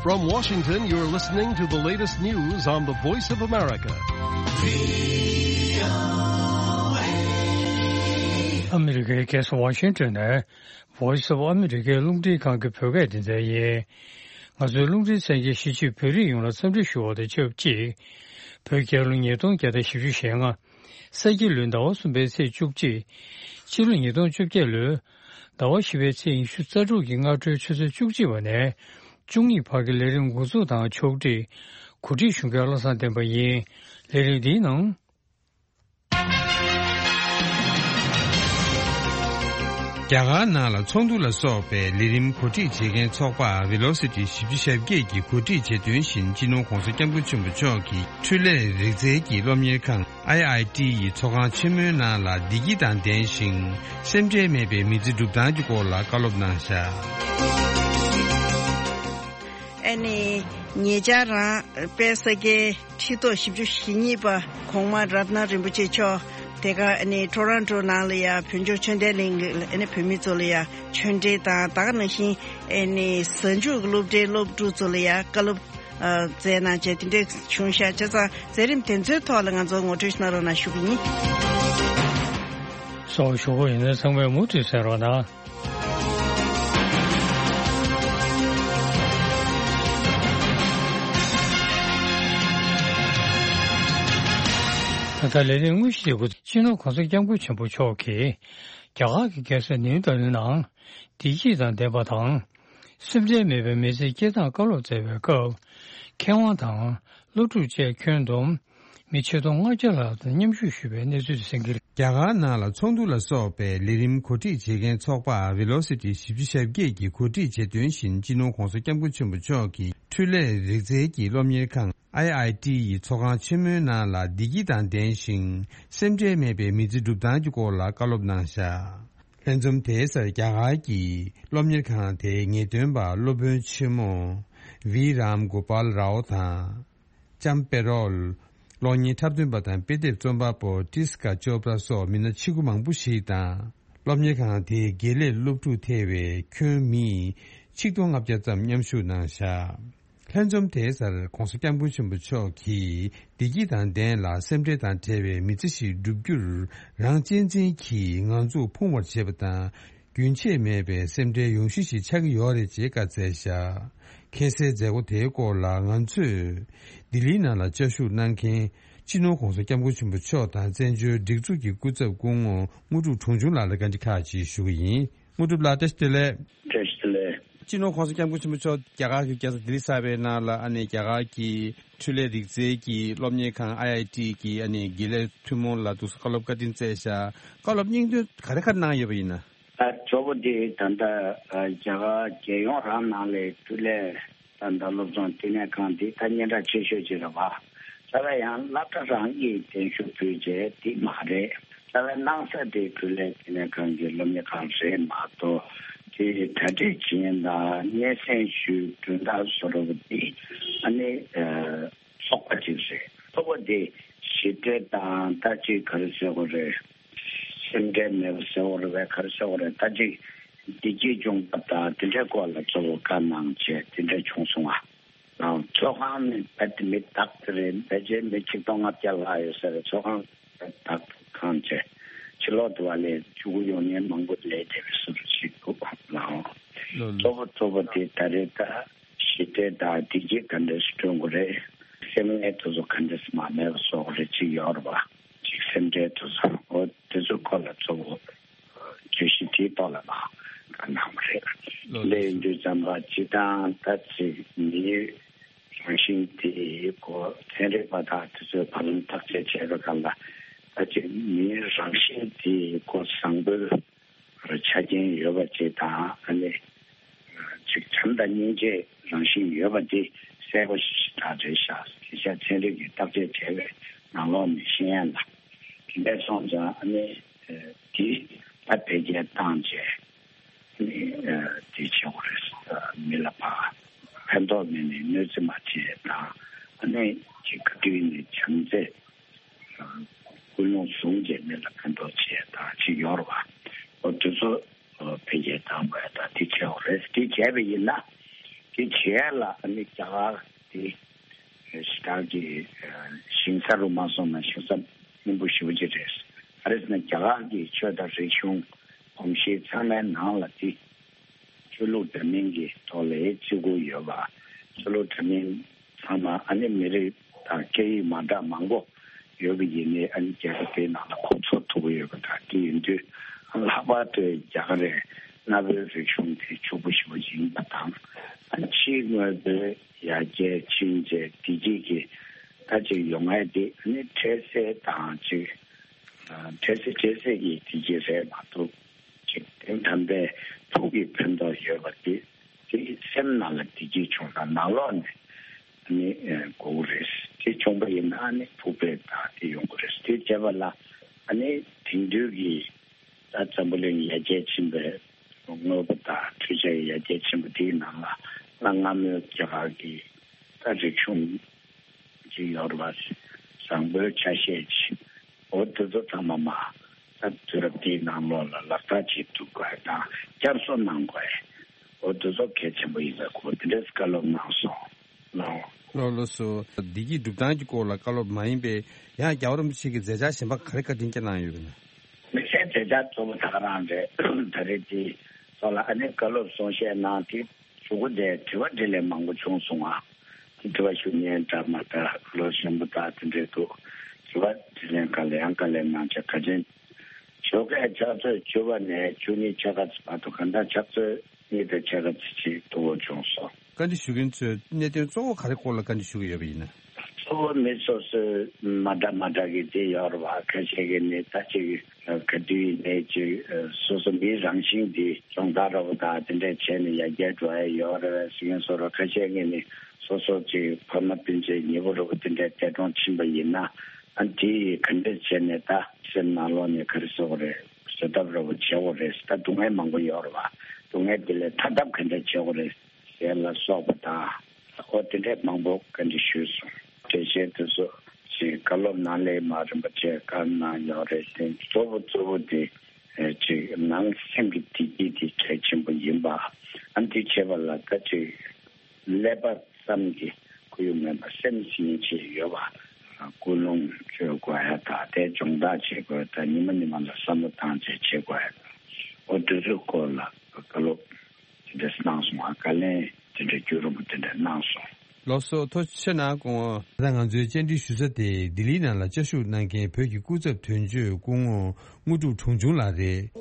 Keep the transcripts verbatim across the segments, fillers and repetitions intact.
From Washington, you're listening to the latest news on the Voice of America. ཨ་མི་རི་ཀའི་རྒྱལ་ས་ཝ་ཤིང་ཏོན་ནས་Voice of America རླུང་འཕྲིན་ཁང་གི་བོད་སྐད་སྡེ་ཚན་ཡིན། ང་ཚོའི་རླུང་འཕྲིན་གསན་མཁན་གཞིས་བྱེས་བོད་རིགས་ཡོངས་ལ་འཚམས་འདྲི་ཞུ་བ་དང་ཆབས་ཅིག་བོད་རྒྱལ་ལོ་ཉིས་སྟོང་བརྒྱ་དང་བཞི་བཅུ་ཞེ་ལྔ། ས་ཁྱི་ལོའི་ཟླ་བ་གསུམ་པའི་ཚེས་བཅུ་གཅིག་སྤྱི་ལོ་ཉིས་སྟོང་བཅོ་བརྒྱད་ལོའི་ཟླ་བ་བཞི་པའི་ཚེས་ཉི་ཤུ་རྩ་དྲུག་གི་སྔ་དྲོའི་ཆུ་ཚོད་བཅུ་གཅིག་པ་ནས་བཅུ་གཉིས་བར་གྱི་ལས་རིམ་འགོ་འཛུགས་དང་ཕྱོགས་སྒྲིག་གོ་སྒྲིག་ཞུ་མཁན་བློ་བཟང་བསྟན་པ་ཡིན། ལས་རིམ་འདིའི་ནང་། རྒྱ་གར་ནང་ལ་ཚོགས་འདུ་ལ་སོགས་པའི་ལས་རིམ་གོ་སྒྲིག་བྱེད་མཁན་ཚོགས་པ་Velocity བཞི་བཅུ་ཞེ་བརྒྱད་ཀྱིས་གོ་སྒྲིག་བྱེད་དོན་བཞིན་སྤྱི་ནོར་༸གོང་ས་༸སྐྱབས་མགོན་ཆེན་པོ་མཆོག་གི་འཕྲུལ་ལས་རིག་རྩལ་གྱི་སློབ་གཉེར་ཁང་IIT ཡི་ཚོགས་ཁང་ཆེན་མོའི་ནང་ལ་བདེ་སྐྱིད་དང་ལྡན་ཞིང་སེམས་ཁྲལ་མེད་པའི་མི་ཚེ་སྒྲུབ་སྟངས་ཀྱི་སྐོར་ལ་བཀའ་སློབ་གནང་བཞག་ཨ་ནི་ཉེ་ཆར་རང་དཔལ་ས་སྐྱའི་ཁྲི་ཐོག་བཞི་བཅུ་ཞེ་གཉིས་པ་གོང་མ་རཏྣ་རིན་པོ་ཆེ་མཆོག་དེ་ག་ཨ་ནི་ཊོ་རོན་ཊོ་ནང་ལ་ཡ་བོད་ལྗོངས་ཆོས་ལྡན་གླིང་གི་ཨ་ནི་བོད་མི་ཚོ་ལ་ཡ་ཆོས་འབྲེལ་དང་ད་ག་ནང་བཞིན་ཨ་ནི་གཟའ་མཇུག་སློབ་གྲྭའི་སློབ་ཕྲུག་ཚོ་ལ་ཡ་བཀའ་སློབ་ཨ་སྩལ་གནང་བྱས་དེ་འདྲས་བྱུང་ཤག་བྱས་ཙང་མཛད་རིམ་དེ་ཚོའི་ཐོག་ལ་ང་ཚོ་ངོ་སྤྲོད་གནང་རོགས་གནང་ཞུ་གི་ཡིན། སོགས་ཞུ་སྒོ་ཡིན་ན་ཚང་མས་མུ་མཐུད་གསན་རོགས་གནང་། ད་ལྟ་ལས་རིམ་དངོས་གཞི་དེ་གུ་སྤྱི་ནོར་༸གོང་ས་༸སྐྱབས་མགོན་ཆེན་པོ་མཆོག་གིས་རྒྱ་གར་གྱི་རྒྱལ་ས་ནིའུ་ལྡི་ལི་ནང་བདེ་སྐྱིད་དང་ལྡན་པ་དང་། སེམས་ཁྲལ་མེད་པའི་མི་ཚེ་སྐྱེལ་སྟངས་བཀའ་སློབ་སྩལ་བའི་སྐབས། མཁས་དབང་དང་སློབ་ཕྲུག་བཅས་ཁྱོན་བསྡོམས་མི་ཆིག་སྟོང་ལྔ་བརྒྱ་ལྷག་དང་མཉམ་ཞུགས་ཞུས་པའི་གནས་ཚུལ་གསན་གྱི་རེད། རྒྱ་གར་ནང་ལ་ཚོགས་འདུ་ལ་སོགས་པའི་ལས་རིམ་གོ་སྒྲིག་བྱེད་མཁན་ཚོགས་པ་Velocity བཞི་བཅུ་ཞེ་བརྒྱད་ཀྱིས་གོ་སྒྲིག་བྱེད་དོན་བཞིན་སྤྱི་ནོར་༸གོང་ས་༸སྐྱབས་མགོན་ཆེན་པོ་མཆོག་གི་འཕྲུལ་ལས་རིག་རྩལ་གྱི་སློབ་གཉེར་ཁང་IIT ཡི་ཚོགས་ཁང་ཆེན་མོའི་ནང་ལ་བདེ་སྐྱིད་དང་ལྡན་ཞིང་སེམས་ཁྲལ་མེད་པའི་མི་ཚེ་སྒྲུབ་སྟངས་ཀྱི་སྐོར་ལ་བཀའ་སློབ་གནང་བཞག་ལྷན་འཛོམས་དེའི་སར་རྒྱ་གར་གྱི་སློབ་གཉེར་ཁང་དེའི་ངེས་སྟོན་པ་སློབ་དཔོན་ཆེན་མོ་V Ram Gopal Rao དང་། ལྕམ་པེ་རོལ། གློག་བརྙན་འཁྲབ་སྟོན་པ་དང་དཔེ་དེབ་རྩོམ་པ་པོ་ཏིས་ཀ་ཅོ་པྲ་སོགས་མི་སྣ་ཆེ་ཁུ་མང་པོ་ཞིག་དང་། སློབ་གཉེར་ཁང་དེའི་དགེ་ལས་སློབ་ཕྲུག་ཐེ་བའི་ཁྱོན་མི་ཆིག་སྟོང་ལྔ་བརྒྱ་ཙམ་མཉམ་ཞུགས་གནང་བཞག་ལྷན་འཛོམས་དེའི་སར་༸གོང་ས་༸སྐྱབས་མགོན་ཆེན་པོ་མཆོག་གིས་བདེ་སྐྱིད་དང་ལྡན་ལ་སེམས་ཁྲལ་དང་བྲལ་བའི་མི་ཚེ་ཞིག་བསྒྲུབ་རྒྱུར་རང་གཅེས་འཛིན་གྱིས་ང་ཚོ་ཕུང་བར་བྱེད་པ་དང་། རྒྱུན་ཆད་མེད་པའི་སེམས་ཁྲལ་ཡོང་གཞི་ཞིག་ཆགས་ཀྱི་ཡོད་རེད་ཅེས་བཀའ་སྩལ་བཞག་ཁ་སའི་མཛད་སྒོ་དེའི་སྐོར་ལ་ང་ཚོས་ལྡི་ལིའི་ནང་ལ་བཅའ་བཞུགས་གནང་མཁན་སྤྱི་ནོར་༸གོང་ས་༸སྐྱབས་མགོན་ཆེན་པོ་མཆོག་དང་བཙན་བྱོལ་སྒྲིག་འཛུགས་ཀྱི་སྐུ་ཚབ་སྐུ་ངོ་དངོས་གྲུབ་དྲུང་ཆུང་ལགས་ལ་བཀའ་འདྲི་ཁག་ཅིག་ཞུ་གི་ཡིན། དངོས་གྲུབ་ལགས་བཀྲ་ཤིས་བདེ་ལེགས། བཀྲ་ཤིས་བདེ་ལེགས། སྤྱི་ནོར་༸གོང་ས་༸སྐྱབས་མགོན་ཆེན་པོ་མཆོག་རྒྱ་གར་གྱི་རྒྱལ་ས་ལྡི་ལི་གསར་པའི་ནང་ལ་ཨ་ནི་རྒྱ་གར་གྱི་འཕྲུལ་ལས་རིག་རྩལ་གྱི་སློབ་གཉེར་ཁང་IIT གི་ཨ་ནི་དགེ་ལས་ཐུན་མོང་ལ་འདུག་སེ་བཀའ་སློབ་བཀའ་དྲིན་སྩལ་བཞག་བཀའ་སློབ་སྙིང་དོན་ག་རེ་ག་རེ་གནང་ཡོད་པ་ཡིན་ན། ད་གཙོ་བོ་དེ་ད་ལྟ་རྒྱ་གར་རྒྱལ་ཡོངས་རང་ནང་ལས་འཕྲུལ་ལས་ད་ལྟ་སློབ་སྦྱོང་བསྟི་གནས་ཁང་འདི་ད་སྙན་གྲགས་ཆེ་ཤོས་ཅིག་རེད་བ། ད་ལྟ་ཡང་སློབ་གྲྭ་རང་གིས་གདན་ཞུ་ཕུལ་བྱས་འདི་མ་རེད། ད་ལྟ་གནང་ས་དེ་འཕྲུལ་ལས་བསྟི་གནས་ཁང་གི་སློབ་གཉེར་ཁང་རེད་མ་གཏོགས་དེ་གྲ་སྒྲིག་བྱེད་མཁན་དང་སྙན་སེང་ཞུ་གྲོས་འདེགས་བཟོ་འདྲ་བོ་འདི་ཨ་ནི། ཚོགས་པ་གཅིག་རེད། ཚོགས་པ་དེ་ཞི་བདེ་དང་ལྟ་ཅི་ག་རེ་ཟེར་དགོས་རེད། སེམས་ཁྲལ་མེད་པ་ཟེར་དགོས་རེད་པས་ག་རེ་ཟེར་དགོས་རེད་ལྟ་ཅི། བདེ་སྐྱིད་སྦྱོང་བ་དང་དེ་འདྲའི་སྐོར་ལ་གཙོ་བོ་བཀའ་གནང་བྱས་དེ་འདྲ་བྱུང་སོང་ང་། ཚོགས་ཁང་ནི་རྦད་དེ་མི་དག་དེ་རེད། ཕལ་ཆེར་མི་ཆིག་སྟོང་ལྔ་བརྒྱ་ལྷག་ཡོད་ས་རེད། ཚོགས་ཁང་རྦད་དེ་དག་ཁང་བྱས་ཕྱི་ལོགས་དུ་བ་ལས་ཆུ་གུ་ཡོང་མཁན་མང་པོ་སླེབས་བསྡད་པའི་བཟོ་འདྲ་ཞིག་འདུག་ལགས། ལོ་ལོ། གཙོ་བོ་གཙོ་བོ་དེ་ད་རེས་ད། ཞི་བདེ་དང་བདེ་སྐྱིད་ག་འདྲས་སེ་བསྐྲུན་དགོས་རེད། སེམས་ངལ་དེ་ཚོ་ག་འདྲས་སེ་མ་མེད་པ་བཟོ་དགོས་རེད། ཅིག་ཡོད་རེད་པ། ཅིག་སེམས་ཁྲལ་དེ་ཚོ་འོ་དེ་ཚོའི་སྐོར་ལ་གཙོ་བོ་བརྗོད་གཞི་དེའི་ཐོག་ལ་མར་བཀའ་གནང་བ་རེད། ལོ་ལོ། དེ་ཡིན་དུས་ཙམ་པ་སྤྱིར་བཏང་ད་ཅིག་མིའི་རང་བཞིན་དེའི་སྐོར་ཚན་རིག་པ་དག་དེ་ཚོས་བར་ལམ་བརྟག་དཔྱད་བྱས་པའི་སྐབས་ལ་ད་ཅིག་མིའི་རང་བཞིན་དེའི་སྐོར་བཟང་པོའི་ཆ་རྐྱེན་ཡོད་པ་ཅིག་དང་ཨ་ནི། ཅིག་བྱམས་དང་སྙིང་རྗེའི་རང་བཞིན་ཡོད་པ་འདི་གསལ་པོ་ཞེ་དྲག་རེད་ཤག་དེ་ཤ་ཚན་རིག་གིས་བརྟག་དཔྱད་བྱས་པའི་ནང་ལོགས་ནས་ཤེས་ཡ་ལ། དེ་འདྲ་སོང་ཙང་ཨ་ནི་འདི་ད་འཕེལ་རྒྱས་བཏང་བྱས་ཨ་ནི་དེ་བྱེད་དགོས་རེད། མི་ལ་ཕར་ཕན་ཐོགས་མེད་ནས་གནོད་འཚེ་མ་བྱེད་དང་ཨ་ནི་ཅིག་ག་དུས་ནས་བྱམས་བརྩེ། ཀུན་སློང་བཟུང་བྱས་མི་ལ་ཕན་ཐོགས་བྱེད་ཡ་དང་ཅིག་ཡོད་རེད་བ། འོ་དེ་ཚོ་འཕེལ་རྒྱས་བཏང་དགོས་ཡ་དང་དེ་བྱེད་དགོས་རེད། དེ་བྱས་པ་ཡིན་ན་ དེ་བྱས་ལ་ཨ་ནི་རྒྱ་གར་དེ་ཞེ་དྲག་གི་ཞིང་ས་རུ་མ་སོང་ན་ཞིང་ས་རྙིང་པོ་ཞེ་པོ་ཅིག་རེད། ཨ་རེས་ན་རྒྱ་གར་གྱི་ཆོས་དང་རིག་གཞུང་གོམས་གཤིས་ཚང་མའི་ནང་ལ་དེ་ཆོས་ལུགས་འདྲ་མིན་གྱི་ཐོག་ལ་བརྩི་བཀུར་ཡོད་པ། ཆོས་ལུགས་འདྲ་མིན་ཚང་མ་ཨ་ནི་མི་རིགས་དང་སྐད་ཡིག་མ་འདྲ་མང་པོ་ཡོད་པ་ཡིན་ནའི་ཨ་ནི་རྒྱལ་ཁབ་དེའི་ནང་ལ་གོ་ཚོར་ཐུབ་ཀྱི་ཡོད་པ་དང་དེ་ཡིན་དུས་ལྷག་པར་དུ་རྒྱ་གར་རེད། གནའ་བོའི་རིག་གཞུང་དེ་ཕྱུག་པོ་ཞེ་པོ་ཡིན་པ་དང་ཨ་ཕྱིའི་དངོས་པོའི་ཡར་རྒྱས་ཕྱིན་རྗེས་བདེ་སྐྱིད་ཀྱི་ད་ཅིག་ཡོང་ཡ་དེ་ཨ་ནི་འཕྲལ་སེལ་དང་ཅིག་འཕྲལ་སེལ་འཕྲལ་སེལ་གྱི་བདེ་སྐྱིད་རེད་མ་གཏོགས་ཅིག་དོན་དམ་པའི་ཕུགས་ཀྱི་ཕན་ཐོགས་ཡོད་པ་དེ་དེ་སེམས་ནང་ལ་བདེ་སྐྱིད་བྱུང་ན་ནང་ལོགས་ནས་ཨ་ནི་དགོས་ཀྱི་རེད། དེ་བྱུང་པ་ཡིན་ན་ཨ་ནི་ཕུགས་པའི་དང་དེ་ཡོང་གི་རེད། དེ་བྱས་པ་ལ་ཨ་ནི་དེང་དུས་ཀྱི་ད་འཛམ་བུ་གླིང་ཡར་རྒྱས་ཕྱིན་པའི་དངོས་པོ་དང་འཕྲུལ་ཆས་ཡར་རྒྱས་ཕྱིན་པ་དེའི་ནང་ལ་གནའ་སྔ་མོའི་རྒྱ་གར་གྱི་ད་རིག་གཞུང་ཅིག་ཡོད་རེད་པ། བཟང་པོའི་ཆ་ཤས་ཅིག་འོ་དེ་ཚོ་ཚང་མ་མ་ད་དུས་རབས་འདིའི་ནང་ལོགས་ལ་ལག་བསྟར་བྱེད་ཐུབ་དགོས་དང་བསྐྱར་གསོ་གནང་དགོས། འོ་དེ་ཚོ་གལ་ཆེན་པོ་ཡིན་པའི་སྐོར་དེ་འདྲའི་བཀའ་སློབ་གནང་སོང་ལགས། ལགས་ལགས་སོ། བདེ་སྐྱིད་སྒྲུབ་སྟངས་ཀྱི་སྐོར་ལ་བཀའ་སློབ་མ་ཡིན་པའི་ཡང་རྒྱལ་བ་རིན་པོ་ཆེ་གི་མཛད་འཆར་གཞན་པ་ག་རེ་བཀའ་དྲིན་སྐྱོན་གནང་ཡོད་པ་ན། དམིགས་བསལ་མཛད་འཆར་གཙོ་བོ་ད་ག་རང་རེད། ད་རེས་དེ་ཚོ་ལ་ཨ་ནི་བཀའ་སློབ་གསུང་བཤད་གནང་དེ་གཞུག་གུ་དེ་དྲི་བ་དྲིས་ལན་མང་པོ་བྱུང་སོང་ང་། དེ་དྲི་བ་ཞུ་མཁན་འདྲ་མ་འདྲ་ལོ་གཞོན་པོ་དག་དེ་འདྲས་འདུག་དྲི་བ་དྲིས་ལན་ག་ལེ་ཡང་ག་ལེ་གནང་བྱས་ག་ཅན་ཞོགས་ཀས་ཕྱག་ཚོད་བཅུ་པ་ནས་བཅུ་གཉིས་ཕྱེད་ཀ་ཙམ་བར་དུ་གང་ལྟར་ཕྱག་ཚོད་གཉིས་དང་ཕྱེད་ཀ་ཙམ་ཅིག་དུ་བོ་བྱུང་སོང་། བཀའ་འདྲི་ཞུ་མཁན་ཚོས་གནད་དོན་གཙོ་བོ་ག་རེ་སྐོར་ལ་བཀའ་འདྲི་ཞུ་གི་ཡོད་པ་ཡིན་ན། གཙོ་བོ་མི་སོ་སོའི་མ་འདྲ་མ་འདྲ་གི་དེ་ཡོད་རེད་བ། ཁ་ཤས་ཀྱི་ནི་ད་ཅིག་ག་དུས་ཡིན་ནའི་ཅིག་སོ་སོ་མིའི་རང་བཞིན་འདི་སྦྱོང་བརྡར་འདྲ་བོ་དང་དེ་འདྲས་བྱས་ནས་ཡར་རྒྱས་འགྲོ་ཡ་ཡོད་རེད་བས་ཟེར་མཁན་སོ་ར། ཁ་ཤས་ཀྱི་ནི་སོ་སོ་ཅིག་ཕ་མ་སྤུན་མཆེད་ཉེ་པོ་འདྲ་བོ་དེ་འདྲས་འདས་གྲོངས་ཕྱིན་པ་ཡིན་ན་ཨ་དེ་ཡིས་ག་འདྲས་བྱས་ནས་ད་སེམས་ནང་ལོགས་ནས་ག་རེ་ཟེར་དགོས་རེད། བཟོད་ཐབས་འདྲ་བོ་བྱེད་དགོས་རེད། ད་སྡུག་བསྔལ་མང་པོ་ཡོད་རེད་བ། སྡུག་བསྔལ་དེ་ལས་ཐར་ཐབས་ག་འདྲས་བྱེད་དགོས་རེད། ཟེར་ལ་སོགས་པ་དང་། ཨོ་དེ་འདྲས་མང་པོ་བཀའ་འདྲི་ཞུས་སོང་། འགྲེལ་བཤད་དེ་ཚོ་ཅིག་བཀའ་སློབ་ནང་ལས་མ་རིན་པོ་ཆེ་བཀའ་གནང་ཡོད་རེད་དེ་གཙོ་བོ་གཙོ་བོ་དེ་ཨེ་ཅིག་ནང་སེམས་ཀྱི་བདེ་སྐྱིད་དེ་གལ་ཆེན་པོ་ཡིན་པ། ཨ་འདི་བྱེད་པ་ལ་ད་ཅིག་ཀླད་པ་ཙམ་གྱི་ཁོར་ཡུག་མིན་པ་སེམས་སྙིང་རྗེ་ཡོད་པ། ཀུན་སློང་བཅོས་དགོས་ཡ་དང་དེ་སྦྱོང་བརྡར་བྱེད་དགོས་དང་ཉི་མ་ཉི་མ་ལ་བསམ་བློ་བཏང་བྱས་བྱེད་དགོས་ཡ་དང་། ཨོ་དེ་ཚོའི་སྐོར་ལ་བཀའ་སློབ། དེ་འདྲ་གནང་སོང་ང་། བཀའ་ལན་དེ་འདྲ་རྒྱུན་རིང་པོ་དེ་འདྲ་གནང་སོང་། ལགས་སོ། ཐུགས་རྗེ་ཆེ་གནང་། ད་ལྟ་ང་ཚོའི་བཅར་འདྲི་ཞུ་ས་དེ་ལྡི་ལིའི་ནང་ལ་བཅའ་བཞུགས་གནང་མཁན་བོད་ཀྱི་སྐུ་ཚབ་དོན་གཅོད་སྐུ་ངོ་དངོས་གྲུབ་དྲུང་ཆུང་ལགས་རེད།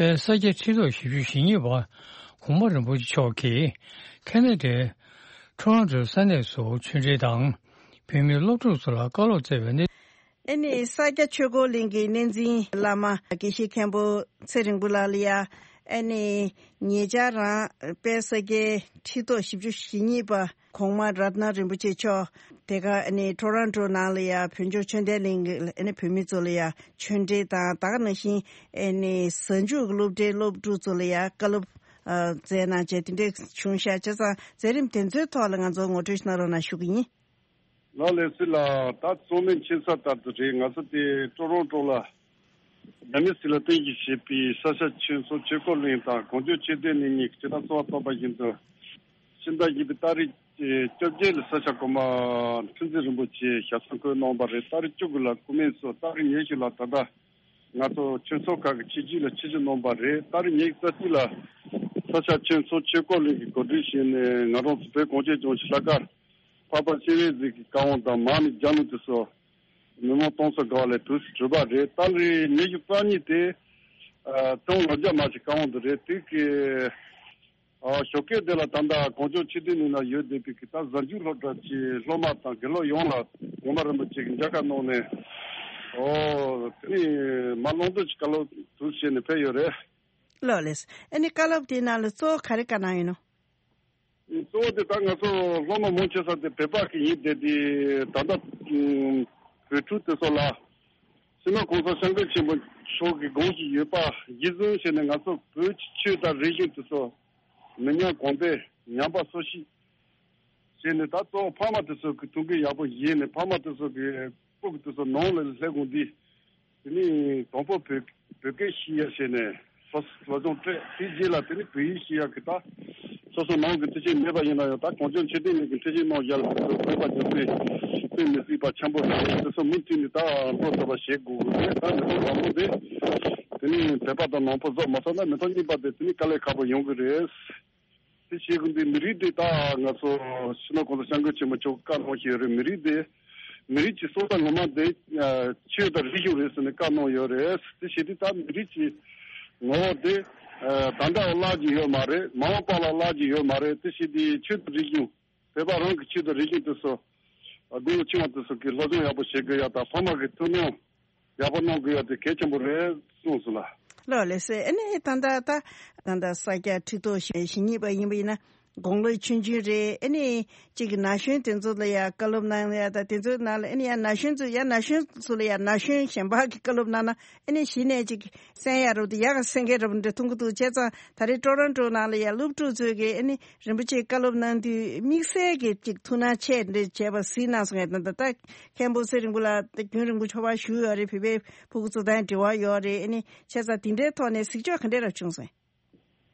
པའི་ས་སྐྱ་ཁྲི་ཐོག་བཞི་བཅུ་ཞེ་གཉིས་པ་གོང་མ་རིན་པོ་ཆེ་མཆོག་གིས་ཁེ་ན་ཌའི་ཊོ་རོན་ཊོའི་ས་གནས་སུ་ཆོས་འབྲེལ་དང་བོད་མིའི་སློབ་ཕྲུག་ཚོ་ལ་བཀའ་སློབ་སྩལ་བའི་གནས། ཨ་ནི་ས་སྐྱ་ཆོས་འཁོར་གླིང་གི་གནས་འཛིན་བླ་མ་དགེ་བཤེས་མཁན་པོ་ཚེ་རིང་པོ་ལགས་ལ་ཡ། ཨ་ནི་ཉེ་ཆར་རང་དཔལ་ས་སྐྱའི་ཁྲི་ཐོག་བཞི་བཅུ་ཞེ་གཉིས་པ་གོང་མ་རཏྣ་རིན་པོ་ཆེ་མཆོག་དེ་ག་ཨ་ནི་ཊོ་རོན་ཊོ་ནང་ལ་ཡ་བོད་ལྗོངས་ཆོས་ལྡན་གླིང་གི་ཨ་ནི་བོད་མི་ཚོ་ལ་ཡ་ཆོས་འབྲེལ་དང་ད་ག་ནང་བཞིན་ཨ་ནི་གཟའ་མཇུག་གི་སློབ་གྲྭའི་སློབ་ཕྲུག་ཚོ་ལ་ཡ་བཀའ་སློབ་སྩལ་གནང་བྱས་དེ་འདྲས་བྱུང་ཤག་བྱས་ཙང་མཛད་རིམ་དེ་ཚོའི་ཐོག་ལ་ང་ཚོ་ངོ་སྤྲོད་ཞིག་གནང་རོགས་གནང་ཞུ་གི་ཡིན། ལགས་ལགས་སོ་ལགས། ད་གཙོ་མིན་ཆེ་ས་ལྟར་དུ་རེད། ང་ཚོ་དེ་ཀྲོ་རོན་ཀྲོ་ལ་རྒྱ་མི་སྲིད་ལ་བརྟེན་གྱིས་བྱས་པའི་ས་སྐྱ་ཆོས་ཚོགས་ཆོས་འཁོར་གླིང་དང་གངས་ལྗོངས་ཆོས་ལྡན་གླིང་གཉིས་ཀྱི་སྤྱི་ཟླ་གསུམ་པ་ཐོག་པ་བཞིན་དུ་ཕྱི་ཟླ་བཞི་པའི་ཏ་རིག་བཅོ་བརྒྱད་ལ་ས་སྐྱ་གོང་མ་ཁྲི་འཛིན་རིན་པོ་ཆེ་ཞབས་སོར་འཁོད་གནང་བ་རེད། ཏ་རིག་བཅུ་དགུ་ལ་སྐུ་སྨན་སོགས། ཏ་རིག་ཉི་ཤུ་ལ་ད་ལྟ་ང་ཚོ་ཆོས་ཚོགས་ཁག་གི་ཆིབས་བསྒྱུར་ལ་ཆིབས་བསྒྱུར་གནང་བ་རེད། ཏ་རིག་ཉི་ཤུ་རྩ་གཅིག་ལ་ས་སྐྱ་ཆོས་ཚོགས་ཆོས་འཁོར་གླིང་གིས་གོ་སྒྲིག་བྱས་ནས་ང་རང་ཚོ་བོད་གངས་ཅན་ལྗོངས་ཀྱི་ལྷག་དཀར་འཕགས་པ་སྤྱན་རས་གཟིགས་ཀྱི་བཀའ་དབང་དང་མར་མེ་རྒྱལ་གླིང་དུ་སོགས་མི་མང་སྟོང་ཚོ་འགའ་ལས་དུས་སུ་གྲུབ་པ་རེད། ཏ་རིག་ཉི་ཤུ་རྩ་གཉིས་དེ་ཨ་ཙུང་ལོ་རྒྱ་མ་ཞིག་བཀའ་དབང་དུ་རེད། དེ་གི་ཨ་ཞོགས་ཀས་དེ་ལ་ད་ལྟ་གངས་ལྗོངས་ཆོས་ལྡན་གླིང་ན་ཡོད་བསྡད་པའི་གི་ད་གཟའ་མཇུག་སློབ་གྲྭ་གི་སློབ་མ་དང་དགེ་སློབ་ཡོངས་ལ་གོང་མ་རིན་པོ་ཆེ་གི་མཇལ་ཁ་གནང་ནས་ཨོ་དེ་ནི་མ་ལོངས་སྤྱོད་ཀྱི་བཀའ་སློབ་དུ་བྱས་ནས་ཕེབས་ཡོད་རེད། ལགས་ལགས། ཨ་ནི་བཀའ་སློབ་དེའི་ནང་ལ་གཙོ་བོ་ག་རེ་བཀའ་གནང་ཡོད་ནོ། གཙོ་བོ་དེ་ད་ང་ཚོ་སློབ་མ་མང་ཆེ་ས་དེ་བོད་པ་གི་ཡིན་བསྡད་དེ་ད་ལྟ་བོད་ཕྲུག་དེ་ཚོ་ལ་སྤྱི་ནོར་གོང་ས་སྐྱབས་མགོན་ཆེན་པོ་མཆོག་གི་དགོངས་གཞི་ཡོད་པ་གཞི་བཟུང་བྱས་ནས་ང་ཚོ་བོད་ཀྱི་ཆོས་དང་རིག་གཞུང་དེ་ཚོ་མི་ཉམས་གོང་འཕེལ་ཉམས་པ་སོར་ཆུད་ བྱས་ནས་ད་གཙོ་བོ་ཕ་མ་དེ་ཚོ་གི་ཐུགས་འགན་ཡག་པོ་བཞེས་ནས་ཕ་མ་དེ་ཚོ་གི་སྤུ་གུ་དེ་ཚོ་ནང་ལ་སླེབས་གོང་འདི། དེ་ནས་དང་པོ་བོད་བོད་སྐད་ཤེས་ཡ་བྱས་ནས་སོ་སོ་སློབ་སྦྱོང་སྤྲད་དེ་རྗེས་ལ་དེ་ནས་བོད་ཡིག་ཤེས་ཡ་གི་ད་སོ་སོ་ནང་གི་མཐུན་རྐྱེན་མེད་པ་ཡིན་ན་ཡང་ད་གངས་ལྗོངས་ཆོས་ལྡན་གླིང་གི་མཐུན་རྐྱེན་གནང་ཡ་ལ་དེ་ཚོ་བོད་པ་རྒྱུ་མཚན་དཔེ་མི་སྲིད་པ་ཆེན་པོ་རེད། དེ་ཚོ་མུ་མཐུད་ནས་ད་འགྲོ་ཐུབ་པ་བྱེད་དགོས་ཀྱི་རེད། ད་མི་ཐོག་དང་པོ་དེ་དེ་ནས་བོད་པ་དང་ནང་པ་བཟོ་མ་ཐུབ་ན་མི་ཐོག་གཉིས་པ་དེ་དེ་ནས་དཀའ་ལས་ཁག་པོ་ཡོང་གི་རེད། དེ་བྱེད་དགོས་འདི་མི་རིགས་དེ་ད་ང་ཚོ་སྤྱི་ནོར་གོང་ས་སྐྱབས་མགོན་ཆེན་པོ་མཆོག་བཀའ་གནང་བཞིན་ཡོད་རེད། མི་རིགས་དེ་མི་རིགས་ཀྱི་སྲོག་རྩ་ངོ་མ་དེ་ཆོས་དང་རིག་གཞུང་རེད་ཟེར་ནས་བཀའ་གནང་ཡོད་རེད། དེ་བྱེད་དུས་ད་མི་རིགས་ཀྱི་ངོ་བོ་དེ་ད་ལྟ་བརླག་གི་ཡོད་མ་རེད། མ་འོངས་པ་ལ་བརླག་གི་ཡོད་མ་རེད། དེ་བྱེད་དུས་ཆོས་དང་རིག་གཞུང་བོད་པ་རང་གི་ཆོས་དང་རིག་གཞུང་དེ་ཚོ་དགུང་ལོ་ཆུང་བ་དེ་ཚོ་གི་སློབ་སྦྱོང་ཡག་པོ་བྱེད་དགོས་ཡ་དང་ཕ་མ་གི་ཐུགས་སྣང་ཡག་པོ་གནང་དགོས་ཡ་དེ་གལ་ཆེན་པོ་རེད་གསུངས་སོང་ལ། ལགས་ལགས་སེ། ཨ་ནི་ད་ལྟ་ད་ད་ལྟ་ས་སྐྱ་ཁྲི་ཐོག་ཞེ་གཉིས་པ་ཡིན་པ་ཡིན་ན་དགུང་ལོ་ཆུང་ཆུང་རེད། ཨ་ནི་གཅིག་གི་ན་གཞོན་དེ་ཚོ་ལ་ཡ་བཀའ་སློབ་གནང་ཡ་ད་དེ་ཚོའི་ནང་ལ་ཨ་ནི་ཡ་ན་གཞོན་ཚོ་ཡ་ན་གཞོན་ཚོ་ལ་ཡ་ན་གཞོན་གཞན་པ་གི་བཀའ་སློབ་གནང་ན་ཨ་ནི་གཞི་ནས་གཅིག་གསན་ཡ་རབ་ཏུ་ཡག་ག་སེང་གེ་རབ་འདྲ་མཐོང་གི་འདུག་བྱས་ཙང་ད་རེས་ཊོ་རོན་ཊོ་ནང་ལ་ཡ་སློབ་ཕྲུག་ཚོས་གི་ཨ་ནི་རིན་པོ་ཆེ་བཀའ་སློབ་གནང་དུས་དམིགས་བསལ་གྱི་ཅིག་ཐུགས་སྣང་ཆེ་འདྲ་བྱས་པ་གཟིགས་གནང་སོང་ངས། ད་ད་ལྟ་མཁན་པོ་ཚེ་རིང་པོ་ལགས་ད་རྒྱུན་རིང་པོ་ཕྱོགས་པ་བཞུགས་ཡོད་རེད། བོད་པའི་ཕྲུ་གུ་ཚོ་དང་འབྲེལ་བ་ཡོད་རེད། ཨ་ནི་བྱས་ཙང་དེ་འདྲའི་ཐོག་ནས་གཟིགས་ཕྱོགས་ག་འདྲས་ར་བྱུང་སོང་།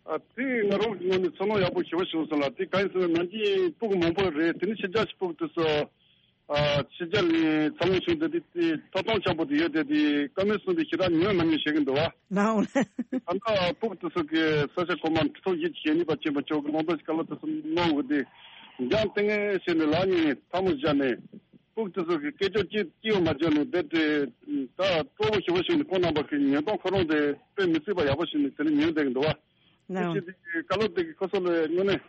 ཨ་དེ་ང་རང་གི་ངོས་ནས་ཚོར་སྣང་ཡག་པོ་ཞེ་པོ་བྱུང་སོང་ལ། དེ་གང་ཡིན་ཟེར་ན་ནམ་རྒྱུན་ཕྲུ་གུ་མང་པོ་རེད། དེ་ནི་ཕྱི་རྒྱལ་གྱི་ཕྲུ་གུ་དེ་ཚོ་ཨ་ཕྱི་རྒྱལ་ནས་འཚར་ལོངས་བྱུང་དེ་དེ་དེ་ཐོབ་ཐང་ཆེན་པོ་དེ་ཡོད་དེ། དེ་བཀའ་མོལ་གསུངས་དེ་ཞེ་དྲག་ཉན་མ་ཉན་བྱེད་ཀྱི་འདུག་བ། ལའོ། ད་ལྟ་ཕྲུ་གུ་དེ་ཚོ་གི་ས་ཆ་གོང་མ་ཁྲི་ཐོག་བཞི་བཅུ་ཞེ་གཉིས་པ་ཆེན་པོ་མཆོག་གི་ལུང་སྟོན་གྱི་བཀའ་སློབ་དེ་ཚོ་གནང་དགོས་དེ་འཇང་ལྟས་ངན་བྱས་ནས་ལག་གཉིས་ཐལ་མོ་སྦྱར་ནས་ཕྲུ་གུ་དེ་ཚོ་གི་སྐད་ཅོར་གཅིག་གཅིག་ཡང་མ་བརྗོད་ནས་བསྡད་དེ། ད་སྤྲོ་པོ་ཞེ་པོ་ཞིག་ནས་ཁོང་རྣམ་པ་གི་ཉན་སྟངས་ཁོ་རང་དེ་དཔེ་མི་སྲིད་པ་ཡག་པོ་ཞིག་ནས་དེ་ནས་ཉན་བསྡད་ཀྱི་འདུག་བ། དེ་ནའང་བྱས་དེ་བཀའ་སློབ་དེ་གི་ཁོ་ཚོ་ལ་དངོས་གནས་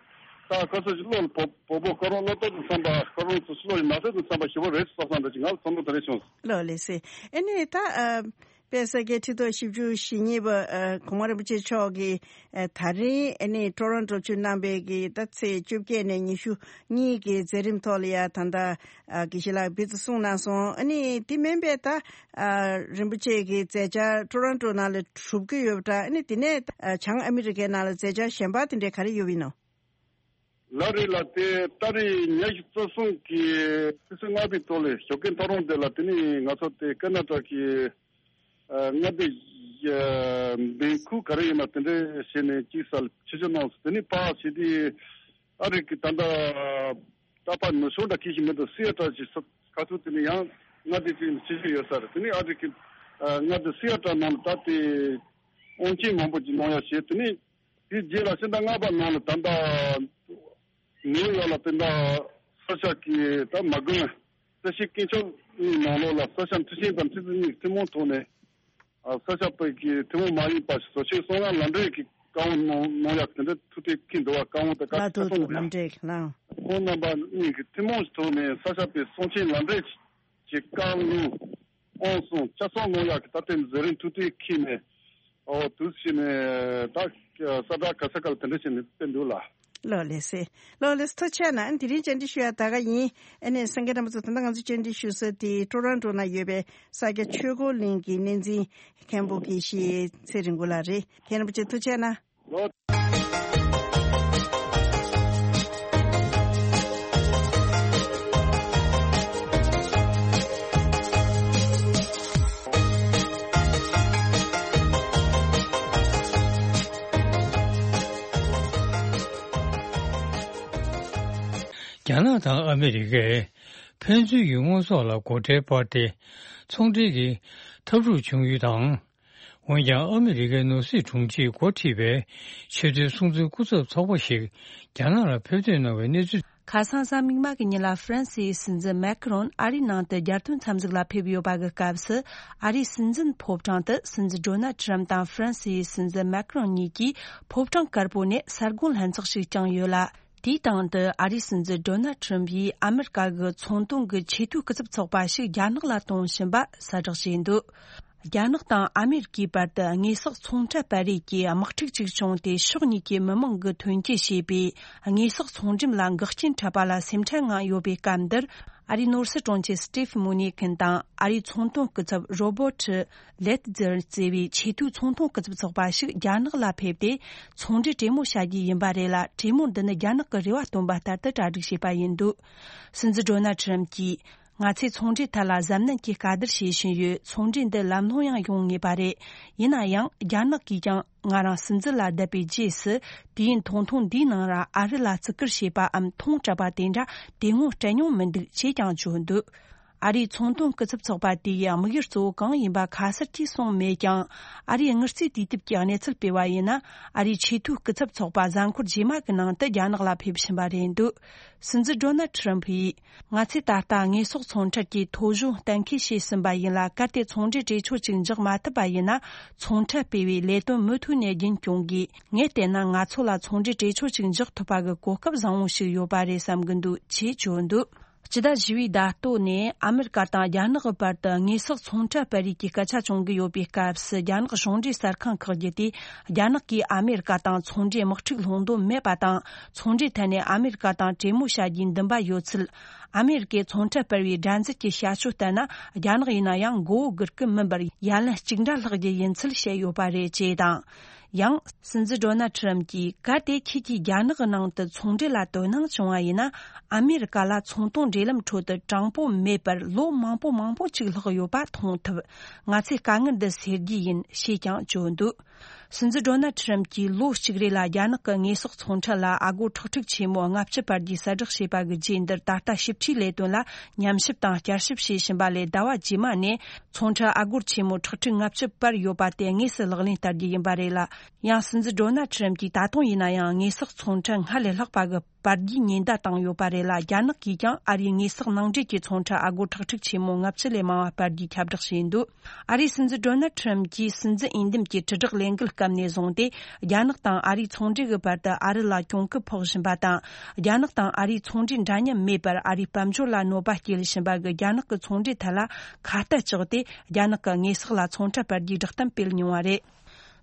ད་ཁོ་ཚོ་ཞིག་བློ་ལ་བོ་བོ་བོ་ཁོ་རང་བློ་ལྟོགས་དང་འཚམ་པ། ཁོ་རང་ཚོ་བློ་ཡི་ན་ཚོད་དང་འཚམ་པ་ཞེ་པོ་རེད་བསམ་བསམ་འདྲ་ཅིག་ང་ལ་ཚོར་སྣང་དེ་འདྲ་བྱུང་སོང་། ལགས་ལགས་སེ། ཨ་ནི་ད་ཨ། དཔལ་ས་སྐྱའི་ཁྲི་ཐོག་བཞི་བཅུ་ཞེ་གཉིས་པ་ཨ་གོང་མ་རིན་པོ་ཆེ་མཆོག་གིས་ཨ་ད་རིང་ཨ་ནི་ཊོ་རོན་ཊོ་ཆུ་གནང་བའི་གི་ད་ཚེས་བཅོ་བརྒྱད་ནས་ཉི་ཤུ་གཉིས་ཀྱི་མཛད་རིམ་ཐོག་ལ་ཡ་ད་ལྟ་ཨ་དགེ་བཤེས་ལགས་འབུལ་ཚིག་གསུངས་གནང་སོང་། ཨ་ནི་དེ་མིན་པའི་ད་ཨ་རིན་པོ་ཆེ་གི་མཛད་འཆར་ཊོ་རོན་ཊོ་ནང་ལ་གྲུབ་ཀྱི་ཡོད་པ་འདྲ། ཨ་ནི་དེ་ནས་ཨ་བྱང་ཨ་མི་རི་ཀའི་ནང་ལ་མཛད་འཆར་གཞན་པ་དེ་འདྲས་ག་རེ་ཡོད་པ་ཡིན་ནོ། ལགས་རེད་ལགས། དེ་ཏ་རིག་ཉི་ཤུ་རྩ་གསུམ་གི་ཕྱི་ཚེས་ལྔ་པའི་ཐོག་ལ་ཞོགས་ཀའི་ཐོ་རངས་དེ་ལ་དེ་ནས་ང་ཚོ་དེ་ཀ་ན་ཊ་གི་ཨ་མངའ་སྡེ་ཨ་བན་ཁུ་ག་རེ་ཡིན་ན་དེ་འདྲས་བྱས་ནས་གཅིག་སར་ཆིབས་བསྒྱུར་གནང་སོང་། དེ་ནས་ཕར་བྱས་དུས་ཨ་རི་གི་ད་ལྟ་ད་ཕར་ནུབ་ཕྱོགས་འདྲ་གི་ཞིག་མི་འདུག་སི་ཨེ་ཊལ་ཞིག་ས་ཁ་ཐུག་དེ་ནས་ཡང་མངའ་སྡེ་གཅིག་ནས་ཆིབས་བསྒྱུར་ཡོད་ས་རེད། དེ་ནས་ཨ་རི་གི་ཨ་མངའ་སྡེ་སི་ཨེ་ཊལ་ནང་ལ་ད་དེ་དབང་ཆེན་མང་པོ་ཅིག་གནང་ཡ་བྱས། དེ་ནས་དེའི་རྗེས་ལ་ཕྱི་ཟླ་ལྔ་པ་ནང་ལ་ད་ལྟ་ནིའུ་ཡོག་ལ་དེ་འདྲ་ས་སྐྱ་གི་ད་མ་དགོན་བཀྲ་ཤིས་དཀོན་མཆོག་གཉིས་ནང་ལོགས་ལ་ས་སྐྱ་མཐུན་རྐྱེན་དང་མཐུན་རྫས་གཉིས་ཀྱི་ཐུན་མོང་ཐོག་ནས་ཨ་ས་སྐྱ་པའི་གི་ཐུན་མོང་མ་ཡིན་པ་ཞིག་བཟོ་ཆེད་གསང་སྔགས་ལམ་འབྲས་ཀྱི་བཀའ་དབང་གནང་གནང་ཡག་དེ་འདྲ་ཐུགས་གཏན་འཁེལ་འདུག་བ། བཀའ་དབང་དེ་བཀའ་ལ་ཐུགས་ཐུགས་གསུང་ལམ་འདྲས་ལ་ཁོང་རྣམ་པ་གཉིས་ཀྱི་ཐུན་མོང་གི་ཐོག་ནས་ས་སྐྱ་པའི་གསང་ཆེན་ལམ་འབྲས་ཀྱི་བཀའ་ལུང་དབང་གསུང་ལྕགས་ཟམ་གནང་ཡག་གི་ད་ལྟའི་མཛད་རིམ་ཐུགས་གཏན་འཁེལ་ནས། ཨོ་དུས་ཕྱིན་ནས་ད་ས་བཀྲ་ག་ས་ག་ལ་དེ་འདྲ་བྱས་ནས་བསྟན་འདུག་ལ། ལགས་ལགས་སེ། ལགས་ལགས་སེ། ཐུགས་རྗེ་གནང་། དེ་རིང་བཅར་འདྲི་ཞུ་ཡ་ད་ག་ཡིན། ཨ་ནི་སེང་གེ་རྣམ་པ་ཚོ་ད་ལྟ་ང་ཚོ་བཅར་འདྲི་ཞུ་ས་དེ་ཊོ་རོན་ཊོ་ན་ཡོད་པའི་ས་སྐྱ་ཆོས་འཁོར་གླིང་གི་གནས་འཛིན་མཁན་པོ་དགེ་བཤེས་ཚེ་རིང་པོ་ལགས་རེད། མཁན་རིན་པོ་ཆེ་ཐུགས་རྗེ་གནང་། ལོ། རྒྱ་ནག་དང་ཨ་མི་རི་ཀས་ཕན་ཚུན་གྱི་དངོས་ཟོག་ལ་སྒོ་ཁྲལ་སྤར་ཏེ་ཚོང་འབྲེལ་གྱི་འཐབ་འཁྲུག་བྱུང་ཡུལ་དང་། འོན་ཀྱང་ཨ་མི་རི་ཀའི་ནོར་སྲིད་དྲུང་ཆེས་འགོ་ཁྲིད་པའི་ཆེས་མཐོའི་སྲུང་བརྩི་སྐུ་ཚབ་ཚོགས་པ་ཞིག་རྒྱ་ནག་ལ་ཕེབས་ཐོན་གནང་བའི་གནས་ཚུལ། ཁ་སང་གཟའ་མིག་དམར་གྱི་ཉིན་ལ་ཧྥ་རན་སིའི་སྲིད་འཛིན་མེ་ཁ་རོན་ཨ་རིའི་ནང་དུ་རྒྱལ་དོན་འཚམས་གཟིགས་ལ་ཕེབས་ཡོད་པ་གི་སྐབས་སུ། ཨ་རིའི་སྲིད་འཛིན་ཕོ་བྲང་དུ་སྲིད་འཛིན་ཌོ་ནལ་ཁྲམ་དང་ཧྥ་རན་སིའི་སྲིད་འཛིན་མེ་ཁ་རོན་གཉིས་ཀྱིས་ཕོ་བྲང་དཀར་པོ་ནས་ས་དགོན་ལྷན་ཚོགས་ཤིག་བསྐྱངས་ཡོད་ལ། དེའི་སྟེང་དུ་ཨ་རིའི་སྲིད་འཛིན་ཌོ་ནལ་ཁྲམ་ཡིས་ཨ་མེ་རི་ཀ་གི་ཚོང་དོན་གྱི་ཆེས་མཐོའི་སྐུ་ཚབ་ཚོགས་པ་ཞིག་རྒྱ་ནག་ལ་གཏོང་བཞིན་པ་གསལ་བསྒྲགས་བྱས་འདུག་རྒྱ་ནག་དང་ཨ་མེ་རི་ཀའི་བར་དུ་དངོས་ཟོག་ཚོང་ཁྲལ་སྤར་རེས་ཀྱི་དམག་འཁྲུག་ཅིག་བྱུང་སྟེ། ཕྱོགས་གཉིས་ཀྱི་མི་མང་གིས་ཐོན་སྐྱེད་བྱས་པའི་དངོས་ཟོག་ཚོང་འགྲེམས་ལ་འགག་རྐྱེན་འཕྲད་པ་ལ་སེམས་ཁྲལ་མངའ་ཡོད་པའི་སྐབས་འདིར། ཨ་རིའི་ནོར་སྲིད་དྲུང་ཆེ་སི་ཏིབ་མུ་ནི་ཁིན་དང་ཨ་རིའི་ཚོང་དོན་སྐུ་ཚབ་རོ་བོ་ཊི་ལེད་ཛེར་ཟེར་བའི་ཆེས་མཐོའི་ཚོང་དོན་སྐུ་ཚབ་ཚོགས་པ་ཞིག་རྒྱ་ནག་ལ་ཕེབས་ཏེ། ཚོང་འབྲེལ་གྲོས་མོལ་བྱ་རྒྱུ་ཡིན་པ་རེད་ལ། གྲོས་མོལ་འདི་ནི་རྒྱ་ནག་གི་རེ་བ་བཏོན་པ་ལྟར་དུ་གྲ་སྒྲིག་བྱས་པ་ཡིན་འདུག། སྲིད་འཛིན་ཌོ་ནལ་ཁྲི་རམ་གྱིས། ང་ཚོས་ཚོང་འབྲེལ་ཐད་ལ་གཟབ་ནན་གྱིས་བཀའ་བསྡུར་བྱེད་བཞིན་ཡོད། ཚོང་འབྲེལ་འདི་ལམ་ལྷོང་ཡང་ཡོང་ངེས་པ་རེད། ཡིན་ན་ཡང་། རྒྱ་ནག་གིས་ཀྱང་ང་རང་སྲིད་འཛིན་ལ་བསྡད་པའི་རྗེས་སུ། དུས་ཡུན་ཐུང་ཐུང་འདིའི་ནང་ར་ཨ་རི་ལ་བརྩི་བཀུར་བྱས་པའམ་མཐོང་སྤྲད་པ་དེ་འདྲ་དེ་སྔོན་སྤྲད་མྱོང་མི་འདུག་ཅེས་ཀྱང་བརྗོད་འདུག། ཨ་རིའི་ཚོང་དོན་སྐུ་ཚབ་ཚོགས་པ་དེ་ཡི་དམིགས་ཡུལ་གཙོ་བོ་གང་ཡིན་པ་ཁ་གསལ་གྱིས་གསུངས་མེད་ཀྱང་། ཨ་རིའི་དངུལ་རྩིས་དུས་དེབ་ཀྱིས་གནས་ཚུལ་སྤེལ་བ་ཡིན་ན། ཨ་རིའི་ཆེས་མཐོའི་སྐུ་ཚབ་ཚོགས་པ་གཟའ་འཁོར་རྗེས་མ་གི་ནང་དུ་རྒྱ་ནག་ལ་ཕེབས་བཞིན་པ་རེད་འདུག། སྲིད་འཛིན་ཌོ་ནལ་ཁྲི་རམ་ཕུ་ཡིས། ང་ཚོས་ད་ལྟ་དངོས་ཟོག་ཚོང་ཁྲལ་གྱི་ཐོ་གཞུང་གཏན་འཁེལ་བྱས་ཟིན་པ་ཡིན་ལ། གལ་ཏེ་ཚོང་འབྲེལ་གྲོས་ཆོད་ཅིག་འཇོག་མ་ཐུབ་པ་ཡིན་ན། ཚོང་ཁྲལ་སྤེལ་བའི་ལས་དོན་མུ་མཐུད་ནས་རྒྱུན་སྐྱོང་དགོས། ངས་བལྟས་ན། ང་ཚོ་ལ་ཚོང་འབྲེལ་གྲོས་ཆོད་ཅིག་འཇོག་ཐུབ་པ་གི་གོ་སྐབས་བཟང་བོ་ཞིག་ཡོད་པ་རེད་བསམ་གྱི་འདུག་ཅེས་བརྗོད་འདུག། སྤྱི་ཟླ་བཞི་བའི་ཟླ་སྟོད་ནས་ཨ་མེ་རི་ཀ་དང་རྒྱ་ནག་གི་བར་དུ་དངོས་ཟོག་ཚོང་ཁྲལ་སྤར་རེས་ཀྱི་སྐད་ཆ་བྱུང་གི་ཡོད་པའི་སྐབས་སུ། རྒྱ་ནག་གཞུང་འབྲེལ་གསར་ཁང་ཁག་བརྒྱུད་དེ། རྒྱ་ནག་གིས་ཨ་མེ་རི་ཀ་དང་ཚོང་འབྲེལ་དམག་འཁྲུག་སློང་འདོད་མེད་པ་དང་། ཚོང་འབྲེལ་ཐད་ནས་ཨ་མེ་རི་ཀ་དང་གྲོས་མོལ་བྱ་རྒྱུའི་འདུན་པ་ཡོད་ཚུལ། ཨ་མེ་རི་ཀས་ཚོང་ཁྲལ་སྤར་བའི་སྒྲན་རྩོད་ཀྱི་བྱ་སྤྱོད་ལྟར་ན། རྒྱ་ནག་ཡིན་ན་ཡང་མགོ་བོ་སྒུར་གི་མིན་པར་ཡ་ལན་གཅིག་འདྲ་ལྷག་རྒྱུ་ཡིན་ཚུལ་བཤད་ཡོད་པ་རེད་ཅེས་དང་། ཡང་། སྲིད་འཛིན་ཌོ་ནལ་ཁྲི་རམ་གྱིས། གལ་ཏེ་ཁྱེད་ཀྱིས་རྒྱ་ནག་གི་ནང་དུ་ཚོང་འབྲེལ་ལ་དོ་སྣང་བྱུང་བ་ཡིན་ན། ཨ་མེ་རི་ཀ་ལ་ཚོང་དོན་འབྲེལ་ལམ་ཁྲོད་དུ་དྲང་པོ་མེད་པར་ལོ་མང་པོ་མང་པོ་ཅིག་ལྷག་ཡོད་པ་མཐོང་ཐུབ། ང་ཚོས་དཀའ་ངལ་འདི་སེལ་རྒྱུ་ཡིན་ཞེས་ཀྱང་བརྗོད་འདུག། སྲིད་འཛིན་ཌོ་ནལ་ཁྲི་རམ་གྱིས་ལོ་གཅིག་རེ་ལ་རྒྱ་ནག་གི་དངོས་ཟོག་ཚོང་ཁྲལ་ལ་ཨ་སྒོར་ཁྲག་ཁྲིག་ཆེན་མོ་ལྔ་བཅུ་སྤར་རྒྱུའི་གསལ་བསྒྲགས་བྱས་པ་གི་རྗེས། འདིར་ད་ལྟ་ཞིབ་ཕྲའི་ལས་དོན་ལ་ཉམས་ཞིབ་དང་བསྐྱར་ཞིབ་བྱེད་བཞིན་པ་ལས། ཟླ་བ་རྗེས་མ་ནས་ཚོང་ཁྲལ་ཨ་སྒོར་ཆེན་མོ་ཁྲག་ཁྲིག་ལྔ་བཅུ་སྤར་ཡོད་པ་དེ་དངོས་སུ་ལག་ལེན་བསྟར་རྒྱུ་ཡིན་པ་རེད་ལ། ཡང་། སྲིད་འཛིན་ཌོ་ནལ་ཁྲི་རམ་གྱིས་ད་དུང་ཡིན་ན་ཡང་དངོས་ཟོག་ཚོང་ཁྲལ་སྔར་ལས་ལྷག་པ་གི་སྤར་རྒྱུའི་ཉེན་བརྡ་བཏང་ཡོད་པ་རེད་ལ། རྒྱ་ནག་གིས་ཀྱང་ཨ་རིའི་དངོས་ཟོག་ནང་འདྲེན་གྱི་ཚོང་ཁྲལ་ཨ་སྒོར་ཁྲག་ཁྲིག་ཆེན་མོ་ལྔ་བཅུ་ལས་མང་བ་སྤར་རྒྱུའི་ཁྱབ་བསྒྲགས་བྱས་འདུག། ཨ་རིའི་སྲིད་འཛིན་ཌོ་ནལ་ཁྲི་རམ་གྱིས་སྲིད་འཛིན་འོས་འདེམས་ཀྱི་དྲིལ་བསྒྲགས་ལས་འགུལ་སྐབས་ནས་བཟུང་སྟེ། རྒྱ་ནག་དང་ཨ་རིའི་ཚོང་འབྲེལ་གྱི་བར་དུ་ཨ་རི་ལ་གྱོང་གུན་ཕོག་བཞིན་པ་དང་། རྒྱ་ནག་དང་ཨ་རིའི་ཚོང་འབྲེལ་འདྲ་མཉམ་མེད་པར་ཨ་རིའི་དཔལ་འབྱོར་ལ་གནོད་པ་སྐྱེལ་བཞིན་པ་གི་རྒྱ་ནག་གི་ཚོང་འབྲེལ་ཐད་ལ་ཁ་གཏད་བཅག་སྟེ། རྒྱ་ནག་གི་དངོས་ཟོག་ལ་ཚོང་ཁྲལ་སྤར་རྒྱུའི་བསྒྲགས་གཏམ་སྤེལ་མྱོང་བ་རེད།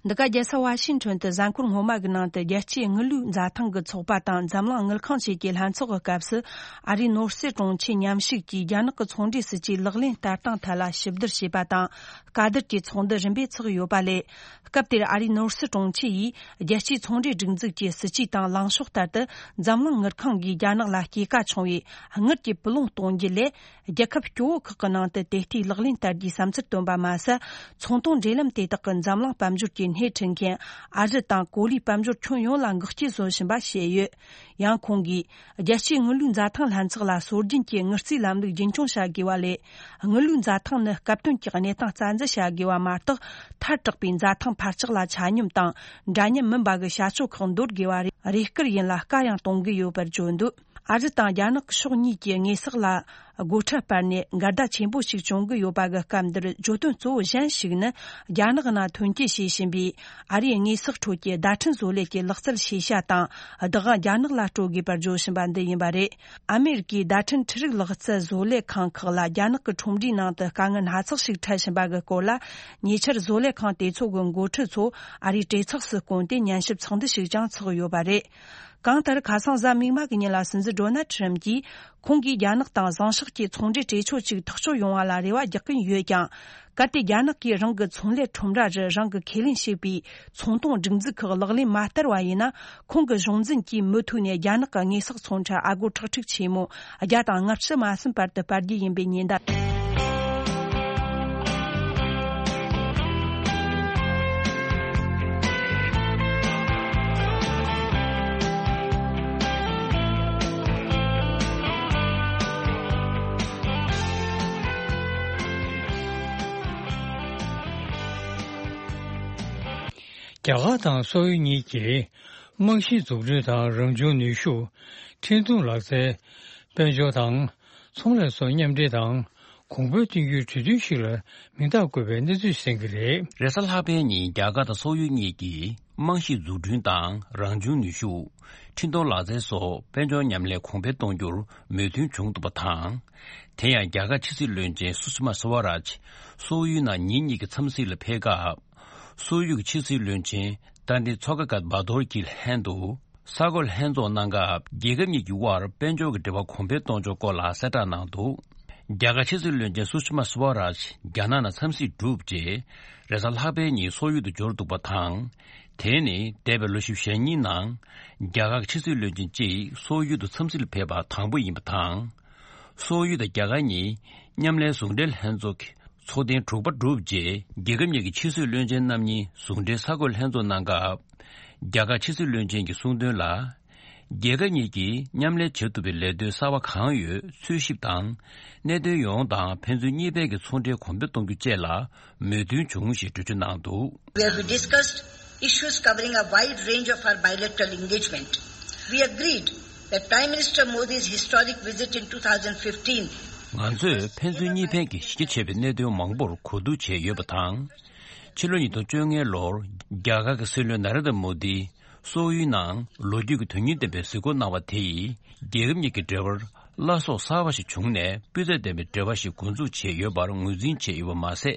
འདི་ག་རྒྱལ་ས་ཝ་ཤིང་ཊོན་དུ་གཟའ་འཁོར་སྔོན་མ་གི་ནང་དུ། རྒྱལ་སྤྱིའི་དངུལ་ལུགས་འཛའ་ཐང་གི་ཚོགས་པ་དང་འཛམ་གླིང་དངུལ་ཁང་བཅས་ཀྱི་ལྷན་ཚོགས་ཀྱི་སྐབས་སུ། ཨ་རིའི་ནོར་སྲིད་དྲུང་ཆེ་མཉམ་ཞུགས་ཀྱིས་རྒྱ་ནག་གི་ཚོང་འབྲེལ་སྲིད་ཇུས་ལག་ལེན་བསྟར་སྟངས་ཐད་ལ་ཞིབ་བསྡུར་བྱས་པ་དང་། བཀའ་བསྡུར་གྱི་ཚོགས་འདུ་རིམ་པས་ཚོགས་ཡོད་པ་ལས། སྐབས་དེར་ཨ་རིའི་ནོར་སྲིད་དྲུང་ཆེ་ཡིས། རྒྱལ་སྤྱིའི་ཚོང་འབྲེལ་སྒྲིག་འཛུགས་ཀྱི་སྲིད་ཇུས་དང་ལངས་ཕྱོགས་ལྟར་དུ། འཛམ་གླིང་དངུལ་ཁང་གིས་རྒྱ་ནག་ལ་སྐྱེད་ཀ་ཆུང་བའི་དངུལ་གྱི་བུ་ལོན་གཏོང་རྒྱུ་ལས། རྒྱལ་ཁབ་སྐྱོ་བོ་ཁག་གི་ནང་དུ་དེ་ལྟའི་ལག་ལེན་བསྟར་རྒྱུའི་བསམ་ཚུལ་བཏོན་པ་མ་ཟད། ཚོང་དོན་འབྲེལ་ལམ་དེ་དག་གིས་འཛམ་གླིང་དཔལ་འབྱོར་གྱི་སྣེ་ཁྲིད་མཁན་ཨ་རི་དང་གོ་ལའི་དཔལ་འབྱོར་ཁྱོན་ཡོངས་ལ་འགུག་རྐྱེན་བཟོ་བཞིན་པ་བཤད་ཡོད། ཡང་ཁོང་གིས། རྒྱལ་སྤྱིའི་དངུལ་ལུགས་འཛའ་ཐང་ལྷན་ཚོགས་ལ་སྲོལ་རྒྱུན་གྱི་དངུལ་རྩིས་ལམ་ལུགས་རྒྱུན་འཁྱོངས་བྱ་དགོས་པ་ལས། དངུལ་ལུགས་འཛའ་ཐང་ནི་སྐབས་དོན་གྱི་གནས་སྟངས་རྩ་འཛིན་བྱ་དགོས་པ་མ་གཏོགས། ཐལ་དྲགས་པའི་འཛའ་ཐང་འཕར་ཆག་ལ་ཆ་སྙོམས་དང་འདྲ་མཉམ་མིན་པ་གི་བྱ་སྤྱོད་ཁག་འདོར་དགོས་པ་རེད། རེས་སྐུལ་ཡིན་ལ་བཀའ་ཡང་གཏོང་གི་ཡོད་པར་བརྗོད་འདུག། ཨ་རི་དང་རྒྱ་ནག་ཕྱོགས་གཉིས་ཀྱི་དངོས་ཟོག་ལ་སྒོ་ཁྲལ་སྤར་ནས་འགལ་ཟླ་ཆེན་པོ་ཞིག་བྱུང་གི་ཡོད་པ་གི་སྐབས་འདིར། བརྗོད་དོན་གཙོ་བོ་གཞན་ཞིག་ནི། རྒྱ་ནག་ནང་ཐོན་སྐྱེད་བྱེད་བཞིན་པའི་ཨ་རིའི་དངོས་ཟོག་ཁྲོད་ཀྱི་བརྡ་འཕྲིན་བཟོ་ལས་ཀྱི་ལག་རྩལ་ཤེས་བྱ་དང་བདག་དབང་རྒྱ་ནག་ལ་སྤྲོད་དགོས་པར་བརྗོད་བཞིན་པ་འདི་ཡིན་པ་རེད། ཨ་མེ་རི་ཀའི་བརྡ་འཕྲིན་འཕྲུལ་རིག་ལག་རྩལ་བཟོ་ལས་ཁང་ཁག་ལ་རྒྱ་ནག་གི་ཁྲོམ་རའི་ནང་དུ་དཀའ་ངལ་སྣ་ཚོགས་ཤིག་འཕྲད་བཞིན་པ་གི་སྐོར་ལ། ཉེ་ཆར་བཟོ་ལས་ཁང་དེ་ཚོ་གི་འགོ་ཁྲིད་ཚོ་ཨ་རིའི་གྲོས་ཚོགས་སུ་བསྐོངས་ཏེ་ཉན་ཞིབ་ཚོགས་འདུ་ཞིག་ཀྱང་ཚོགས་ཡོད་པ་རེད། གང་ལྟར། ཁ་སང་གཟའ་མིག་དམར་གྱི་ཉིན་ལ་སྲིད་འཛིན་ཌོ་ནལ་ཁྲི་རམ་གྱིས། ཁོང་གིས་རྒྱ་ནག་དང་བཟང་ཕྱོགས་ཀྱི་ཚོང་འབྲེལ་གྲོས་ཆོད་ཅིག་ཐག་གཅོད་ཡོང་བ་ལ་རེ་བ་རྒྱག་གིན་ཡོད་ཀྱང་། གལ་ཏེ་རྒྱ་ནག་གིས་རང་གི་ཚོང་ལས་ཁྲོམ་ར་རུ་རང་གི་ཁས་ལེན་བྱས་པའི་ཚོང་དོན་སྒྲིག་འཛུགས་ཁག་ལག་ལེན་མ་བསྟར་བ་ཡིན་ན། ཁོང་གི་གཞུང་འཛིན་གྱིས་མུ་མཐུད་ནས་རྒྱ་ནག་གི་དངོས་ཟོག་ཚོང་ཁྲལ་ཨ་སྒོར་ཁྲག་ཁྲིག་ཆེན་མོ་བརྒྱ་དང་ལྔ་བཅུ་མ་ཟིན་བར་དུ་སྤར་རྒྱུ་ཡིན་པའི་ཉེན་བརྡ། རྒྱ་གར་དང་སོག་ཡུལ་གཉིས་ཀྱིས་རྨང་གཞིའི་འཛུགས་སྐྲུན་དང་རང་བྱུང་ནུས་ཤུགས། འཕྲིན་གཏོང་ལག་རྩལ། དཔལ་འབྱོར་དང་ཚོང་ལས་སོགས་མཉམ་འབྲེལ་དང་གོང་འཕེལ་གཏོང་རྒྱུའི་གྲོས་མཐུན་ཞིག་ལ་མིང་རྟགས་བཀོད་པའི་གནས་ཚུལ་གསན་གྱི་རེད། རེས་གཟའ་ལྷག་པའི་ཉིན་རྒྱ་གར་དང་སོག་ཡུལ་གཉིས་ཀྱིས་རྨང་གཞིའི་འཛུགས་སྐྲུན་དང་རང་བྱུང་ནུས་ཤུགས། འཕྲིན་གཏོང་ལག་རྩལ་སོགས་དཔལ་འབྱོར་མཉམ་ལས་གོང་འཕེལ་གཏོང་རྒྱུར་མོས་མཐུན་བྱུང་འདུག་པ་དང་། དེ་ཡང་རྒྱ་གར་ཕྱི་སྲིད་བློན་ཆེན་སུ་ཤི་མ་སུ་ཝ་རཱཇ་སོག་ཡུལ་ནང་ཉིན་གཉིས་ཀྱི་འཚམས་གཟིགས་ལ་ཕེབས་སྐབས། སོག་ཡུལ་གྱི་ཕྱི་སྲིད་བློན་ཆེན་ཏཱན་ཏི་ཚོ་ཀ་གད་བྷ་དོར་གྱི་ལྷན་དུ་ས་གོ་ལྷན་ཚོགས་གནང་སྐབས། རྒྱལ་ཁབ་གཉིས་ཀྱི་དབར་དཔལ་འབྱོར་གྱི་འབྲེལ་བ་གོང་འཕེལ་གཏོང་ཕྱོགས་སྐོར་ལ་གསལ་བསྒྲགས་གནང་འདུག་རྒྱ་གར་ཕྱི་སྲིད་བློན་ཆེན་སུ་ཤི་མ་སུ་ཝ་རཱཇ་རྒྱ་ནག་ནང་འཚམས་གཟིགས་གྲུབ་རྗེས། རེས་གཟའ་ལྷག་པའི་ཉིན་སོག་ཡུལ་དུ་འབྱོར་འདུག་པ་དང་། དེ་ནི་འདས་པའི་ལོ་བཞི་བཅུ་ཞེ་གཉིས་ནང་རྒྱ་གར་གྱི་ཕྱི་སྲིད་བློན་ཆེན་གཅིག་སོག་ཡུལ་དུ་འཚམས་གཟིགས་ལ་ཕེབས་པ་དང་པོ་ཡིན་པ་དང་། སོག་ཡུལ་དང་རྒྱ་གར་གཉིས་མཉམ་ལས་ཟུང་འབྲེལ་ལྷན་ཚོགས་ཀྱི་ཚོགས་ཐེངས་དྲུག་པ་གྲུབ་རྗེས། རྒྱལ་ཁབ་གཉིས་ཀྱི་ཕྱི་སྲིད་བློན་ཆེན་རྣམ་གཉིས་ཟུང་འབྲེལ་ས་གོ་ལྷན་ཚོགས་གནང་སྐབས། རྒྱ་གར་ཕྱི་སྲིད་བློན་ཆེན་གྱིས་གསུངས་དོན་ལ། རྒྱལ་ཁབ་གཉིས་ཀྱིས་མཉམ་ལས་བྱེད་ཐུབ་པའི་ལས་དོན་གསར་པ་གང་ཡོད་འཚོལ་ཞིབ་དང་། གནད་དོན་ཡོངས་དང་ཕན་ཚུན་གཉིས་ཕན་གྱི་ཚོང་འབྲེལ་གོང་འཕེལ་གཏོང་རྒྱུ་བཅས་ལ་མོས་མཐུན་བྱུང་ཞེས་འགྲེལ་བརྗོད་གནང་འདུག Where we discussed issues covering a wide range of our bilateral engagement. We agreed that Prime Minister Modi's historic visit in two thousand fifteen ང་ཚོས་ཕན་ཚུན་གཉིས་ཕན་གྱི་གཞི་རྒྱ་ཆེ་བའི་གནད་དོན་མང་པོར་གོ་བསྡུར་བྱས་ཡོད་པ་དང་། ཕྱི་ལོ་ཉིས་སྟོང་བཅོ་ལྔའི་ལོར་རྒྱ་གར་གྱི་སྲིད་བློན་ནཱ་རེན་དྲ་མོ་དི་སོག་ཡུལ་ནང་ལོ་རྒྱུས་ཀྱི་དོན་སྙིང་ལྡན་པའི་གཟིགས་སྐོར་གནང་བ་དེ་ཡིས། རྒྱལ་ཁབ་གཉིས་ཀྱི་འབྲེལ་བར་བླ་སྲོག་གསར་པ་ཞིག་བྱུང་ནས། སྤུས་ཚད་ལྡན་པའི་འབྲེལ་བ་ཞིག་འགོ་འཛུགས་བྱས་ཡོད་པར་ངོས་འཛིན་བྱས་ཡོད་པ་མ་ཟད།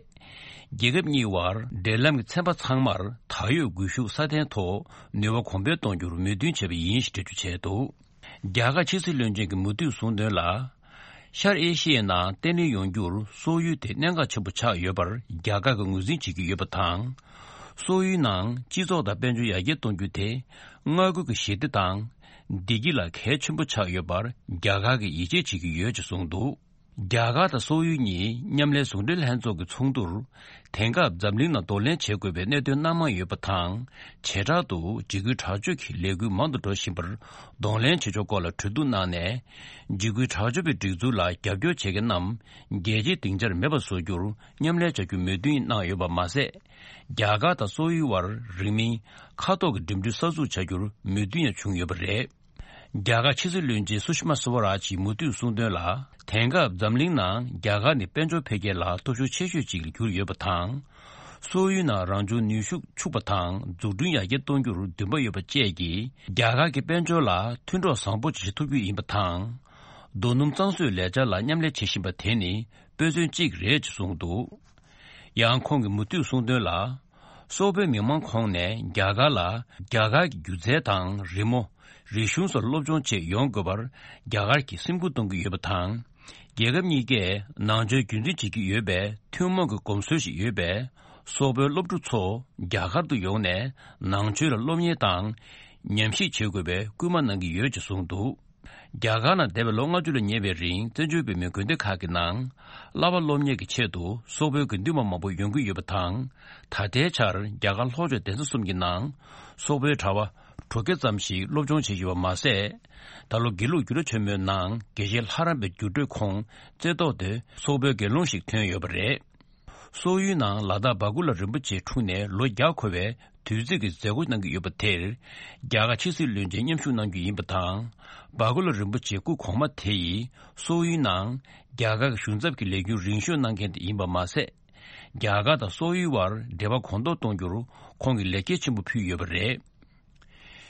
རྒྱལ་ཁབ་གཉིས་དབར་འབྲེལ་ལམ་གྱི་ཚན་པ་ཚང་མར་ད་ཡོད་སྒུལ་ཤུགས་སྲ་བརྟན་ཐོག་ནུས་པ་གོང་འཕེལ་གཏོང་རྒྱུར་མོས་མཐུན་བྱས་པ་ཡིན་ཞེས་འགྲེལ་བརྗོད་བྱས་འདུག་རྒྱ་གར་ཕྱི་སྲིད་བློན་ཆེན་གྱིས་མུ་མཐུད་གསུངས་དོན་ལ། ཤར་ཨེ་ཤི་ཡའི་ནང་བརྟན་ལྷིང་ཡོང་རྒྱུར་སོག་ཡུལ་དེ་གནད་འགག་ཆེན་པོ་ཆགས་ཡོད་པར་རྒྱ་གར་གྱིས་ངོས་འཛིན་བྱེད་ཀྱི་ཡོད་པ་དང་། སོག་ཡུལ་ནང་སྤྱི་ཚོགས་དང་དཔལ་འབྱོར་ཡར་རྒྱས་གཏོང་རྒྱུ་དེ་མངའ་ཁུལ་གྱི་ཞི་བདེ་དང་བདེ་སྐྱིད་ལ་གལ་ཆེན་པོ་ཆགས་ཡོད་པར་རྒྱ་གར་གྱིས་ཡིད་ཆེས་བྱེད་ཀྱི་ཡོད་ཅེས་གསུངས་འདུག་རྒྱ་གར་དང་སོག་ཡུལ་གཉིས་མཉམ་ལས་ཟུང་འབྲེལ་ལྷན་ཚོགས་ཀྱི་ཚོགས་འདུར། དེང་སྐབས་འཛམ་གླིང་ནང་གདོང་ལེན་བྱེད་དགོས་པའི་གནད་དོན་སྣ་མང་ཡོད་པ་དང་། བྱེ་བྲག་ཏུ་འཇིགས་སྐུལ་དྲག་སྤྱོད་ཀྱི་ལས་འགུལ་མང་དུ་འགྲོ་བཞིན་པར་གདོང་ལེན་བྱེད་ཕྱོགས་སྐོར་ལ་གྲོས་བསྡུར་གནང་ནས། འཇིགས་སྐུལ་དྲག་སྤྱོད་པའི་སྒྲིག་འཛུགས་ལ་རྒྱབ་སྐྱོར་བྱེད་མཁན་རྣམས་རྒྱལ་སྤྱིའི་སྡིངས་ཆར་མེད་པ་བཟོ་རྒྱུར་མཉམ་ལས་བྱ་རྒྱུའི་མོས་མཐུན་གནང་ཡོད་པ་མ་ཟད། རྒྱ་གར་དང་སོག་ཡུལ་དབར་རིང་མིན་མཁའ་ཐོག་གི་འགྲིམ་འགྲུལ་གསར་འཛུགས་བྱ་རྒྱུར་མོས་མཐུན་ཡང་བྱུང་ཡོད་པ་རེད། རྒྱ་གར་ཕྱི་སྲིད་བློན་ཆེན་སུ་ཤི་མ་སུ་ཝ་རཱཇ་ཡིས་མུ་མཐུད་གསུངས་དོན་ལ། དེང་སྐབས་འཛམ་གླིང་ནང་རྒྱ་གར་ནི་དཔལ་འབྱོར་འཕེལ་རྒྱས་ལ་སྟོབས་ཤུགས་ཆེ་ཤོས་ཅིག་ལ་གྱུར་ཡོད་པ་དང་། སོག་ཡུལ་ནང་རང་བྱུང་ནུས་ཤུགས་ཕྱུག་པ་དང་འཛུགས་སྐྲུན་ཡར་རྒྱས་གཏོང་རྒྱུར་འདུན་པ་ཡོད་པ་བཅས་ཀྱིས། རྒྱ་གར་གྱི་དཔལ་འབྱོར་ལ་མཐུན་གྲོགས་བཟང་པོ་ཅིག་བྱེད་ཐུབ་རྒྱུ་ཡིན་པ་དང་། རྡོ་སྣུམ་གཙང་བཟོའི་ལས་འཆར་ལ་མཉམ་ལས་བྱེད་བཞིན་པ་དེ་ནི་དཔེ་མཚོན་གཅིག་རེད་ཅེས་གསུངས་འདུག་ཡང་ཁོང་གིས་མུ་མཐུད་གསུངས་དོན་ལ། སོག་པོའི་མི་མང་ཁོངས་ནས་རྒྱ་གར་ལ་རྒྱ་གར་གྱི་སྒྱུ་རྩལ་དང་རི་མོ། རིག་གཞུང་སོགས་སློབ་སྦྱོང་ཆེད་ཡོང་དགོས་པར་རྒྱ་གར་གྱིས་སེམས་ཁུར་གཏོང་གི་ཡོད་པ་དང་། རྒྱལ་ཁབ་གཉིས་ཀས་ནང་ཆོས་རྒྱུན་འཛིན་བྱེད་ཀྱི་ཡོད་པའི་ཐུན་མོང་གི་གོམས་སྲོལ་ཞིག་ཡོད་པས། སོག་པོའི་སློབ་ཕྲུག་ཚོ་རྒྱ་གར་དུ་ཡོང་ནས་ནང་ཆོས་ལ་སློབ་གཉེར་དང་ཉམས་ཞིབ་བྱེད་དགོས་པའི་སྐུལ་མ་གནང་གི་ཡོད་ཅེས་གསུངས་འདུག་རྒྱ་གར་ནང་འདས་པའི་ལོ་ལྔ་བཅུ་ལ་ཉེ་བའི་རིང་བཙན་བྱོལ་བོད་མིའི་དགོན་སྡེ་ཁག་གི་ནང་བསླབ་པ་སློབ་གཉེར་གྱི་ཆེད་དུ་སོག་པོའི་དགེ་འདུན་པ་མང་པོ་ཡོང་གི་ཡོད་པ་དང་། ད་ལྟའི་ཆར་རྒྱ་གར་ལྷོ་ཕྱོགས་གདན་ས་གསུམ་གྱི་ནང་སོག་པོའི་གྲྭ་པ་དྲུག་བརྒྱ་ཙམ་ཞིག་སློབ་སྦྱོང་བྱེད་བཞིན་པ་མ་ཟད། ད་ལོ་དགེ་ལུགས་འགྱུར་བ་ཆེན་མོའི་ནང་དགེ་བཤེས་ལྷ་རམས་པའི་འགྱུར་འགྲོས་ཁོངས་རྩེ་ཐོག་ཏུ་སོག་པོའི་དགེ་སློང་ཞིག་ཐོན་ཡོད་པ་རེད། སོག་ཡུལ་ནང་ལ་དྭགས་སྦ་ཀུ་ལ་རིན་པོ་ཆེ་འཁྲུངས་ནས་ལོ་བརྒྱ་འཁོར་བའི་དུས་ཚིགས་ཀྱི་མཛད་སྒོ་གནང་གི་ཡོད་པ་དེར། རྒྱ་གར་ཕྱི་སྲིད་བློན་ཆེན་མཉམ་ཞུགས་གནང་རྒྱུ་ཡིན་པ་དང་། སྦ་ཀུ་ལ་རིན་པོ་ཆེ་སྐུ་གོང་མ་དེ་ཡིས་སོག་ཡུལ་ནང་རྒྱ་གར་གྱི་གཞུང་ཚབ་ཀྱི་ལས་འགུལ་རིང་ཤོས་གནང་མཁན་དེ་ཡིན་པ་མ་ཟད། རྒྱ་གར་དང་སོག་ཡུལ་བར་འབྲེལ་བ་གོང་མཐོར་གཏོང་རྒྱུར་ཁོང་གིས་ལེགས་སྐྱེས་ཆེན་པོ་ཕུལ་ཡོད་པ་རེད།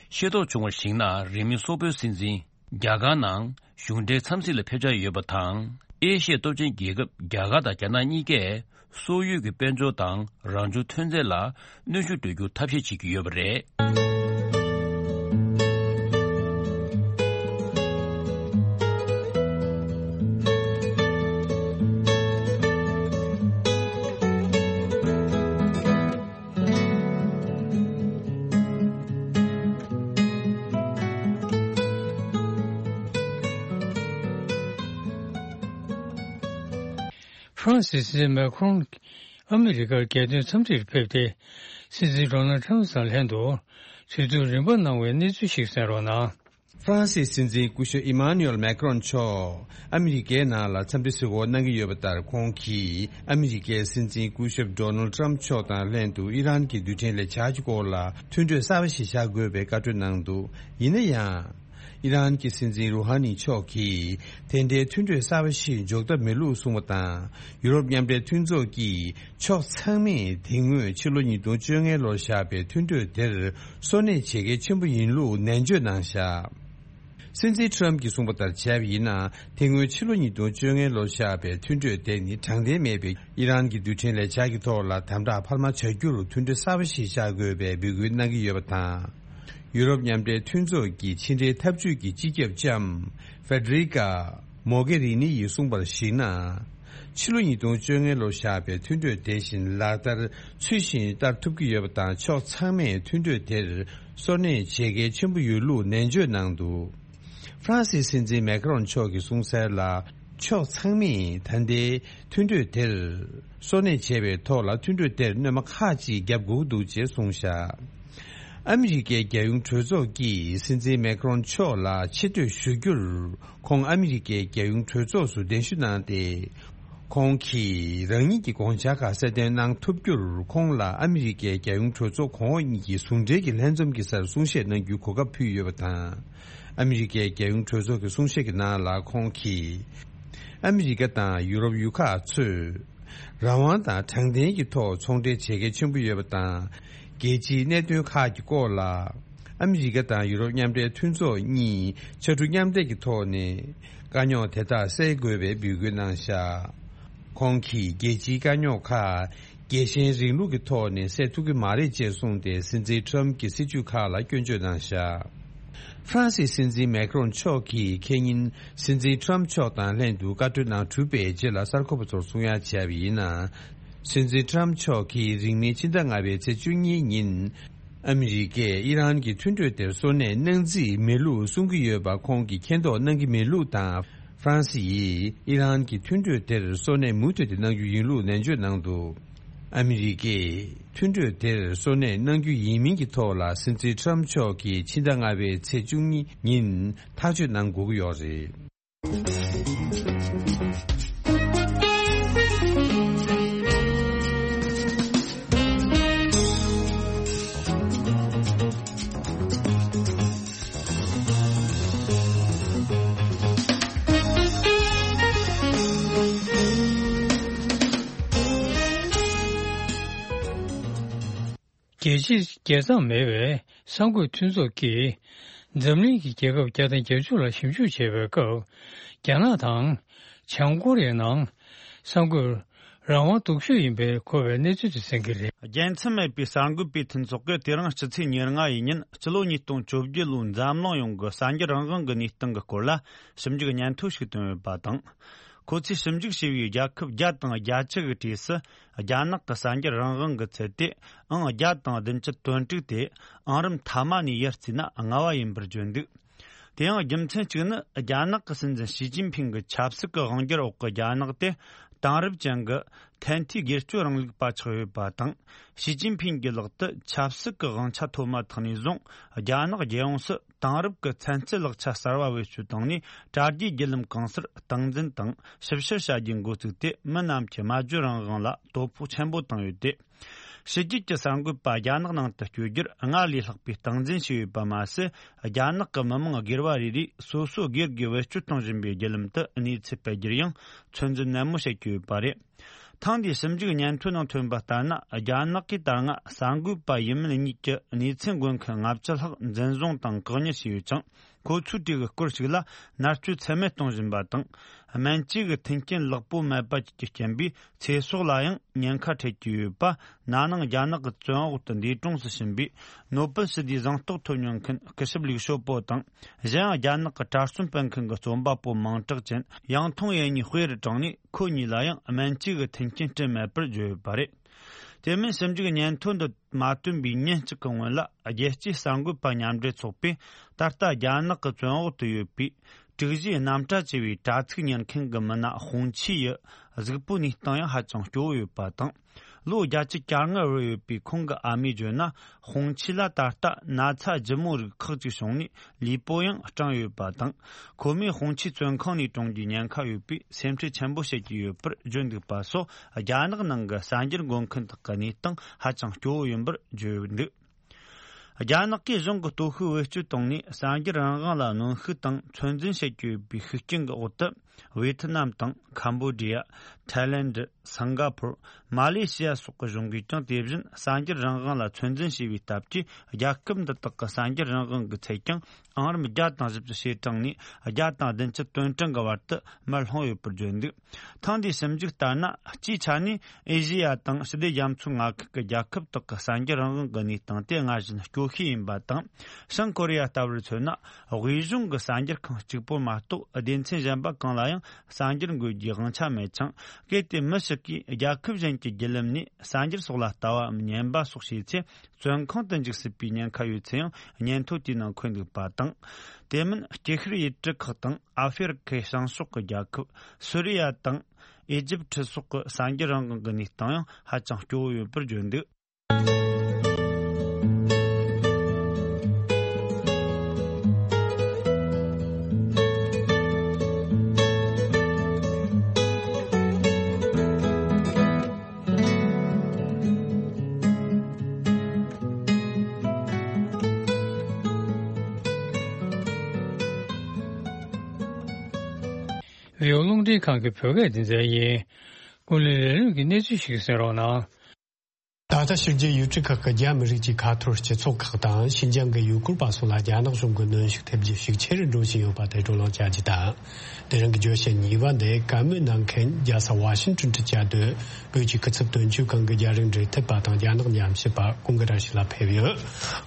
ཤེས་རྟོགས་བྱུང་བར་གཞིགས་ན། རིང་མིན་སོག་པོའི་སྲིད་འཛིན་རྒྱ་གར་ནང་གཞུང་འབྲེལ་འཚམས་གཟིགས་ལ་ཕེབས་འཆར་ཡོད་པ་དང་། ཨེ་ཤི་ཡའི་སྟོབས་ཆེན་རྒྱལ་ཁབ་རྒྱ་གར་དང་རྒྱ་ནག་གཉིས་ཀས་སོག་ཡུལ་གྱི་དཔལ་འབྱོར་དང་རང་བྱུང་ཐོན་རྫས་ལ་གནོན་ཤུགས་སྤྲོད་རྒྱུར་ཐབས་ཤེས་བྱེད་ཀྱི་ཡོད་པ་རེད། ཧྥ་རན་སིའི་སྲིད་འཛིན་མེ་ཁོང་ཨ་མི་རི་ཀར་རྒྱལ་དོན་འཚམས་འདྲིར་ཕེབས་ཏེ། སྲིད་འཛིན་ཌོ་ནལ་ཁྲམ་དང་ལྷན་དུ་དུས་ཚོད་རིམ་པ་གནང་བའི་གནས་ཚུལ་ཞིག་གསན་རོགས་གནང་། ཧྥ་རན་སིའི་སྲིད་འཛིན་སྐུ་ཞབས་ཨི་མཱ་ནུ་ཨེལ་མེ་ཁྲོན་མཆོག་ཨ་མི་རི་ཀའི་ནང་ལ་འཚམས་འདྲི་གཟིགས་སྐོར་གནང་གི་ཡོད་པ་ལྟར། ཁོང་གིས་ཨ་མི་རི་ཀའི་སྲིད་འཛིན་སྐུ་ཞབས་ཌོ་ནལ་ཁྲམ་མཆོག་དང་ལྷན་དུ་ཨི་རན་གྱི་རྡུལ་ཕྲན་ལས་འཆར་གྱི་སྐོར་ལ་མཐུན་གྲོས་གསར་པ་ཞིག་བཞག་དགོས་པའི་བཀའ་འཁྲོལ་གནང་འདུག་ཡིན་ན་ཡང་། ཨི་རན་གྱི་སྲིད་འཛིན་རུ་ཧ་ནི་མཆོག་གིས་དེ་འདྲའི་མཐུན་གྲོས་གསར་པ་ཞིག་འཇོག་ཐབས་མེད་ལུགས་གསུངས་པ་དང་། ཡུ་རོབ་མཉམ་འབྲེལ་མཐུན་ཚོགས་ཀྱིས་ཕྱོགས་ཚང་མས་དེ་སྔོན་ཕྱི་ལོ་ཉིས་སྟོང་བཅོ་ལྔ་ལོར་བཞག་པའི་མཐུན་གྲོས་དེར་སོར་གནས་བྱེད་གལ་ཆེན་པོ་ཡིན་ལུགས་ནན་བརྗོད་གནང་བཞག་སྲིད་འཛིན་ཊམ་གྱིས་གསུངས་པ་ལྟར་བྱས་པ་ཡིན་ན། དེ་སྔོན་ཕྱི་ལོ་ཉིས་སྟོང་བཅོ་ལྔ་ལོར་བཞག་པའི་མཐུན་གྲོས་དེ་ནི་དྲང་བདེན་མེད་པའི་ཨི་རན་གྱི་རྡུལ་ཕྲན་ལས་འཆར་གྱི་ཐོག་ལ་དམ་དྲག་འཕར་མ་བྱ་རྒྱུར་མཐུན་གྲོས་གསར་པ་ཞིག་བཞག་དགོས་པའི་འབོད་སྐུལ་གནང་གི་ཡོད་པ་དང་། ཡུ་རོབ་མཉམ་འབྲེལ་མཐུན་ཚོགས་ཀྱི་ཕྱི་འབྲེལ་འཐབ་ཇུས་ཀྱི་སྤྱི་ཁྱབ་ལྕམ་ཧྥེ་ཌེ་རི་ཀ་མོ་གེ་རི་ནི་ཡིས་གསུངས་པར་གཞིགས་ན། ཕྱི་ལོ་ཉིས་སྟོང་བཅོ་ལྔ་ལོར་བཞག་པའི་མཐུན་གྲོས་དེ་བཞིན་ལག་བསྟར་ཚུལ་བཞིན་བསྟར་ཐུབ་ཀྱི་ཡོད་པ་དང་། ཕྱོགས་ཚང་མས་མཐུན་གྲོས་དེར་སོར་གནས་བྱེད་གལ་ཆེན་པོ་ཡོད་ལུགས་ནན་བརྗོད་གནང་འདུག་ཧྥ་རན་སིའི་སྲིད་འཛིན་མེ་ཁ་རོན་མཆོག་གིས་གསུངས་གསལ་ལ། ཕྱོགས་ཚང་མས་ད་ལྟའི་མཐུན་གྲོས་དེར་སོར་གནས་བྱས་པའི་ཐོག་ལ། མཐུན་གྲོས་དེར་གནོད་མ་ཁག་ཅིག་བརྒྱབ་དགོས་ཀྱི་འདུག་ཅེས་གསུངས་བཞག་ཨ་མི་རི་ཀའི་རྒྱལ་ཡོངས་གྲོས་ཚོགས་ཀྱིས་སྲིད་འཛིན་མེ་ཁ་རོན་མཆོག་ལ་ཆེ་བསྟོད་ཞུ་རྒྱུར། ཁོང་ཨ་མི་རི་ཀའི་རྒྱལ་ཡོངས་གྲོས་ཚོགས་སུ་གདན་ཞུ་གནང་སྟེ། ཁོང་གིས་རང་ཉིད་ཀྱི་དགོངས་འཆར་ཁག་གསལ་སྟོན་གནང་ཐུབ་རྒྱུར། ཁོང་ལ་ཨ་མི་རི་ཀའི་རྒྱལ་ཡོངས་གྲོས་ཚོགས་གོང་འོག་གཉིས་ཀྱི་ཟུང་འབྲེལ་གྱི་ལྷན་འཛོམས་ཀྱི་སར་གསུང་བཤད་གནང་རྒྱུའི་གོ་སྐབས་ཕུལ་ཡོད་པ་དང་། ཨ་མི་རི་ཀའི་རྒྱལ་ཡོངས་གྲོས་ཚོགས་ཀྱི་གསུང་བཤད་ཀྱི་ནང་ལ། ཁོང་གིས་ཨ་མི་རི་ཀ་དང་ཡུ་རོབ་ཡུལ་ཁག་ཚོས་རང་དབང་དང་དྲང་བདེན་གྱི་ཐོག་ཚོང་འབྲེལ་བྱེད་གལ་ཆེན་པོ་ཡོད་པ་དང་། རྒྱལ་སྤྱིའི་གནད་དོན་ཁག་གི་སྐོར་ལ་ཨ་མི་རི་ཀ་དང་ཡུ་རོབ་མཉམ་འབྲེལ་མཐུན་ཚོགས་གཉིས་ཕྱར་གྲུ་མཉམ་འདེགས་ཀྱི་ཐོག་ནས་དཀའ་རྙོག་དེ་དག་སེལ་དགོས་པའི་འབོད་སྐུལ་གནང་བཞག་ཁོང་གིས་རྒྱལ་སྤྱིའི་དཀའ་རྙོག་ཁག་རྒྱལ་ཞེན་རིང་ལུགས་ཀྱི་ཐོག་ནས་སེལ་ཐུབ་ཀྱི་མ་རེད་ཅེས་གསུངས་ཏེ། སྲིད་འཛིན་ཊམ་གྱི་སྲིད་བྱུས་ཁག་ལ་སྐྱོན་བརྗོད་གནང་བཞག་ཧྥ་རན་སིའི་སྲིད་འཛིན་མེ་ཁ་རོན་མཆོག་གིས་ཁེ་ཉིན་སྲིད་འཛིན་ཊམ་མཆོག་དང་ལྷན་དུ་བཀའ་གྲོས་ནང་གྲུབ་པའི་རྗེས་ལ་གསར་འགོད་པ་ཚོར་གསུང་ཡ་བྱས་པ་ཡིན་ན། སྲིད་འཛིན་ཊམ་མཆོག་གིས་རིང་མིན་ཕྱི་ཟླ་ལྔ་པའི་ཚེས་བཅུ་གཉིས་ཉིན། ཨ་མི་རི་ཀས་ཨི་རན་གྱི་མཐུན་གྲོས་དེར་སོར་གནས་གནང་རྩིས་མེད་ལུགས་གསུང་གི་ཡོད་པ་ཁོང་གིས་མཁྱེན་རྟོགས་གནང་གི་མེད་ལུགས་དང་། ཧྥ་རན་སི་ཡིས་ཨི་རན་གྱི་མཐུན་གྲོས་དེར་སོར་གནས་མུ་མཐུད་དེ་གནང་རྒྱུ་ཡིན་ལུགས་ནན་བརྗོད་གནང་འདུག་ཨ་མི་རི་ཀས་མཐུན་གྲོས་དེར་སོར་གནས་གནང་རྒྱུ་ཡིན་མིན་གྱི་ཐོག་ལ། སྲིད་འཛིན་ཊམ་མཆོག་གིས་ཕྱི་ཟླ་ལྔ་པའི་ཚེས་བཅུ་གཉིས་ཉིན་ཐག་གཅོད་གནང་དགོས་ཀྱི་ཡོད་རེད། རྒྱལ་སྤྱིའི་རྒྱལ་མཚམས་མེད་པའི་གསར་འགོད་མཐུན་ཚོགས་ཀྱིས་འཛམ་གླིང་གི་རྒྱལ་ཁབ་བརྒྱ་དང་བརྒྱད་ཅུ་ལ་ཞིབ་འཇུག་བྱེད་པའི་སྐབས། རྒྱ་ནག་དང་བྱང་ཀོ་རི་ཡའི་ནང་གསར་འགོད་རང་དབང་སྡུག་ཤོས་ཡིན་པའི་གོ་བའི་གནས་ཚུལ་དེ་གསན་གྱི་རེད། རྒྱལ་མཚམས་མེད་པའི་གསར་འགོད་པའི་མཐུན་ཚོགས་ཀྱིས་དེ་རིང་སྤྱི་ཚེས་ཉེར་ལྔ་ཡི་ཉིན། སྤྱི་ལོ་ཉིས་སྟོང་བཅོ་བརྒྱད་ལོའི་འཛམ་གླིང་ཡོངས་ཀྱི་གསར་འགྱུར་རང་དབང་གི་གནས་སྟངས་ཀྱི་སྐོར་ལ་ཞིབ་འཇུག་སྙན་ཐོ་ཞིག་བཏོན་ཡོད་པ་དང་། ཁོ་ཚོས་ཞིབ་འཇུག་བྱས་པའི་རྒྱལ་ཁབ་བརྒྱ་དང་བརྒྱད་ཅུ་གི་གྲས་སུ། རྒྱ་ནག་གི་གསར་འགྱུར་རང་དབང་གི་ཚད་དེ་ཨང་བརྒྱ་དང་བདུན་ཅུ་དོན་དྲུག་དེ་ཨང་རིམ་མཐའ་མ་ནས་ཡར་བརྩིས་ན་ལྔ་བ་ཡིན་པར་བརྗོད་འདུག་དེ་ཡང་རྒྱུ་མཚན་གཅིག་ནི། རྒྱ་ནག་གི་སྲིད་འཛིན་ཞི་ཅིན་ཕིང་གི་ཆབ་སྲིད་ཀྱི་དབང་སྒྱུར་འོག་གི་རྒྱ་ནག་དེ་དེང་རབས་ཅན་གྱི་ཐན་ཐིའི་སྒེར་གཅོད་རིང་ལུགས་པ་ཆགས་ཡོད་པ་དང་། ཞི་ཅིན་ཕིང་གི་ལག་ཏུ་ཆབ་སྲིད་ཀྱི་དབང་ཆ་ཐོབ་མ་ཐག་ནས་བཟུང་། རྒྱ་ནག་རྒྱལ་ཡོངས་སུ་དེང་རབས་ཀྱི་ཚན་རྩལ་ལག་ཆ་གསར་བ་བེད་སྤྱོད་བཏང་ནས། དྲ་རྒྱའི་བརྒྱུད་ལམ་གང་སར་སྟངས་འཛིན་དང་ཞིབ་བཤེར་བྱ་རྒྱུའི་འགོ་བཙུགས་ཏེ། མི་རྣམས་ཀྱི་སྨྲ་བརྗོད་རང་དབང་ལ་དོ་ཕོག་ཆེན་པོ་བཏང་ཡོད་དེ། ཕྱི་རྒྱལ་གྱི་གསར་འགོད་པ་རྒྱ་ནག་ནང་དུ་བསྐྱོད་རྒྱུར་སྔར་ལས་ལྷག་པའི་སྟངས་འཛིན་བྱས་ཡོད་པ་མ་ཟད། རྒྱ་ནག་གི་མི་མང་སྒེར་བ་རེ་རེས་སོ་སོ་སྒེར་གྱིས་བེད་སྤྱོད་གཏོང་བཞིན་པའི་བརྒྱུད་ལམ་དུ་གནས་ཚུལ་སྤེལ་རྒྱུར་ཡང་ཚོད་འཛིན་ནན་མོ་བྱེད་ཀྱི་ཡོད་པ་རེད། ཐེངས་འདིའི་ཞིབ་འཇུག་སྙན་ཐོའི་ནང་ཐོན་པ་ལྟར་ན། རྒྱ་ནག་གིས་ད་སྔ་གསར་འགོད་པ་ཡིན་མིན་གཉིས་ཀྱི་གནས་ཚུལ་འགོད་མཁན་ལྔ་བཅུ་ལྷག་འཛིན་བཟུང་དང་བཀག་ཉར་བྱས་ཡོད་ཅིང་། ཁོ་ཚོའི་གྲས་ཀྱི་སྐོར་ཞིག་ལ་མནར་གཅོད་ཚད་མེད་གཏོང་བཞིན་པ་དང་། སྨན་བཅོས་ཀྱི་མཐུན་རྐྱེན་ལེགས་པོ་མེད་པ་བཅས་ཀྱི་རྐྱེན་པས་ཚེ་སྲོག་ལ་ཡང་ཉེན་ཁ་འཕྲད་ཀྱི་ཡོད་པ། ན་ནིང་རྒྱ་ནག་གི་བཙོན་འོག་ཏུ་འདས་གྲོངས་སུ་ཕྱིན་པའི་ནོ་བེལ་ཞི་བདེའི་གཟེངས་རྟགས་ཐོབ་མྱོང་མཁན་སྐུ་ཞབས་ལིའུ་ཞའོ་པོ་དང་། གཞན་ཡང་རྒྱ་ནག་གི་གྲྭ་བཙུན་སྤེལ་མཁན་གྱི་རྩོམ་པ་པོ་མིང་གྲགས་ཅན་ཡང་ཐུང་ཡེ་གཉིས་དཔེ་རུ་དྲངས་ནས། ཁོ་གཉིས་ལ་ཡང་སྨན་བཅོས་ཀྱི་མཐུན་རྐྱེན་སྤྲད་མེད་པར་བརྗོད་ཡོད་པ་རེད། དེ་མིན་ཞིབ་འཇུག་སྙན་ཐོ་འདི་མ་བཏོན་པའི་ཉིན་གཅིག་གི་སྔོན་ལ། རྒྱལ་སྤྱིའི་གསར་འགོད་པ་མཉམ་འབྲེལ་ཚོགས་པས་ད་ལྟ་རྒྱ་ནག་གི་བཙོན་འོག་ཏུ་ཡོད་པའི་དྲུག་བཞིའི་རྣམ་གྲྭ་ཅེས་པའི་དྲ་ཚིགས་གཉེར་མཁན་གྱི་མི་སྣ་ཧུང་ཆི་ཡི་གཟུགས་པོའི་གནས་སྟངས་ཡང་ཧ་ཅང་སྐྱོ་བོ་ཡོད་པ་དང་། ལོ་བརྒྱད་ཅུ་གྱ་ལྔ་བར་ཡོད་པའི་ཁོང་གི་ཨ་མས་བརྗོད་ན། ཧུང་ཆི་ལ་ད་ལྟ་ན་ཚ་ལྗིད་མོ་རིགས་ཁག་ཅིག་བྱུང་ནས་ལུས་པོ་ཡང་སྐྲངས་ཡོད་པ་དང་། ཁོ་མོས་ཧུང་ཆི་བཙོན་ཁང་ནས་གྲོངས་རྒྱུའི་ཉེན་ཁ་ཡོད་པས་སེམས་ཁྲལ་ཆེན་པོ་བྱེད་ཀྱི་ཡོད་པར་བརྗོད་འདུག་པ་སོགས། རྒྱ་ནག་ནང་གི་གསར་འགྱུར་འགོད་མཁན་དག་གི་གནས་སྟངས་ཧ་ཅང་སྐྱོ་བོ་ཡིན་པར་བརྗོད་འདུག་རྒྱ་ནག་གིས་གཞུང་གི་སྟོབས་ཤུགས་བེད་སྤྱོད་བཏང་ནས་གསར་འགྱུར་རང་དབང་ལ་གནོན་ཤུགས་དང་ཚོད་འཛིན་བྱེད་ཀྱི་ཡོད་པའི་ཤུགས་རྐྱེན་གྱི་འོག་ཏུ། ཝེ་ཐི་ནམ་དང་ཁམ་བོ་ཌི་ཡ། ཐའི་ལེན་ཌི། སིང་ག་ཕོར། མ་ལེ་ཤི་ཡ་སོགས་ཀྱི་གཞུང་གིས་ཀྱང་དེ་བཞིན་གསར་འགྱུར་རང་དབང་ལ་ཚོད་འཛིན་བྱས་པའི་སྟབས་ཀྱིས། རྒྱལ་ཁབ་འདི་དག་གི་གསར་འགྱུར་རང་དབང་གི་ཚད་ཀྱང་ཨང་རིམ་བརྒྱ་དང་བཞི་བཅུ་ཞེ་གྲངས་ནས་བརྒྱ་དང་བདུན་ཅུ་དོན་གྲངས་ཀྱི་བར་དུ་མར་ལྷུང་ཡོད་པར་བརྗོད་འདུག་ཐེངས་འདིའི་ཞིབ་འཇུག་ལྟར་ན། སྤྱིའི་ཆ་ནས་ཨེ་ཤེ་ཡ་དང་ཞི་བདེ་རྒྱ་མཚོའི་མངའ་ཁུལ་གྱི་རྒྱལ་ཁབ་དག་གི་གསར་འགྱུར་རང་དབང་གི་གནས་སྟངས་དེ་སྔར་བཞིན་སྐྱོ་ཤོས་ཡིན་པ་དང་། བྱང་ཀོ་རི་ཡ་ལྟ་བུར་མཚོན་ན། དབུས་གཞུང་གི་གསར་འགྱུར་ཁང་གཅིག་པོ་མ་གཏོགས། སྡེ་ཚན་གཞན་པ་གང་ལ་ཡང་གསར་འགྱུར་འགོད་རྒྱུའི་དབང་ཆ་མེད་ཅིང་། གལ་ཏེ་མི་ཞིག་གིས་རྒྱལ་ཁབ་གཞན་གྱི་བརྒྱུད་ལམ་ནས་གསར་འགྱུར་སོགས་ལ་ལྟ་བའམ་ཉན་པ་སོགས་བྱས་ཚེ། བཙོན་ཁང་དུ་འཇུག་སྲིད་པའི་ཉེན་ཁ་ཡོད་ཚུལ་ཡང་སྙན་ཐོ་དེའི་ནང་འཁོད་འདུག་པ་དང་། དེ་མིན་སྐྱིད་ཤོད་ཡུལ་གྲུ་ཁག་དང་ཨ་ཧྥེ་རི་ཁའི་བྱང་ཕྱོགས་ཀྱི་རྒྱལ་ཁབ་སུ་རི་ཡ་དང་ཨི་ཇིབ་ཁྲི་སོགས་ཀྱི་གསར་འགྱུར་རང་དབང་གི་གནས་སྟངས་ཡང་ཧ་ཅང་སྐྱོ་བོ་ཡོད་པར་བརྗོད་འདུག་བོད་རླུང་འཕྲིན་ཁང་གི་བོད་སྐད་སྡེ་ཚན་ཡིན། ཀུན་གླེང་ལས་རིམ་གྱི་གནས་ཚུལ་ཞིག་གསན་རོགས་གནང་། ད་ལྟ་ཕྱི་རྒྱལ་ཡུལ་གྲུ་ཁག་གི་རྒྱ་མི་རིགས་ཀྱི་ཁ་ཐོར་སྤྱི་ཚོགས་ཁག་དང་ཤིན་ཅང་གི་ཡུལ་སྐོར་པ་སོགས་ལ་རྒྱ་ནག་གཞུང་གི་གནོན་ཤུགས་ཐེབས་རྒྱུ་ཤུགས་ཆེ་རུ་འགྲོ་བཞིན་ཡོད་པ་དེ་བགྲོ་གླེང་བྱ་རྒྱུ་དང་། དེ་རིང་གི་བརྗོད་བྱ་གཉིས་པ་འདི་བཀའ་མོལ་གནང་མཁན་རྒྱལ་ས་ཝ་ཤིང་ཏོན་དུ་བཅའ་སྡོད་བོད་ཀྱི་སྐུ་ཚབ་དོན་གཅོད་ཁང་གི་རྒྱ་རིགས་འབྲེལ་མཐུད་པ་དང་རྒྱ་ནག་ཉམས་ཞིབ་པ་ཀུན་དགའ་བཀྲ་ཤིས་ལགས་ཕེབས་ཡོད།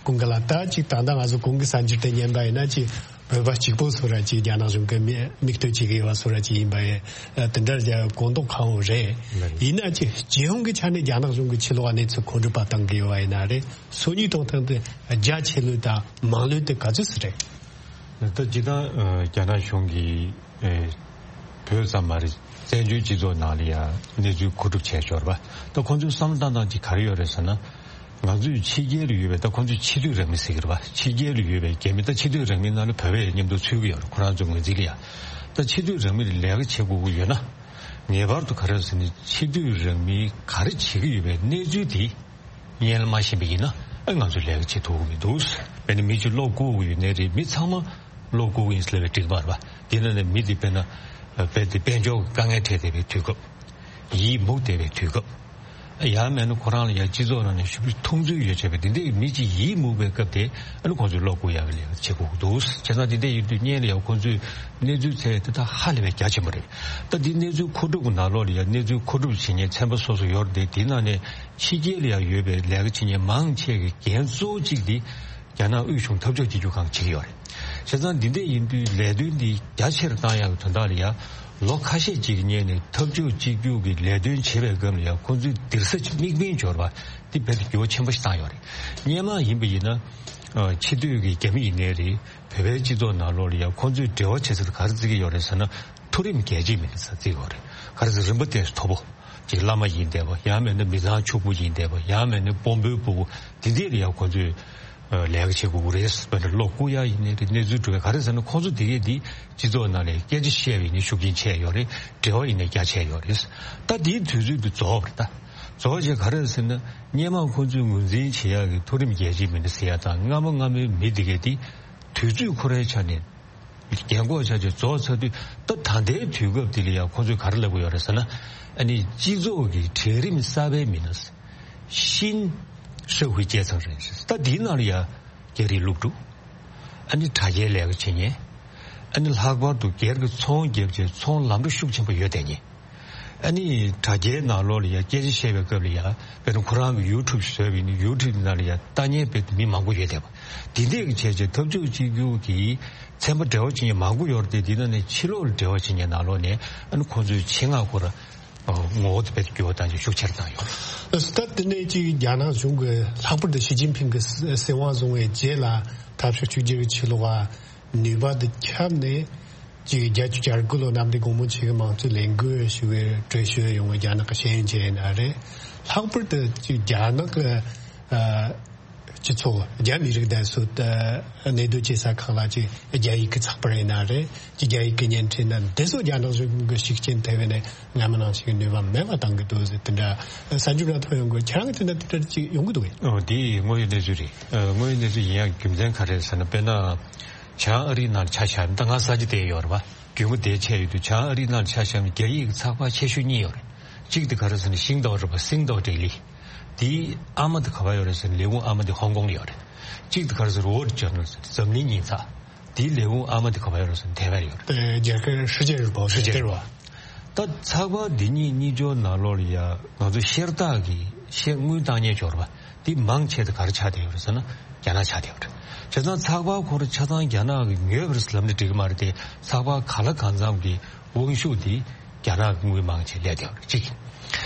ཀུན་དགའ་ལགས། ད་ཅིག་ད་ལྟ་ང་ཚོ་གོང་གི་གསར་འགྱུར་དེ་ཉན་པ་ཡིན་ན་ཅིག་བོད་པ་གཅིག་པོ་ཚོ་ར་ཅིག་རྒྱ་ནག་གཞུང་གི་མི་མིག་ལྟོས་བྱེད་ཀྱི་ཡོད་པ་ཚོ་ར་ཅིག་ཡིན་པ་ཡིན། དེ་འདྲ་རྒྱ་གོ་མདོག་ཁ་པོ་རེད། ཡིན་ན་ཅིག་སྤྱི་ཡོངས་ཀྱི་ཆ་ནས་རྒྱ་ནག་གཞུང་གི་ཕྱི་ལོགས་གནས་ཚུལ་མཁོ་སྒྲུབ་པ་བཏང་གི་ཡོད་པ་ཡིན་ན་རེད། སོ་གཉིས་གཏོང་སྟངས་དེ་རྒྱ་ཆེ་ལོས་དང་མང་ལོས་དེ་ག་ཚོད་ཙམ་རེད། ད་སྤྱིར་བཏང་རྒྱ་ནག་གཞུང་གིས་བོད་ཙམ་མ་རེད། བཙན་བྱོལ་སྤྱི་ཚོགས་ནང་ལ་ཡང་གནས་ཚུལ་མཁོ་སྒྲུབ་བྱས་ཞོར་བ། ད་ཁོང་ཚོའི་བསམ་བློ་བཏང་སྟངས་ཅིག་ག་རེ་ཡོད་རེད་ཟེར་ན། ང་ཚོས་ཕྱི་རྒྱལ་ལ་ཡོད་པའི། ད་ཁོང་ཚོས་ཕྱི་སྡོད་རང་མི་ཟེར་གྱི་རེད་བ། ཕྱི་རྒྱལ་ལ་ཡོད་པའི་རྒྱ་མི། ད་ཕྱི་སྡོད་རང་མིའི་ནང་ལ་བོད་པ་ཡང་མཉམ་དུ་ཚུད་ཀྱི་ཡོད་རེད། ཁོ་རང་ཚོའི་ངོས་འཛིན་ལ་ཡང་། ད་ཕྱི་སྡོད་རང་མི་ལ་ལས་ཀ་བྱེད་དགོས་ཀྱི་ཡོད་ན། ངེས་པར་དུ་ག་རེ་ཟེར་ན། ཕྱི་སྡོད་རང་མིས་ག་རེ་བྱེད་ཀྱི་ཡོད་པའི་གནས་ཚུལ་དེ་སྔོན་ལ་མ་ཤེས་པ་ཡིན་ན། ཨ། ང་ཚོས་ལས་ཀ་བྱེད་ཐུབ་ཀྱི་མི་འདུག་དཔེར་ན་མི་གཅིག་གློག་བསྐུར་གྱི་ཡོད་ནའི་རེད། མི་ཚང་མ་གློག་བསྐུར་གྱི་ཡིན་ཟེར་བའི་འགྲིག་པ་རེད་བ། དེ་ནང་ནས་མི་དེ་དཔེར་ན་དཔེ་དེ་དཔལ་འབྱོར་གྱི་དཀའ་ངལ་འཕྲད་བསྡད་པའི་དུས་སྐབས། ཡིད་མུག་བསྡད་པའི་དུས་སྐབས། ཡང་མིན་ན་ཁོ་རང་ལ་ཡང་སྤྱི་ཚོགས་ནང་ནས་ཞེ་པོ་མཐོང་ཚུལ་ཡོད་བྱས་པའི་དེ་འདྲའི་མི་གཅིག་ཡིད་མུག་པའི་སྐབས་དེ། ཨ་ནི་ཁོང་ཚོས་གློག་བསྐུར་ཡག་གི་ལས་ཀ་བྱེད་དགོས་ཀྱི་འདུག་བྱས་ཙང་དེ་འདྲ་ཡིན་དུས་སྔོན་ལ་ཡང་ཁོང་ཚོས་གནས་ཚུལ་བཙལ་ཡ་དེ་ད་ཧ་ལས་པའི་རྒྱ་ཆེན་པོ་རེད། ད་འདི་གནས་ཚུལ་མཁོ་སྒྲུབ་ཀྱི་ནང་ལོགས་ལ་ཡང་གནས་ཚུལ་མཁོ་སྒྲུབ་བྱེད་མཁན་ཚན་པ་སོ་སོ་ཡོད་རེད་དེ། དེའི་ནང་ནས་ཕྱི་རྒྱལ་ལ་ཡང་ཡོད་པའི་ལས་ཀ་བྱེད་མཁན་མང་ཆེ་གི་འགན་གཙོ་བོ་གཅིག་དེ་རྒྱ་ནག་དབུས་གཞུང་འཐབ་ཕྱོགས་གཅིག་གྱུར་ཁང་བྱེད་ཀྱི་ཡོད་རེད། བྱས་ཙང་འདི་འདྲ་ཡིན་དུས་ལས་དོན་འདི་རྒྱ་ཆེར་བཏང་ཡག་གི་དོན་དག་ལ་ཡང་ལོ་ཁ་ཤས་ཅིག་གི་སྔོན་ནས་འཐབ་ཕྱོགས་གཅིག་གྱུར་གྱི་ལས་དོན་བྱེད་པའི་སྐབས་ལ་ཡང་ཁོང་ཚོས་སྡིགས་ས་དམིགས་འབེན་འབྱོར་བ་འདི་རྦད་དེ་འགྱུར་བ་ཆེན་པོ་ཞིག་བཏང་ཡོད་རེད། སྔོན་མ་ཡིན་པ་ཡིན་ན། ཨ། ཕྱི་སྡོད་ཀྱི་རྒྱ་མི་ཡིན་ནའི་རེད། བོད་པའི་སྤྱི་ཚོགས་ནང་ལོགས་ལ་ཡང་ཁོང་ཚོས་འབྲེལ་བ་བྱེད་ས་དེ་ག་རེ་བརྩི་གི་ཡོད་རེད་ཟེར་ན། མཐོ་རིམ་རྒྱལ་གཅེས་མི་སྣ་ཟེར་བརྩི་གི་ཡོད་རེད། ག་རེ་ཟེར། རིམ་པ་དེ་མཐོ་པོ། ཅིག་བླ་མ་ཡིན་བསྡད་པ། ཡང་མིན་ན་མི་ཚང་ཕྱུག་པོ་ཡིན་བསྡད་པ། ཡང་མིན་ན་དཔོན་པོའི་ཕྲུ་གུ། དེ་འདྲ་ལ་ཡང་ཁོང་ཚོས་ལས་ཀ་བྱེད་དགོས་ཀྱི་རེད། དཔེར་ན་གློག་བསྐུར་ཡག་ཡིན་ནའི་རེད། གནས་ཚུལ་སྒྲུབ་ཡག་ག་རེ་ཟེར་ན། ཁོང་ཚོ་དེ་གས་དེ་སྤྱི་ཚོགས་ནང་ལ་སྐད་ཆ་བཤད་པ་ཡིན་ནའི་ཤུགས་རྐྱེན་ཆེ་ཡོད་རེད། འབྲེལ་བ་ཡིན་ནའི་རྒྱ་ཆེ་ཡོད་རེད། ད་དེའི་དུས་ཚོད་དེ་རྫོགས་པ་རེད། ད་རྫོགས་བྱས་ག་རེ་ཟེར་ན། སྔོན་མ་ཁོང་ཚོས་ངོས་འཛིན་བྱེད་ཡག་གི་མཐོ་རིམ་རྒྱལ་གཅེས་མི་སྣ་ཟེར་ཡག་དང་། སྔ་མ་སྔ་མོའི་མི་དེ་གས་དེ་དུས་ཚོད་ཁོ་རའི་ཆ་ནས་རྒན་གོག་ཆགས་བྱས་རྫོགས་ཚར་དུས། ད་ད་ལྟའི་དུས་སྐབས་འདི་ལ་ཡང་ཁོང་ཚོས་ག་རེ་ལབ་ཀྱི་ཡོད་རེད་ཟེར་ན། ཨ་ནི་སྤྱི་ཚོགས་ཀྱི་གྲལ་རིམ་གསར་པའི་མི་སྣ། 新社会阶层人士། ད་འདིའི་ནང་ལ་ཡང་རྒྱ་རིགས་སློབ་ཕྲུག། ཨ་ནི་དྲ་རྒྱའི་ལས་ཀ་བྱེད་མཁན། ཨ་ནི་ལྷག་པར་དུ་སྒེར་གྱི་ཚོང་བརྒྱབ་བྱས་ཚོང་ལམ་འགྲོ་ཤུགས་ཆེན་པོ་ཡོད་བསྡད་མཁན། ཨ་ནི་དྲ་རྒྱའི་ནང་ལོགས་ལ་ཡང་སྐད་ཆ་བཤད་པའི་སྐབས་ལ་ཡང་། དཔེར་ན་ཁོ་རང་གི་ཡུ་ཊུབ་བཟོས་པ་ཡིན་ན། ཡུ་ཊུབ་ནང་ལ་ཡང་ལྟ་མཁན་དཔེ་མི་མང་པོ་ཡོད་བསྡད་པ། དེ་འདྲས་ཀྱི་བྱས་བྱས་འཐབ་ཕྱོགས་གཅིག་གྱུར་གྱི་ཚན་པ་འབྲེལ་བ་བྱེད་མཁན་མང་པོ་ཡོད་རེད་དེ། དེ་ནང་ནས་ཕྱི་ལོགས་ལ་འབྲེལ་བ་བྱེད་མཁན་ནང་ལོགས་ནས། ཨ་ནི་ཁོང་ཚོའི་ཆེད་མངགས་སྐོར་ངོ་བོ་དེ་དཔེ་འགྱུར་བ་བཏང་ཆེད་ཤུགས་ཆེར་བཏང་ཡོད། ད་དེ་ནས་ཅིག་རྒྱ་ནག་གཞུང་གི་ལྷག་པར་དུ་ཞི་ཅིན་ཕིང་གི་སྲིད་དབང་བཟུང་བའི་རྗེས་ལ་འཐབ་ཕྱོགས་གཅིག་གྱུར་གྱི་ཕྱི་ལོགས་ནུས་པ་དེ་ཁྱབ་ནས། ཅིག་བརྒྱད་ཅུ་གྱ་དགུ་ལོ་གནམ་བདེ་སྒོ་མོ་ཆེ་གི་དམངས་གཙོའི་ལས་འགུལ་ཞུ་བའི་གྲོས་ཆོད་ཡོང་བའི་རྒྱ་ནག་གི་ཤེས་ཡོན་ཅན་ཡིན་ན་རེད། ལྷག་པར་དུ་ཅིག་རྒྱ་ནག་གི་ཨ་ སྤྱི་ཚོགས་རྒྱ་མི་རིགས་དང་སོགས་གནས་སྡོད་བྱེད་ས་ཁག་ལ་ཅིག་རྒྱ་ཡིག་གི་ཚགས་པར་ཡིན་ན་རེད། ཅིག་རྒྱ་ཡིག་གི་བརྙན་འཕྲིན་ན་འདི་ཚོ་རྒྱ་ནག་གཞུང་གི་ཤུགས་རྐྱེན་ཐེབས་ནས་སྔ་མ་ནང་བཞིན་ནུས་པ་མེད་པ་བཏང་གི་འདུག་ཟེར། དེ་འདྲ་གསར་འགྱུར་ནང་ཐོན་ཡོང་གི། ཁྱེད་རང་གི་དེ་འདྲ་དེ་འདྲ་ཅིག་ཡོང་གི་འདུག་གས། ཨོ། དེ་དངོས་ཡོད་གནས་ཚུལ་རེད། ཨ། དངོས་ཡོད་གནས་ཚུལ་ཡིན་ཡང་རྒྱུ་མཚན་ག་རེ་ཟེར་ན། དཔེར་ན་བྱང་ཨ་རིའི་ནང་ལ་ཆ་བཞག་ན། ད་ང་གསར་འགྱུར་དེ་ཡོད་རེད་པ། རྒྱུས་མངའ་དེ་ཆད་ཡོད་དུས། བྱང་ཨ་རིའི་ནང་ལ་ཆ་བཞག་ན་རྒྱ་ཡིག་གི་ཚགས་པར་ཆེ་ཤོས་གཉིས་ཡོད་རེད། གཅིག་དེ་ག་རེ་ཟེར་ན་ཤིང་ཏའོ་རེད་པ། Singdao Daily། དེའི་ཨ་མ་དེ་ག་པར་ཡོད་རེད་ཟེར་ན། ལས་ཁུངས་ཨ་མ་དེ་ཧོང་ཀོང་ལ་ཡོད་རེད། གཅིག་དེ་ག་རེ་ཟེར་ན། Wall Journal། འཛམ་གླིང་ཉིན་ཚགས། དེའི་ལས་ཁུངས་ཨ་མ་དེ་ག་པར་ཡོད་རེད་ཟེར་ན། ཐའེ་ཝན་ལ་ཡོད་རེད། ཨེ། རྒྱལ་ཁབ། 世界日报། 世界日报། དེ་རེད་པ། ད་ཚགས་པར་འདི་གཉིས་གཉིས་ཆར་ནང་ལོགས་ལ་ཡ་ང་ཚོ་ཤེར་རྟགས་ཀྱི་ཤེར་དངུལ་བཏང་མཁན་ཅིག་ཡོད་རེད་པ། དེ་མང་ཆེ་དེ་ག་རེ་ཆགས་བསྡད་ཡོད་རེད་ཟེར་ན། རྒྱ་ནག་ཆགས་བསྡད་ཡོད་རེད། བྱས་ཙང་ཚགས་པར་ཁོ་རང་ཆ་ཚང་རྒྱ་ནག་གིས་ཉོས་པ་རེད་ལབ་ན་འགྲིག་གི་མ་རེད་དེ། ཚགས་པར་གང་ལ་གང་འཚམ་གྱི་དབང་ཤུགས་དེ་རྒྱ་ནག་གི་དངུལ་མང་ཆེ་སླེབས་བསྡད་ཡོད་རེད། གཅིག།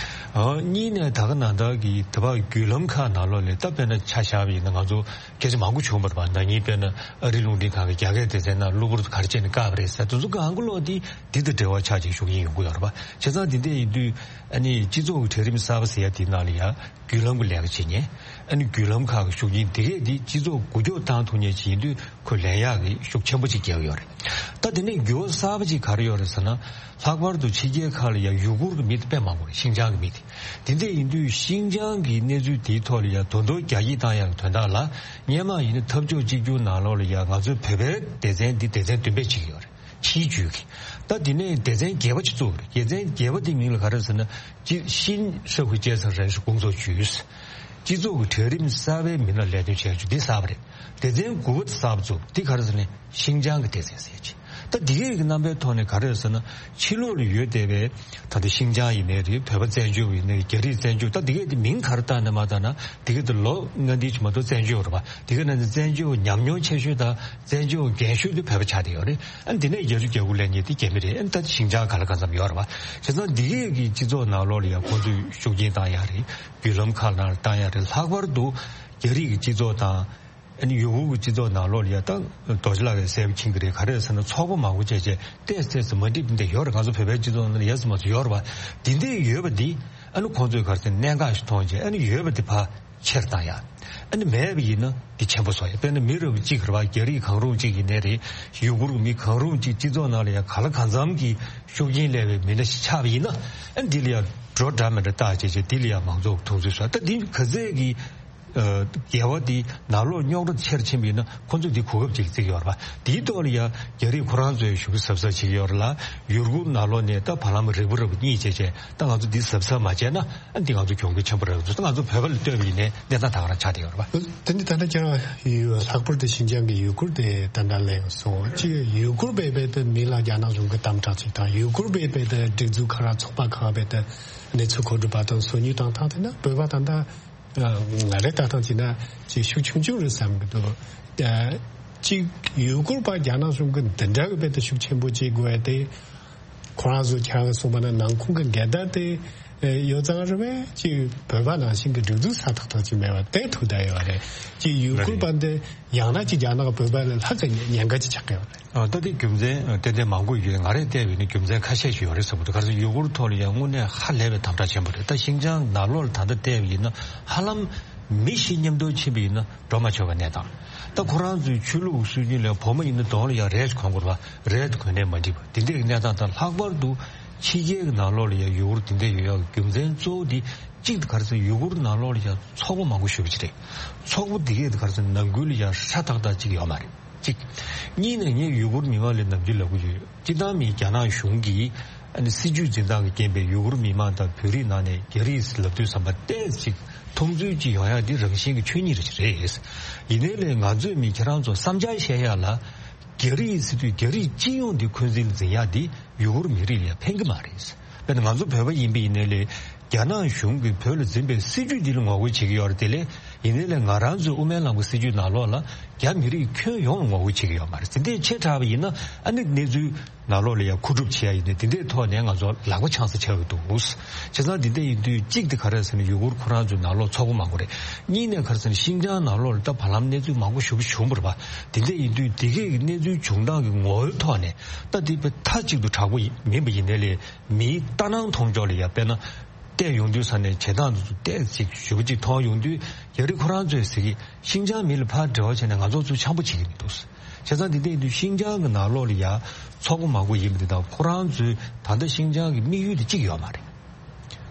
ཨ། གཉིས་ནས་ད་ག་ནང་ལྟར་གྱི་དེ་བར་བརྒྱུད་ལམ་ཁག་ནང་ལོགས་ལ། ད་དཔེར་ན་ཆ་བཞག་པ་ཡིན་ན། ང་ཚོ་སྐད་ཆ་མང་པོ་བྱུང་བ་རེད་པ། ན་ནིང་དཔེར་ན་ཨ་རིའི་རླུང་འཕྲིན་ཁང་གིས་རྒྱ་སྐད་སྡེ་ཚན་ནང་གློ་བུར་དུ་ག་རེ་བྱས་ནས་བཀག་པ་རེད་ཟེར། དེ་ཚོ་གང་ག་ལོག་དེ་འདི་དང་འབྲེལ་བ་ཆགས་བྱས་ཤུགས་རྐྱེན་ཡོང་གི་ཡོད་རེད་པ། བྱས་ཙང་འདི་འདྲ་ཡིན་དུས། ཨ་ནི་སྤྱི་ཚོགས་ཀྱི་གྲལ་རིམ་གསར་པ་ཟེར་ཡ་དེའི་ནང་ལ་ཡ་བརྒྱུད་ལམ་གྱི་ལས་ཀ་བྱེད་མཁན། ཨ་ནི་བརྒྱུད་ལམ་ཁག་གི་ཤུགས་རྐྱེན་དེ་གས་དེ་སྤྱི་ཚོགས་འགུལ་སྐྱོད་བཏང་ཐུབ་མཁན་ཅིག་ཡིན་དུས། ཁོས་ལེན་ཡག་གི་ཤུགས་ཆེན་པོ་ཅིག་རྒྱག་གི་ཡོད་རེད། ད་དེ་ནས་འགྱུར་བ་གསར་པ་ཅིག་ག་རེ་ཡོད་རེད་ཟེར་ན། ལྷག་པར་དུ་ཕྱི་རྒྱལ་ཁག་ལ་ཡ་ཡུ་གུར་གྱི་མི་དེ་དཔེ་མང་པོ་རེད། ཤིན་ཅང་གི་མི་དེ། དེ་འདྲ་ཡིན་དུས་ཤིན་ཅང་གི་གནས་ཚུལ་དེའི་ཐོག་ལ་ཡ་དོན་དུ་རྒྱ་སྐྱེད་བཏང་ཡག་གི་དོན་དག་ལ། སྔོན་མ་ཡིན་ན་འཐབ་ཕྱོགས་གཅིག་གྱུར་ནང་ལོགས་ལ་ཡ་ང་ཚོའི་བོད་པའི་སྡེ་ཚན་འདི་སྡེ་ཚན་བདུན་པས་བྱེད་ཀྱི་ཡོད་རེད། ཕྱིའི་ཇུས་ཀྱིས། ད་དེ་ནས་སྡེ་ཚན་བརྒྱད་པ་ཅིག་བཙུགས་པ་རེད། སྡེ་ཚན་བརྒྱད་པ་དེའི་མིང་ལ་ག་རེ་ཟེར་ན། 新社会阶层人士工作局། སྤྱི་ཚོགས་ཀྱི་གྲལ་རིམ་གསར་པའི་མི་སྣ་ལས་དོན་བྱེད་ཀྱི་འདི་གསར་པ་རེད། སྡེ་ཚན་དགུ་པ་དེ་གསར་པ་བཙུགས། འདི་ག་རེ་ཟེར་ན། ཤིན་ཅང་གི་སྡེ་ཚན་ཟེར་གྱི། ད་འདི་གའི་གི་རྣམ་པའི་ཐོག་ནས་ག་རེ་ཟེར་ན། ཕྱི་ལོགས་ལ་ཡོད་བསྡད་པའི། ད་ལྟ་ཤིན་ཅང་ཡིན་ནའི་རེད། བོད་པ་བཙན་བྱོལ་བ་ཡིན་ནའི་རེད། རྒྱ་རིགས་བཙན་བྱོལ། ད་འདི་གའི་དེ་མིང་ག་རེ་བཏགས་ནའི་མ་བཏགས་ན། འདི་གའི་དེ་ལོ་ལྔ་འདི་ཅིག་མ་གཏོགས་བཙན་བྱོལ་བ་རེད་པ། འདི་ག་ནང་བཞིན་བཙན་བྱོལ་ཉམས་མྱོང་ཆེ་ཤོས་དང་བཙན་བྱོལ་རྒན་ཤོས་དེ་བོད་པ་ཆགས་བསྡད་ཡོད་རེད། ཨ་ནི་འདི་ནས་བརྒྱད་ཅུ་གྱ་དགུ་སླེབས་མཁན་དེ་རྒྱ་མི་རེད། ཨ་ནི་ད་ཤིན་ཅང་ག་ལ་གང་འཚམ་ཡོད་རེད་པ། བྱས་ཙང་འདི་གའི་གི་སྤྱི་ཚོགས་ནང་ལོགས་ལ་ཡ་ཁོང་ཚོས་ཤུགས་རྐྱེན་བཏང་ཡག་རེད། བརྒྱུད་ལམ་ཁག་ནང་ལ་བཏང་ཡག་རེད། ལྷག་པར་དུ་རྒྱ་རིགས་ཀྱི་སྤྱི་ཚོགས་དང་། ཨ་ནི་ཡུ་གུར་གྱི་སྤྱི་ཚོགས་ནང་ལོགས་ལ་ཡ། ད་རྡོ་རྗེ་ལགས་ཀྱིས་གསལ་པོ་མཁྱེན་གྱི་རེད། ག་རེ་ཟེར་ན། ཚོགས་པ་མང་པོ་བྱས་བྱས་ཏོག་ཙམ་ཏོག་ཙམ་མ་འགྲིག་པ་འདི་ཡོད་རེད། ང་ཚོ་བོད་པའི་སྤྱི་ཚོགས་ནང་ལ་ཡ་ཙམ་མ་ཙམ་ཡོད་རེད་པ། འདི་འདྲ་ཡོད་པ་འདི། ཨ་ནི་ཁོང་ཚོས་ག་རེ་ཟེར། གནད་འགག་ཞིག་མཐོང་བྱས། ཨ་ནི་ཡོད་པ་འདི་ཕར་ཕྱིར་བཏང་ཡག། ཨ་ནི་མེད་པ་ཡིན་ན་འདི་ཆེན་པོ་བཟོ་ཡག། དཔེར་ན་མི་རབས་གཅིག་རེད་པ། རྒྱ་རིགས་གང་རུང་གཅིག་ཡིན་ནའི་རེད། ཡུ་གུར་གྱི་མི་གང་རུང་གཅིག་སྤྱི་ཚོགས་ནང་ལ་ཡ་ག་ལ་གང་འཚམ་གྱི་ཤུགས་རྐྱེན་སླེབས་པའི་མི་སྣ་ཞིག་ཆགས་པ་ཡིན་ན། ཨ་ནི་འདི་ལ་ཡ་འགྲོ་འདྲ་མི་འདྲ་བཏགས་བྱས་བྱས། འདི་ལ་ཡ་མང་ཚོགས་མཐོང་ཚུལ་བཟོ། ད་འདི་ག་ཚད་ཀྱི། ཨ། འགལ་བ་འདི་ནང་ལོགས་རྙོག་དྲ་ཆེར་ཕྱིན་པ་ཡིན་ན། ཁོང་ཚོས་འདི་གོ་སྐབས་ཅིག་བརྩི་གི་ཡོད་རེད་པ། དེའི་ཐོག་ལ་ཡ་རྒྱ་རིགས་ཁོ་རང་ཚོས་ཞུ་གི་གཟབ་གཟབ་བྱེད་ཀྱི་ཡོད་རེད་ལ། ཡུ་གུར་ནང་ལོགས་ནས་ད་བར་ལམ་རིལ་བུ་རིལ་བུ་གཉིད་བྱས་བྱས། ད་ང་ཚོ་འདི་གཟབ་གཟབ་མ་བྱས་ན། ཨ། འདི་ང་ཚོ་གྱོང་གུད་ཆེན་པོ་རེད། ད་ང་ཚོ་བོད་པ་ལ་ལྟོས་པ་ཡིན་ནའི་གནས་སྟངས་ད་ག་རང་ཆགས་བསྡད་ཡོད་རེད་པ། དེ་ནི་ད་ལྟ་ཀྱང་ཡུ། ལྷག་པར་དུ་ཤིན་ཅང་གི་ཡུ་གུར་དེ་ད་ལྟ་གླེང་སོང་། ཅིག་ཡུ་གུར་བས་རྦད་དེ་མི་ལ་རྒྱ་ནག་གཞུང་གི་དམ་དྲག་ཅིག་དང་། ཡུ་གུར་བས་རྦད་དེ་སྒྲིག་འཛུགས་ཁག་རང་ཚོགས་པ་ཁག་རྦད་དེ་གནས་ཚུལ་མཁོ་སྒྲུབ་པ་དང་སོ་ཉུལ་བཏང་སྟངས་དེ་ན། བོད་པ་ད་ལྟ་ང་རེ་ལྟ་སྟངས་བྱས་ན་ཅིག་ཤུགས་ཆུང་ཆུང་རེད་བསམ་གྱི་འདུག། ཅིག་ཡུ་གུར་པ་རྒྱ་ནག་གཞུང་གིས་འདི་འདྲ་གི་རྦད་དེ་ཤུགས་ཆེན་པོ་བྱེད་དགོས་ཡ་དེ། ཁོ་རང་ཚོ་ཁྱེད་རང་གིས་གསུངས་པ་ན་ནང་ཁུངས་ཀྱི་འགལ་ཟླ་དེ་ཡོད་ཙང་རེད་པས། ཅིག་བོད་པ་ནང་བཞིན་གྱི་སྒྲིག་འཛུགས་སྲ་ཐག་ཐག་ཅིག་མེད་པ་དེ་ཐུག་བསྡད་ཡོད་རེད། ཅིག་ཡུ་གུར་པ་འདི་ཡང་ན་ཅིག་རྒྱ་ནག་བོད་པ་ལས་ལྷག་ཙམ་ཉེན་ཁ་ཅིག་ཆགས་ཀྱི་ཡོད་རེད། ཨ། ད་དེ་རྒྱུ་མཚན་ཏན་ཏན་མང་པོ་ཡོད། ང་རས་བལྟས་པ་ཡིན་ན་རྒྱུ་མཚན་ཁ་ཤས་ཤིག་ཡོད་རེད་བསམ་གྱི་འདུག། ག་རེ་ཟེར་ན། ཡུ་གུར་ཐོག་ལ་ཡང་དངོས་གནས་ཧ་ལས་པའི་དམ་དྲག་ཆེན་པོ་རེད། ད་ཤིན་ཅང་ནང་ལོགས་ལ་ད་ལྟ་བལྟས་པ་ཡིན་ན། ཧ་ལམ་མི་བཞི་མཉམ་དུ་ཕྱིན་པ་ཡིན་ན་འགྲོ་མ་ཆོག་པའི་གནས་སྟངས། ད་ཁོ་རང་ཚོའི་ཆོས་ལུགས་སྲོལ་རྒྱུན་ལ་བུ་མོ་ཡིན་ན་གདོང་ལ་ཡང་རས་གོན་དགོས་པ། རས་དེ་གོན་ནས་མ་འགྲིག་པ། དེ་འདྲའི་གནས་སྟངས་དང་། ལྷག་པར་དུ་ཕྱི་རྒྱལ་གྱི་ནང་ལོགས་ལ་ཡང་ཡུ་གུར་དེ་འདྲ་ཡོད་ཡག་གི་རྒྱུ་མཚན་གཙོ་བོ་དེ། གཅིག་དེ་ག་རེ་ཟེར་ན། ཡུ་གུར་ནང་ལོགས་ལ་ཡང་ཚོགས་པ་མང་པོ་ཞེ་པོ་ཅིག་རེད། ཚོགས་པ་དེ་གས་དེ་ག་རེ་ཟེར་ན། ནང་ཁུལ་ལ་ཡང་ཧྲ་ཐག་ཐག་ཅིག་ཡོད་མ་རེད། གཅིག། གཉིས་ནས་ངས་ཡུ་གུར་མི་མང་ལ་ནམ་རྒྱུན་ལབ་ཀྱི་ཡོད། སྤྱིར་བཏང་མི་རྒྱ་ནག་གཞུང་གིས། ཨ་ནི་སྲིད་ཇུས་འཛིན་སྟངས་ཀྱི་རྐྱེན་པས་ཡུ་གུར་མི་མང་དང་བོད་རིགས་ནང་ནས་རྒྱ་རིགས་ལབ་དུས་ཙམ་པ་ཏོག་ཙམ་ཅིག་མཐོང་ཚུལ་ཅིག་ཡོང་ཡག་འདི་རང་བཞིན་གྱི་ཆོས་ཉིད་རེད། རེད། ཡིན་ནའི་ལས་ང་ཚོས་མི་ཁྱེད་རང་ཚོ་བསམ་འཆར་བཤད་ཡག་ལ། རྒྱ་རིགས་ཟེར་དུས་རྒྱ་རིགས་སྤྱི་ཡོངས་འདི་འཁོན་འཛིན་ལ་འཛིན་ཡག་འདི་ཡུ་གུར་མི་རིགས་ལ་ཡང་ཕན་གྱི་མ་རེད། དཔེར་ན་ང་ཚོ་བོད་པ་ཡིན་པ་ཡིན་ནའི་ལས། རྒྱ་ནག་གཞུང་གིས་བོད་ལ་འཛིན་པའི་སྲིད་ཇུས་འདི་ལ་ངོ་རྒོལ་བྱེད་ཀྱི་ཡོད་རེད་དེ་ལས། ཡིན་ནའི་ལས་ང་རང་ཚོའི་དབུ་མའི་ལམ་གྱི་སྲིད་ཇུས་ནང་ལོགས་ལ་རྒྱ་མི་རིགས་ཁྱོན་ཡོངས་ལ་ངོ་རྒོལ་བྱེད་ཀྱི་ཡོད་མ་རེད། དེ་འདྲའི་ཆེ་དྲགས་པ་ཡིན་ན། ཨ་ནི་གནས་ཚུལ་ནང་ལོགས་ལ་ཡང་མཁོ་སྒྲུབ་བྱེད་ཡ་ཡིན་ནའི་དེ་འདྲའི་ཐོག་ནས་ང་ཚོ་ལག་པ་འཆང་ས་ཆགས་ཀྱི་འདུག། བྱས་ཙང་དེ་འདྲ་ཡིན་དུས། གཅིག་དེ་ག་རེ་ཟེར་ན། ཡུ་གུར་ཁོ་རང་ཚོའི་ནང་ལོགས་ཚོགས་པ་མང་པོ་རེད། གཉིས་ནས་ག་རེ་ཟེར་ན། ཤིན་ཅང་ནང་ལོགས་ལ་ད་བར་ལམ་གནས་ཚུལ་མང་པོ་ཞེ་པོ་བྱུང་བ་རེད་པ། དེ་འདྲ་ཡིན་དུས་དེ་གའི་གནས་ཚུལ་བྱུང་སྟངས་ཀྱི་ངོ་བོའི་ཐོག་ནས། ད་དེ་དཔེ་མཐའ་གཅིག་ཏུ་དྲག་པོ་ཡིན་མིན་པ་ཡིན་ནའི་ལས། མིའི་ལྟ་སྣང་མཐོང་ཕྱོགས་ལ་ཡང་དཔེར་ན། བལྟས་ཡོང་དུས་ས་ནས་བྱེད་སྟངས་དེ་ཚོ་བལྟས་ཅིག་ཞུ་བ་ཅིག་མཐོང་ཡོང་དུས། རྒྱ་རིགས་ཁོ་རང་ཚོས་ཟེར་གི་ཤིན་ཅང་མི་ལ་ཕར་འབྲེལ་བ་བྱས་ནས་ང་ཚོ་ཚོ་འཆམ་པོ་བྱེད་ཀྱི་མི་འདུག་བྱས་ཙང་དེ་འདྲ་ཡིན་དུས་ཤིན་ཅང་གི་ནང་ལོགས་ལ་ཡ་ཚོགས་པ་མང་པོ་ཡིན་པ་དེ་དང་། ཁོ་རང་ཚོའི་ད་ལྟ་ཤིན་ཅང་གི་དམིགས་ཡུལ་དེ་གཅིག་ཡོད་མ་རེད།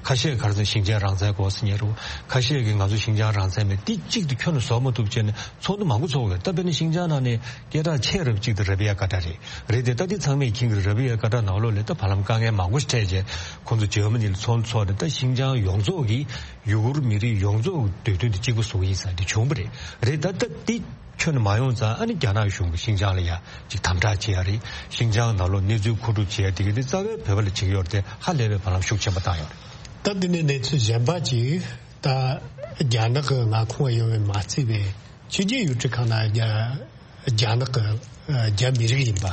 ཁ་ཤས་ག་རེ་ཟེར་ཤིན་ཅང་རང་བཙན་དགོས་ཟེར་མཁན་རེད། ཁ་ཤས་ཀྱིས་ང་ཚོ་ཤིན་ཅང་རང་བཙན་མེད། འདི་གཅིག་ཏུ་ཁྱོན་ནས་བཟོ་མ་ཐུབ་བྱས་ནས་ཚོགས་འདུ་མང་པོ་ཚོགས་ཡོད། ད་དཔེར་ན་ཤིན་ཅང་ནང་ནས་སྐད་གྲགས་ཆེ་རབས་གཅིག་དེ་ར་བི་ཡ་ཀ་ཏྲ་རེད། རེད་དེ། ད་འདི་ཚང་མས་མཁྱེན་གྱི་རེད། ར་བི་ཡ་ཀ་ཏྲ་ནང་ལོགས་ལ་ད་བར་ལམ་དཀའ་ངལ་མང་པོ་ཞིག་འཕྲད་བྱས། ཁོང་ཚོ་འཇར་མ་ནི་ལ་ཚོགས་འདུ་ཚོགས་ནས། ད་ཤིན་ཅང་ཡོངས་རྫོགས་ཀྱི་ཡུ་གུར་མི་རིགས་ཡོངས་རྫོགས་ཀྱི་འདོད་འདུན་དེ་གཅིག་པ་བཟོ་གི་ཡིན་ཟེར་འདི་བྱུང་བ་རེད། རེད་ད། ད་འདི་ཁྱོན་ནས་མ་ཡོང་ཙང་། ཨ་ནི་རྒྱ་ནག་གཞུང་གིས་ཤིན་ཅང་ལ་ཡ་ཅིག་དམ་དྲག་བྱེད་ཡ་རེད། ཤིན་ཅང་ནང་ལོགས་གནས་ཚུལ་མཁོ་སྒྲུབ་བྱེད་ཡ་དེ་གི་དེ་རྩ་བའི་བོད་པ་ལ་བྱེད་ཀྱི་ཡོད་རེད་དེ། ཧ་ལས་པའི་བར་ལམ་ཤུགས་ཆེན་པོ་བཏང་ཡོད་རེད། ད་འདི་ནས་གནས་ཚུལ་གཞན་པ་ཅིག་ད་རྒྱ་ནག་གི་མངའ་ཁོངས་ཡོད་པའི་མ་རྩིས་པའི་ཕྱི་རྒྱལ་ཡུལ་གྲུ་ཁག་ནང་རྒྱ་རྒྱ་ནག་གི་རྒྱ་མི་རིགས་ཡིན་པ།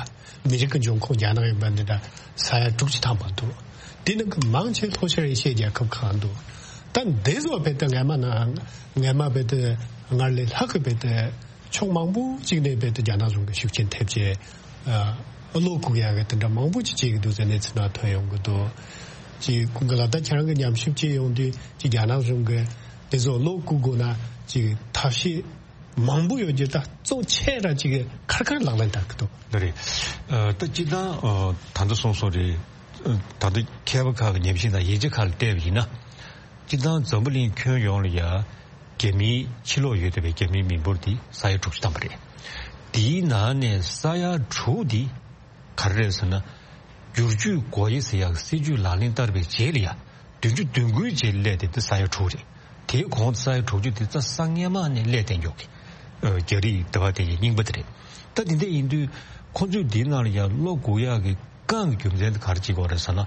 མི་རིགས་ཀྱི་འབྱུང་ཁུངས་རྒྱ་ནག་ཡིན་པ་འདི་འདྲ་ས་ཡ་དྲུག་ཅུ་ཐམ་པ་འདུག་དེ་ནང་གི་མང་ཆེ་ལྷོ་ཤར་ཨེ་ཤི་ཡའི་རྒྱལ་ཁབ་ཁག་འདུག་ད་འདི་ཚོ་རྦད་དེ་སྔ་མ་ན་སྔ་མ་རྦད་དེ་སྔར་ལས་ལྷག་གི་རྦད་དེ་ཕྱོགས་མང་པོ་ཅིག་ནས་རྦད་དེ་རྒྱ་ནག་གཞུང་གི་ཤུགས་རྐྱེན་ཐེབས་བྱས། ཨ། བློ་བཀུག་ཡག་གི་དེ་འདྲ་མང་པོ་ཅིག་བྱེད་ཀྱི་འདུག་ཟེར་གནས་ཚུལ་ནང་ཐོན་ཡོང་གི་འདུག་ཅིག་ཁོང་གི་ལ་ད་ཁྱེད་རང་གི་ཉམས་ཞིབ་བྱེད་ཡོང་དུས། ཅིག་རྒྱ་ནག་གཞུང་གི་དེ་ཚོ་བློ་བཀུག་དགོས་ན་ཅིག་ཐབས་ཤེས་མང་པོ་ཡོད་རྒྱུ། ད་གཙོ་ཆེ་ར་ཅིག་ཁར་ཁར་ལག་ལེན་བསྟར་གི་འདུག་འདི་རེད། ཨ། ད་སྤྱིར་བཏང་། ཨ། ད་ལྟ་གསུངས་སོང་རེད། ཨ། ད་ལྟ་མཁས་པ་ཁག་གི་ཉམས་ཞིབ་དང་ཡིག་ཆ་ཁག་ལ་བལྟས་པ་ཡིན་ན། སྤྱིར་བཏང་འཛམ་བུ་གླིང་ཁྱོན་ཡོངས་ལ་ཡ་རྒྱ་མིའི་ཕྱི་ལོགས་ཡོད་བསྡད་པའི་རྒྱ་མིའི་མི་འབོར་འདི་ས་ཡ་དྲུག་ཅུ་ཐམ་པ་རེད། དེའི་ནང་ནས་ས་ཡ་དྲུག་འདི་ག་རེ་རེད་ཟེར་ན། བསྒྱུར་བཅོས་སྒོ་དབྱེ་ཟེར་ཡག་སྲིད་ཇུས་ལག་ལེན་བསྟར་བའི་རྗེས་ལ་ཡ། བདུན་ཅུ་དོན་དགུའི་རྗེས་སླེབས་ཏེ་འདི་ས་ཡ་དྲུག་རེད། དེའི་གོང་དུ་ས་ཡ་དྲུག་ཅུ་དེ་རྩ་ས་སྔས་མ་ནས་སླེབས་བསྡད་མགྱོགས་ཀྱི། ཨ། རྒྱ་རིགས་དེ་བ་དེ་ཡི་རྙིང་པ་དེ་རེད། ད་དེ་འདྲ་ཡིན་དུས་ཁོ་ཚོས་འདིའི་ནང་ལ་ཡང་བློ་འགུག་ཡག་གི་རྐང་གི་རྒྱུ་མཚན་དེ་ག་རེ་བྱེད་དགོས་རེད་ཟེར་ན།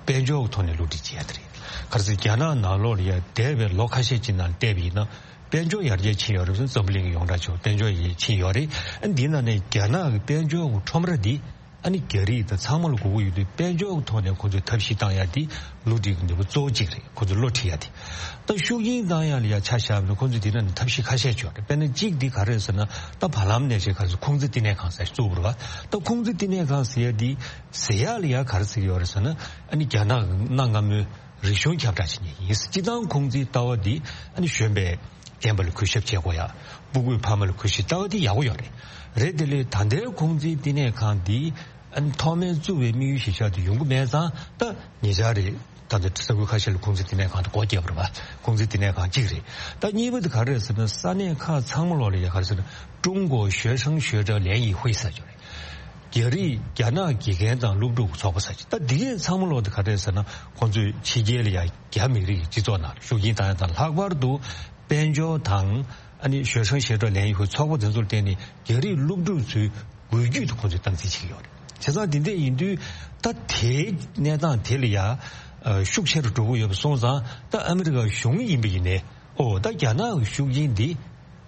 དཔལ་འབྱོར་གྱི་ཐོག་ནས་བསླུ་བྲིད་བྱེད་ཡ་དེ་རེད། ག་རེ་ཟེར། རྒྱ་ནག་ནང་ལོགས་ལ་ཡང་འདས་པའི་ལོ་ཁ་ཤས་ཅིག་ནང་བལྟས་པ་ཡིན་ན། དཔལ་འབྱོར་ཡར་རྒྱས་ཕྱིན་ཡོད་རེད་ཟེར། འཛམ་བུ་གླིང་གི་ཡོངས་གྲགས་ཆེ་བ་དཔལ་འབྱོར་ཡར་རྒྱས་ཕྱིན་ཡོད་རེད། ཨ། འདིའི་ནང་ནས་རྒྱ་ནག་གི་དཔལ་འབྱོར་གྱི་ཁྲོམ་ར་འདི། ཨ་ནི་རྒྱ་རིགས་དང་ཚང་མ་ལ་དགོས་ཀྱི་ཡོད་དུས། དཔལ་འབྱོར་གྱི་ཐོག་ནས་ཁོ་ཚོས་ཐབས་ཤེས་བཏང་ཡ་དེ་བསླུ་བྲིད་ཀྱི་ནུས་པ་གཙོ་བོ་གཅིག་རེད། ཁོ་ཚོས་བློ་ཁྲིད་ཡ་དེ། ད་ཤུགས་རྐྱེན་བཏང་ཡ་ལ་ཡ་ཆ་བཞག་པ་ན། ཁོ་ཚོས་དེ་ནང་ནས་ཐབས་ཤེས་ཁ་ཤས་ཅིག་ཡོད་རེད། དཔེར་ན་གཅིག་འདི་ག་རེ་རེད་ཟེར་ན། ད་བར་ལམ་ནས་བྱས་ག་རེ་ཟེར། ཁུང་ཙི་བསྟི་གནས་ཁང་ཟེར་བཙུགས་པ་རེད་པ། ད་ཁུང་ཙི་བསྟི་གནས་ཁང་ཟེར་ཡ་དེ་ཟེར་ཡ་ལ་ཡ་ག་རེ་ཟེར་གྱི་ཡོད་རེད་ཟེར་ན། ཨ་ནི་རྒྱ་ནག་གི་གནའ་སྔ་མོའི་རིག་གཞུང་ཁྱབ་བསྒྲགས་བྱེད་མཁན་ཡིན། སྤྱིར་བཏང་ཁུང་ཙིའི་ལྟ་བ་འདི། ཨ་ནི་གཞོན་པའི་རྒན་པ་ལ་གུས་ཞབས་བྱེད་དགོས་ཡ། སྤུ་གུའི་ཕ་མ་ལ་གུས་ཞབས། ལྟ་བ་འདི་ཡག་པོ་ཡོད་རེད། རེད་དེ། ལས་ད་ལྟའི་ཁུང་ཙིའི་བསྟི་གནས་ཁང་འདི། ཨ་ནི་ཐོག་མའི་བཙུགས་པའི་དམིགས་ཡུལ་གཞིར་བཞག་དེ་ཡོང་གི་མེད་ཙང་། ད་ཉེ་ཆར་རེད། ད་ལྟ་ས་ཁུལ་ཁ་ཤས་ལ་ཁུང་ཙི་བསྟི་གནས་ཁང་དེ་སྒོ་བརྒྱབ་པ་རེད་པ། ཁུང་ཙི་བསྟི་གནས་ཁང་གཅིག་རེད། ད་གཉིས་པ་དེ་ག་རེ་རེད་ཟེར་ན། ས་གནས་ཁག་ཚང་མ་ལོགས་ལ་ཡ་ག་རེ་ཟེར་ན། 中国学生学者联谊会ཟེར་གྱི་ཡོད་རེད། རྒྱ་རིགས་རྒྱ་ནག་དགེ་རྒན་དང་སློབ་ཕྲུག་གི་ཚོགས་པ་ཟེར་གྱི། ད་འདི་གས་ཚང་མ་ལོགས་དེ་ག་རེ་རེད་ཟེར་ན། ཁོང་ཚོས་ཕྱི་རྒྱལ་ལ་ཡ་རྒྱ་མི་རིགས་ཀྱི་སྤྱི་ཚོགས་ནང་ལ་ཤུགས་རྐྱེན་བཏང་ཡ་དང་། ལྷག་པར་དུ་དཔལ་འབྱོར་དང་། ཨ་ནི་学生学者联谊会ཚོགས་པ་དེ་ཚོར་བརྟེན་ནས་རྒྱ་རིགས་སློབ་ཕྲུག་ཚོའི་འགུལ་སྐྱོད་དེ་ཁོང་ཚོས་སྟངས་འཛིན་བྱེད་ཀྱི་ཡོད་རེད། བྱས་ཙང་དེ་འདྲ་ཡིན་དུས། ད་དེའི་གནས་སྟངས་དེ་ལ་ཡ། ཨ། ཤུགས་ཆེ་རུ་འགྲོ་གི་ཡོད་པ་སོང་ཙང་། ད་ཨ་མི་རི་ཀ་གཞུང་ཡིན་པ་ཡིན་ནའི། ཨོ། ད་རྒྱ་ནག་གི་ཤུགས་རྐྱེན་འདི་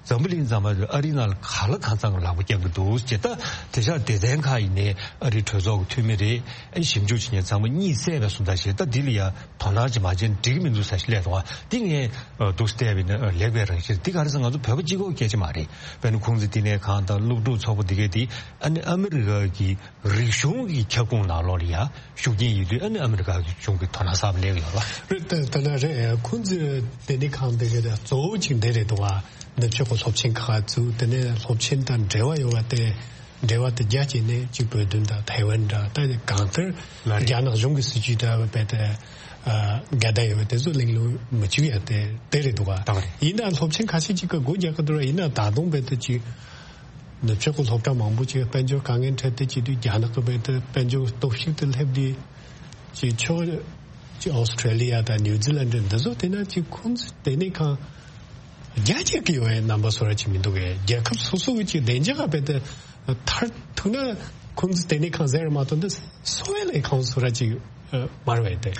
འཛམ་བུ་གླིང་ཚང་མ་ཨ་རིའི་ནང་ལ་ག་ལ་གང་འཚམ་གྱི་ལག་པ་བརྐྱངས་ཀྱི་འདུག་ཅེས། ད་དེང་སང་སྡེ་ཚན་ཁག་ཡིན་ནའི། ཨ་རིའི་གྲོས་ཚོགས་ཀྱི་འཐུས་མི་རེད། ཨ་ནི་ཞིབ་འཇུག་བྱེད་མཁན་ཚང་མ་གཉིད་སད་པའི་བཟོ་ལྟ་ཞིག་ད་འདི་ལ་ཡ་དོ་སྣང་ཅིག་མ་བྱས་ན་འགྲིག་གི་མི་འདུག་ཟེར་ཞིག་སླེབས་འདུག་པ། འདི་ངས། ཨ། འདུག་སེ་བལྟས་པ་ཡིན་ན། ཨ། ལེགས་པའི་རང་བཞིན། འདི་ག་རེ་ཟེར། ང་ཚོ་བོད་པ་གཅིག་པོའི་སྐད་ཆ་མ་རེད། དཔེར་ན་ཁུང་ཙི་བསྟི་གནས་ཁང་དང་སློབ་ཕྲུག་ཚོགས་པ་འདི་གས་འདི། ཨ་ནི་ཨ་མི་རི་ཀ་གི་རིག་གཞུང་གི་ཁྱབ་ཁོངས་ནང་ལོགས་ལ་ཡ་ཤུགས་རྐྱེན་ཡིན་དུས། ཨ་ནི་ཨ་མི་རི་ཀ་གི་གཞུང་གིས་དོ་སྣང་གསར་པ་སླེབས་ཡོད་པ་རེད། ད་ད་ལྟ་རེད། ཁུང་ཙི་བསྟི་གནས་ཁང་འདི་གས་ད་གཙོ་བོ་གཅིག་འདི་རེད་འདུག་པ། ནུབ་ཕྱོགས་ཀྱི་སློབ་ཆེན་ཁག་བཙུགས། དེ་ནས་སློབ་ཆེན་དང་འབྲེལ་བ་ཡོད་པ་དེ། འབྲེལ་བ་དེ་རྒྱ་བྱས་ནས་གཅིག་བོད་དོན་དང་ཐའེ་ཝན་འདྲ། ད་གང་ལྟར་ལ་རེད། རྒྱ་ནག་གཞུང་གི་སྲིད་ཇུས་དང་རྦད་དེ། ཨ། འགལ་ཟླ་ཡོད་པ་དེ་ཚོ་གླེང་སློང་མི་བྱེད་ཡ་དེ་དེ་རེད་འདུག་པ། ད་རེད། ཡིན་ནའང་སློབ་ཆེན་ཁ་ཤས་ཅིག་གིས་སྒོ་རྒྱག་གི་འདུག་ར། ཡིན་ནའང་ད་དུང་རྦད་དེ་ཅིག་ནུབ་ཕྱོགས་ཀྱི་སློབ་གྲྭ་མང་པོ་ཅིག་དཔལ་འབྱོར་དཀའ་ངལ་འཕྲད་དེ་བྱེད་དུས། རྒྱ་ནག་གི་རྦད་དེ་དཔལ་འབྱོར་སྟོབས་ཤུགས་དེ་སླེབས་དུས། ཅིག་ཕྱོགས་ཅིག་ཨོ་སི་ཁྲེ་ལི་ཡ་དང་ནིའུ་ཛི་ལན་འདི་ཚོ་བལྟས་ན། ཅིག་ཁུང་ཙི་བསྟི་གནས་ཁང་རྒྱ་སྐྱེད་ཀྱི་ཡོད་པའི་རྣམ་པ་བཟོ་འདྲ་ཅིག་མི་འདུག་གས། རྒྱལ་ཁབ་སོ་སོ་གི་ཅིག་བདེ་འཇགས་རྦད་དེ་མཐར་ཐུག་ན་ཁུང་ཙི་བསྟི་གནས་ཁང་ཟེར་མ་གཏོགས་འདི་འཚོ་བའི་ལས་ཁང་བཟོ་འདྲ་ཅིག་མ་རེད་པས་ཏེ།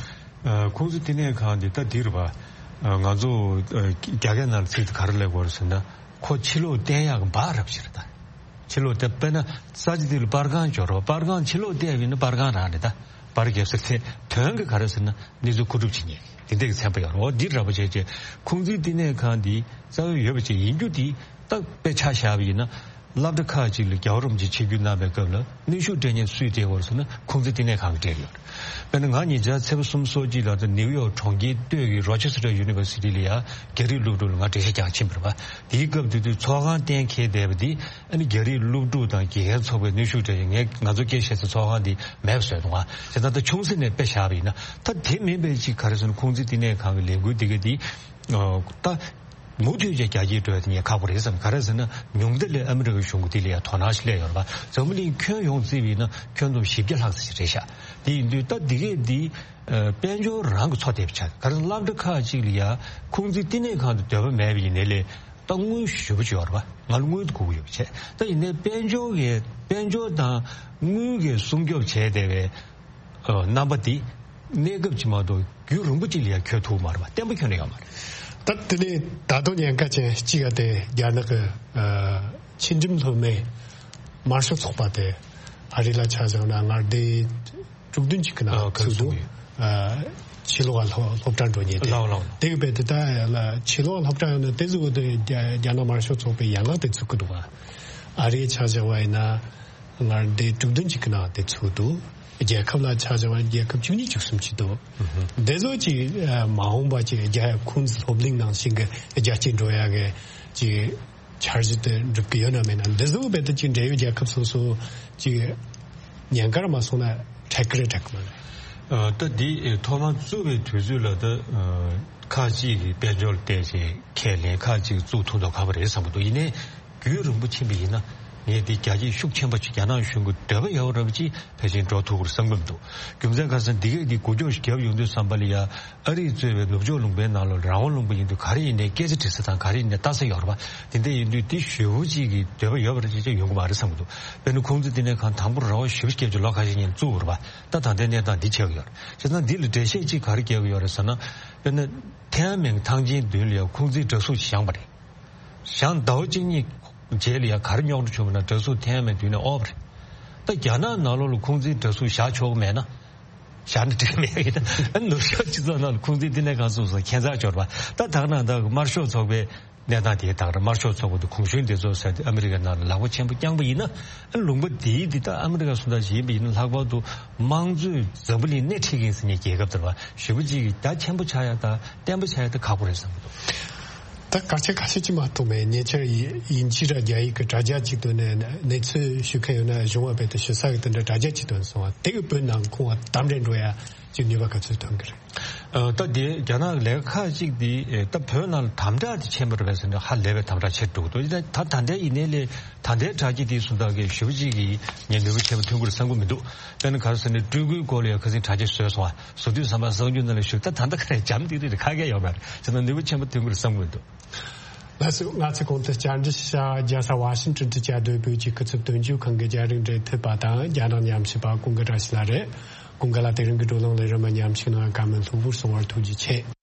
ཨ། ཁུང་ཙི་བསྟི་གནས་ཁང་འདི་ད་འདི་རེད་པ། ཨ། ང་ཚོ། ཨ། རྒྱ་སྐད་ནང་ལ་ཚིག་དེ་ག་རེ་ལབ་དགོས་རེད་ཟེར་ན། ཁོ་ཕྱི་ལོགས་བསྟན་ཡག་གི་འབག་རབས་ཤིག་རེད་ད། ཕྱི་ལོགས་བསྟན། དཔེར་ན་ས་ཆ་འདི་ལ་པར་ཁང་འབྱོར་རོགས། པར་ཁང་ཕྱི་ལོགས་བསྟན་པ་ཡིན་ན་པར་ཁང་རང་རེད་ད། པར་རྒྱབ་ས་དེ། དོན་གྱི་ག་རེ་ཟེར་ན། གནས་ཚུལ་མཁོ་སྒྲུབ་བྱེད་མཁན་དེ་འདྲ་གི་ཚན་པ་ཡོད་རེད། འོ། འདི་འདྲ་པོ་བྱས་བྱས་ཁུང་ཙི་བསྟི་གནས་ཁང་འདི་རྩ་བའི་ཡོད་པ་ཅིག་ཡིན་རྒྱུ་འདི་ད་དཔེ་ཆ་བཞག་པ་ཡིན་ན། སློབ་གྲྭ་ཁག་ཅིག་ལ་རྒྱལ་བ་རིན་པོ་ཆེ་ཆིབས་བསྒྱུར་གནང་བའི་སྐབས་ལ་གནོན་ཤུགས་སྤྲད་མཁན་སུས་སྤྲད་ཡོད་ཟེར་ན། ཁུང་ཙི་བསྟི་གནས་ཁང་གིས་སྤྲད་ཡོད་རེད། དཔེར་ན་ང་ཉེ་ཆར་ཚེས་པ་སུམ་ཅུ་སོ་གཅིག་ལ་ད་ནིའུ་ཡོག་གྲོང་ཁྱེར་སྟོད་ཀྱི་Rochester University ལ་ཡ་རྒྱ་རིགས་སློབ་ཕྲུག་ལ་ང་འགྲེལ་བཤད་རྒྱག་ཕྱིན་པ་རེད་པ། དེའི་སྐབས་དེ་དུས་ཚོགས་ཁང་གཏན་འཁེལ་བསྡད་པ་དེ་ཨ་ནི་རྒྱ་རིགས་སློབ་ཕྲུག་དང་དགེ་རྒན་ཚོགས་པས་གནོན་ཤུགས་སྤྲད་ཡོད། ངས་ང་ཚོ་སྐད་བཤད་ས་ཚོགས་ཁང་དེ་མེད་པ་བཟོས་འདུག་ཨ། བྱས་ཙང་ད་ཆུང་ས་ནས་དཔེ་བཞག་པ་ཡིན་ན། ད་དེ་མིན་པའི་ཅིག་ག་རེ་ཟེར་ན། ཁུང་ཙི་བསྟི་གནས་ཁང་གི་ལས་འགུལ་འདི་ག་དེ་ད། མུ་མཐུད་ཀྱི་རྒྱ་སྐྱེད་འགྲོ་ཡ་དེ་ངས་ཁག་པོ་རེད་བསམ། ག་རེ་ཟེར་ན་ཉུང་མཐའ་ལ་ཨ་མི་རི་ཀའི་གཞུང་གིས་དེ་ལ་ཡ་དོ་སྣང་ཞིག་སླེབས་ཡོད་རེད་པ། འཛམ་བུ་གླིང་ཁྱོན་ཡོངས་བརྩིས་པ་ཡིན་ན་ཁྱོན་བསྡོམས་བཞི་བརྒྱ་ལྷག་ཙམ་ཞིག་རེད་ཤག། དེ་ཡིན་དུས་ད་འདི་གས་འདི་ཨ་དཔལ་འབྱོར་རང་གི་འཚོ་བསྡད་པ་ཆགས། ག་རེ་ཟེར་ན་སློབ་གྲྭ་ཁག་ཅིག་ལ་ཡ་ཁུང་ཙི་བསྟི་གནས་ཁང་དུ་འདོད་པ་མེད་པ་ཡིན་ནའི་ལས་ད་དངུལ་ཞེ་པོ་ཅིག་ཡོད་རེད་པ། ང་ལ་དངུལ་དེ་དགོས་ཀྱི་ཡོད་པ་བྱས། ད་ཡིན་ནའི་དཔལ་འབྱོར་གྱི་དཔལ་འབྱོར་དང་དངུལ་གྱིས་སྲུང་སྐྱོབ་བྱས་བསྡད་པའི་ཨ་རྣམ་པ་འདི་གནས་སྐབས་ཅིག་མ་གཏོགས་རྒྱུན་རིང་པོ་ཅིག་ལ་ཡང་འཁྱོལ་ཐུབ་མ་རེད་པ། བརྟན་པོ་འཁྱོལ་ནས་ཡོད་མ་རེད། ད་དེ་ནས་ད་དུང་ཉེན་ཁ་ཅན་གཅིག་ཡ་དེ་རྒྱ་ནག་གི་ཨ་ཕྱི་འགྲིམ་སློབ་མའི་དམར་ཤོག་ཚོགས་པ་དེ་ཨ་རི་ལ་ཆ་བཞག་ན་མངའ་སྡེ་དྲུག་བདུན་ཅིག་གི་ནང་ཨ་ཚུད་འདུག། ཨ་ཕྱི་ལོགས་ལ་སློབ་སློབ་གྲྭ་འགྲོ་མཁན་དེ། ལགས་ལགས། དེ་གི་བས་དེ་ད་ལ་ཕྱི་ལོགས་སློབ་གྲྭ་ཡོད་ན་དེ་ཚོ་དེ་རྒྱ་རྒྱ་ནག་དམར་ཤོག་ཚོགས་པའི་ཡན་ལག་དེ་ཚུད་ཀྱི་འདུག་ག། ཨ་རིའི་ཆ་བཞག་པ་ཡིན་ན། མངའ་སྡེ་དྲུག་བདུན་ཅིག་གི་ནང་དེ་ཚུད་འདུག། རྒྱལ་ཁབ་ལ་ཆ་བཞག་པ་རྒྱལ་ཁབ་བཅུ་གཉིས་བཅུ་གསུམ་ཅིག་འདུག། འདི་ཚོ་ཅིག་ཨ་མ་འོངས་པ་ཅིག་རྒྱ་ཁུང་ཙི་སློབ་གླིང་ནང་བཞིན་གྱི་རྒྱ་སྐྱེད་འགྲོ་ཡ་གི་ཅིག་འཆར་གཞི་དེ་འགྲུབ་ཀྱི་ཡོད་ན་མེད་ན། འདི་ཚོ་རྦད་དེ་ཅིག་འབྲེལ་ཡོད་རྒྱལ་ཁབ་སོ་སོ་ཅིག་ཉེན་ཁར་མ་སོང་ན་འཕྲད་ཀྱི་རེད་འཕྲད་ཀྱི་མ་རེད། ཨ་ད་འདི་ཨེ་ཐོག་མར་བཙུགས་པའི་དུས་ཚོད་ལ་ད་ཨ་ཁག་ཅིག་གིས་དཔལ་འབྱོར་བལྟས་བྱས་ཁས་ལེན། ཁག་ཅིག་བཙུགས་ཐུབ་མདོག་ཁ་པོ་རེད་བསམ་གྱི་འདུག། ཡིན་ནའི་རྒྱུན་རིང་པོ་ཕྱིན་པ་ཡིན་ན་ངས་འདི་རྒྱ་སྐྱེད་ཤུགས་ཆེན་པོ་ཅིག་རྒྱ་ནག་གཞུང་གི་འདོད་པ་ཡོད་རབས་ཅིག་ཕལ་ཆེར་འགྲོ་ཐུབ་ཀྱི་རེད་བསམ་གྱི་མི་འདུག། རྒྱུ་མཚན་ག་རེ་ཟེར་ན་འདི་གས་འདི་འགུལ་སྐྱོད་ཞིག་བརྒྱབ་ཡོང་དུས་ཙམ་པ་ལ་ཡ་ཨ་རིས་གཙོས་པའི་ནུབ་ཕྱོགས་ལུང་པའི་ནང་ལ་རང་དབང་ལུང་པ་ཡིན་དུས་ག་རེ་ཡིན་ནའི་སྐད་ཆ་དྲི་ས་དང་ག་རེ་ཡིན་ནའི་ལྟ་ས་ཡོད་རེད་པ། དེ་འདྲ་ཡིན་དུས་འདི་ཞེ་པོ་ཅིག་གི་འདོད་པ་ཡོད་པ་རེད་ཅེས་ཡོང་གི་མ་རེད་བསམ་གྱི་འདུག། དཔེར་ན་ཁུང་ཙི་བསྟི་གནས་ཁང་དང་པོ་ར་བ་ཞེ་པོ་བརྒྱབ་ཀྱི་ལོ་ཁ་ཤས་ཉིན་བཙུགས་པ་རེད་པ། ད་ད་ལྟའི་གནས་སྟངས་འདི་ཆགས་ཀྱི་ཡོད་རེད། བྱས་ཙང་འདི་ལ་འགྲེལ་བཤད་ཅིག་ག་རེ་རྒྱག་གི་ཡོད་རེད་ཟེར་ན། དཔེར་ན་ཐེན་ཨན་མེན་ཐང་ཆེན་མདུན་ལ་ཡང་ཁུང་ཙིའི་འདྲ་གཟུགས་ཤིག་བཞེངས་པ་རེད། བཞེངས་ཟླ་བ་གཅིག་གཉིས་རྗེས་ལ་ཡང་ག་རེ་རྙོག་དྲ་བྱུང་བ་ན་འདྲ་གཟུགས་ཐེན་ཨན་མེན་མདུན་ནས་དབོར་བ་རེད། ད་རྒྱ་ནག་ནང་ལོགས་ལ་ཁུང་ཙིའི་འདྲ་གཟུགས་བཞག་ཆོག་གི་མེད་ན། བཞག་ན་འགྲིག་གི་མེད་ཡིན་ན། ཨ་ནུབ་ཕྱོགས་སྤྱི་ཚོགས་ནང་ལ་ཁུང་ཙིའི་བསྟི་གནས་ཁང་བཙུགས་སོང་ཁྱད་མཚར་འབྱོར་བ། ད་ད་ག་ནང་ད་དམར་ཤོག་ཚོགས་པའི་གནས་སྟངས་དེ་དང་། དམར་ཤོག་ཚོགས་པ་དེ་གོང་ཞུས་འདི་ཚོ་ཟེར་ཏེ་ཨ་མི་རི་ཀའི་ནང་ལ་ལག་པ་ཆེན་པོ་བརྐྱངས་པ་ཡིན་ན། ཨ་ལུང་པ་དེའི་འདི་ད་ཨ་མི་རི་ཀ་སུ་འདྲ་ཞིག་ཡིན་པ་ཡིན་ན། ལྷག་པར་དུ་དམངས་གཙོའི་འཛམ་བུ་གླིང་སྣེ་ཁྲིད་མཁན་ཟེར་མཁན་རྒྱལ་ཁབ་དེ་རེད་པ། ཞེ་པོ་ཅིག་གི་རྒྱ་ཆེན་པོ་ཆགས་ཡ་དང་བརྟན་པོ་ཆགས་ཡ་དེ་ཁག་པོ་རེད་བསམ་གྱི་འདུག། ད་སྐར་ཆ་ཁ་ཤས་ཅིག་མ་གཏོགས་མེད། ཉེ་ཆར་དབྱིན་ཇི་ར་རྒྱ་ཡིག་གི་དྲ་རྒྱ་ཅིག་ཏུ་ནས་གནས་ཚུལ་ཞུ་མཁན་ཡོད་ན་གཞུང་བ་རྦད་དེ་ཞུ་ས་གི་དེ་འདྲ་དྲ་རྒྱ་ཅིག་ཏུ་སོང་བ་དེ་གི་བོད་ནང་ཁོང་བ་དམ་རེ་འགྲོ་ཡ་ཅིག་ནུས་པ་ག་ཚོད་ཐོན་གི་རེད། ཨ་ད་དེ་རྒྱ་ནག་ལས་ཁག་ཅིག་དེ་ཨེ་ད་བོད་ནང་ལ་དམ་དྲག་དེ་ཆེན་པོ་རེད་པས་ཟེར་ནས་ཧ་ལས་པའི་དམ་དྲག་ཆེ་འགྲོ་གི་འདུག། ད་ད་ལྟའི་ཡིན་ནའི་ལས་ད་ལྟའི་དྲ་རྒྱ་དེ་སུ་འདྲ་གི་ཞེ་པོ་ཅིག་གི་ངས་ནུས་པ་ཆེན་པོ་ཐོན་གི་རེད་བསམ་གི་མི་འདུག། དཔེར་ན་ག་རེ་ཟེར་ན་སྤྲུལ་སྐུའི་སྐོར་ལ་ཡང་ཁ་སང་དྲ་རྒྱ་བཟོས་སོང་བ། བཟོ་དུས་ཙམ་པ་གསར་འགྱུར་ནང་ལ་ཞུགས། ད་ད་ལྟ་ག་རེ་འཇམ་ཏིག་ཏིག་རེད། ཁ་སྐད་ཡོད་མ་རེད། བྱས་ན་ནུས་པ་ཆེན་པོ་ཐོན་གི་རེད་བསམ་གི་མི་འདུག། ལགས་སོ། ང་ཚོས་གོང་དུ་བཅར་འདྲི་ཞུ་བྱ་རྒྱལ་ས་ཝ་ཤིང་ཊོན་དུ་བཅའ་སྡོད་བོད་ཀྱི་སྐུ་ཚབ་དོན་གཅོད་ཁང་གི་རྒྱ་རིགས་འབྲེལ་མཐུད་པ་དང་རྒྱ་ནག་ཉམས་ཞིབ་པ་ཀུན་དགའ་བཀྲ་ཤིས་ལགས་རེད། ཀུན་དགའ་ལགས་དེ་རིང་གི་བགྲོ་གླེང་ལས་རིམ་མ་ཉམས་ཞིབ་གནང་བར་བཀའ་མོལ་ལྷུག་པོར་གསུང་བར་ཐུགས་རྗེ་ཆེ།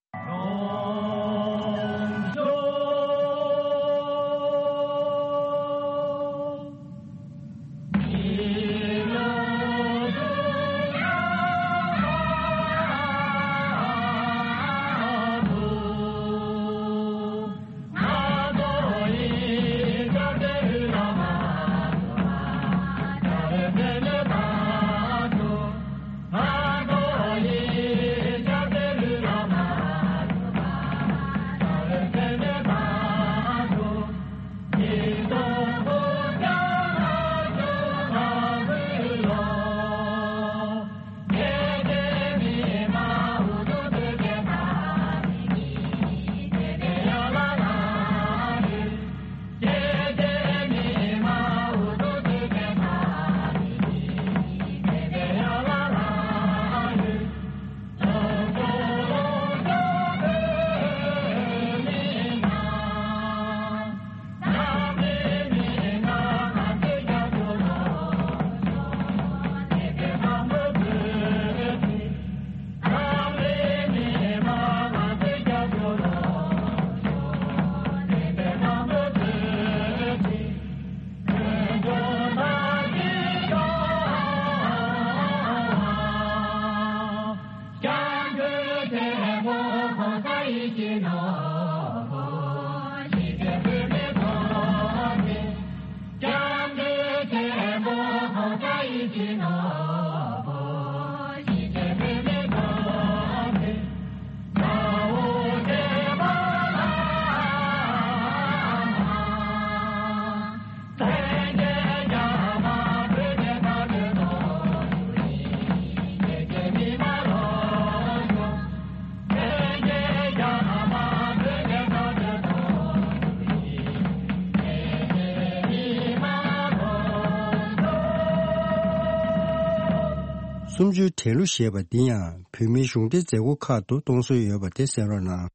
སུམ་ཅུའི་འགྲན་གླུ་ཞེས་པ་འདི་ཡང་བོད་མིའི་གཞུང་འབྲེལ་མཛད་སྒོ་ཁག་ཏུ་གཏོང་སྲོལ་ཡོད་པ་དེ་གསན་རོགས་གནང་།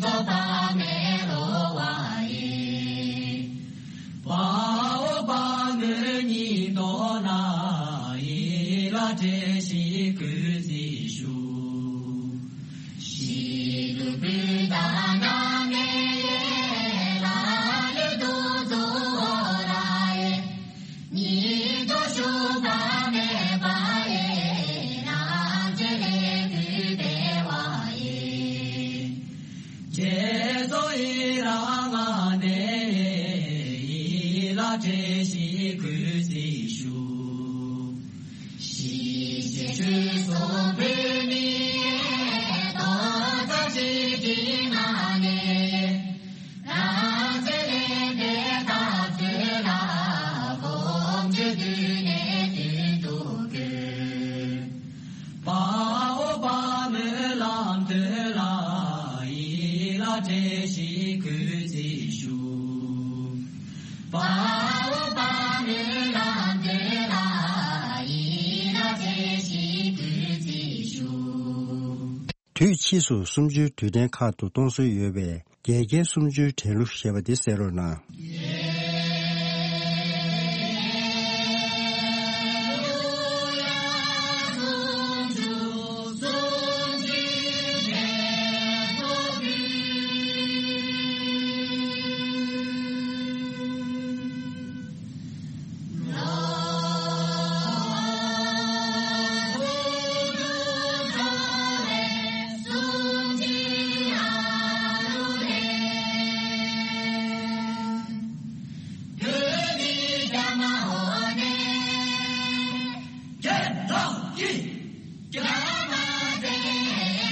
དཔའ་བོ་དཔའ་མོ་གཉིས་ཐོག་ལ་ཡིད་ལ་བྲེལ་ཞིང་གུས་བརྩི་ཞུ། ཞི་ལུ་བུ་དང་ན་མེ་ལ་ལུ་དུ་ཛོ་ར་ཡེ། ཉིད་དུ་ཞུགས་པ་མེད་པ་ཡེ། རང་རྒྱལ་ལས་གུས་པའི་བ་ཡེ། རྗེས་སུ་ཡི་རང་ང་ནས་ཡིད་ལ་བྲེལ་ཞིང་གུས་བརྩི་ཞུ། ཞི་བྱེད་ཆོས་སྲུང་བོད་མིའི་རྡོག་རྩ་གཅིག་སྒྲིལ་ངང་ནས། རང་རྒྱལ་ལས་འདས་དག་ཚུལ་ལ་གོམ་བགྲོད་དུས་ནས་དུས་དུ་བཀོད། དཔའ་བོ་དཔའ་མོའི་ལམ་སྟོན་ལ་ཡིད་ལ་བྲེལ་ཞིང་གུས་བརྩི་ཞུ། དཔའ་བོ་དཔའ་མོའི་ལམ་སྟོན་ལ་ཡིད་ལ་བྲེལ་ཞིང་གུས་བརྩི་ཞུ། དུས་ཕྱིས་སུ་སུམ་ཅུའི་དུས་དྲན་ཁག་ཏུ་གཏོང་སྲོལ་ཡོད་པའི་རྒྱལ་རྒྱལ་སུམ་ཅུའི་འགྲན་གླུ་ཞེས་པ་འདི་གསན་རོགས་གནང་། རྒྱལ་ལགས་ཀྱིས། རྒྱ་མ་བཙན་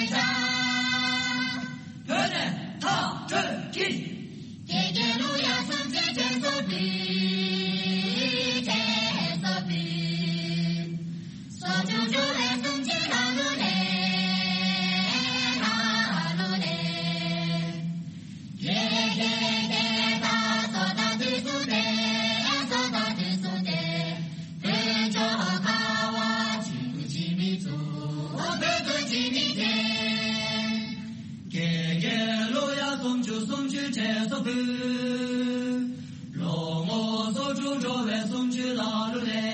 བྱ། བོད་ནས་མཐར་སྐྲོད་ཀྱིས། དགེ་རྒན་ལུ་ཡ་སུམ་ཅུ་དྲན་གསོ་ཕུལ། དྲན་གསོ་ཕུལ། སོ་ཅུང་ཅུང་བའི་སུམ་ཅུ་ལ་ལུ་ལེ། ལ་ལུ་ལེ། ལེ་ལེ་ལེ་ད་སོ་ད་དུས་སུ་ཏེ། སོ་ད་དུས་སུ་ཏེ། བོད་ལྗོངས་ཁ་བ་ཆུ་ཅི་མི་ཚུ། བོད་དུ་ཅི་མི་ཚེ། དགེ་རྒན་ལུ་ཡ་སུམ་ཅུ་སུམ་ཅུ་དྲན་གསོ་ཕུལ། ལོ་ངོ་སོ་དྲུག་འགྲོ་བའི་སུམ་ཅུ་ལ་ལུ་ལེ།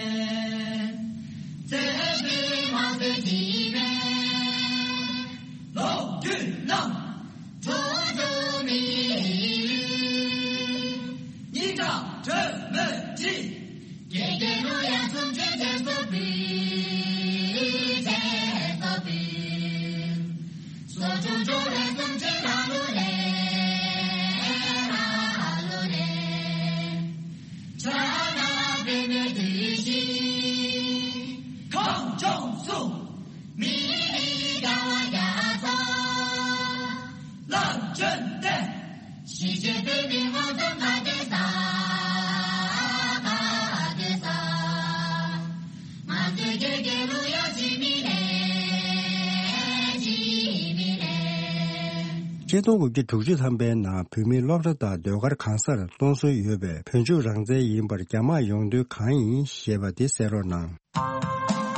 ཚེ་འདི་མ་ཟད་ཅི་མེད། ལོ་རྒྱུས་རྣམས། ཐུགས་སུ་མི་ཡིན། སྙིང་ཁྲག་དྲོན་མོས་བྲིས། དགེ་རྒན་ལུ་ཡ་སུམ་ཅུ་དྲན་གསོ་ཕུལ། དྲན་གསོ་ཕུལ། སོ་ཅུང་ཅུང་བའི་སུམ་ཅུ་ལ་ལུ་ལེ། ལ་ལུ་ལེ། ཕྱག་ན་པདྨོའི་བདུད་བཞི། ཁམས་ལྗོངས་སུ། མི་ལུས་རྒྱལ་བ་རྒྱ་མཚོ། ལ་བྱོན་ཏེ། ཞི་བྱེད་བོད་མིའི་ངོ་ཚབ་ག་དེ་ས། ག་དེ་ས། ང་ཚོའི་དགེ་རྒན་ལུ་ཡ་ཅི་མི་ལེ། ཅི་མི་ལེ། ཆིག་སྟོང་དགུ་བརྒྱ་དྲུག་ཅུ་ཐམ་པའི་ནང་བོད་མིའི་སློབ་གྲྭ་དང་ཟློས་གར་གང་སར་གཏོང་སྲོལ་ཡོད་པའི་བོད་ལྗོངས་རང་བཙན་ཡིན་པར་རྒྱ་དམག་ཡོང་དོན་གང་ཡིན་ཞེས་པ་དེ་གསན་རོགས་གནང་།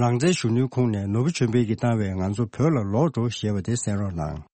ནང་བཙན་གཞོན་ནུའི་ཁོངས་ནས་ནོར་བུ་ཆོས་འཕེལ་གྱིས་བཏང་བའི་ང་ཚོ་བོད་ལ་ལོག་འགྲོ་ཞེས་པ་དེ་གསན་རོགས་གནང་།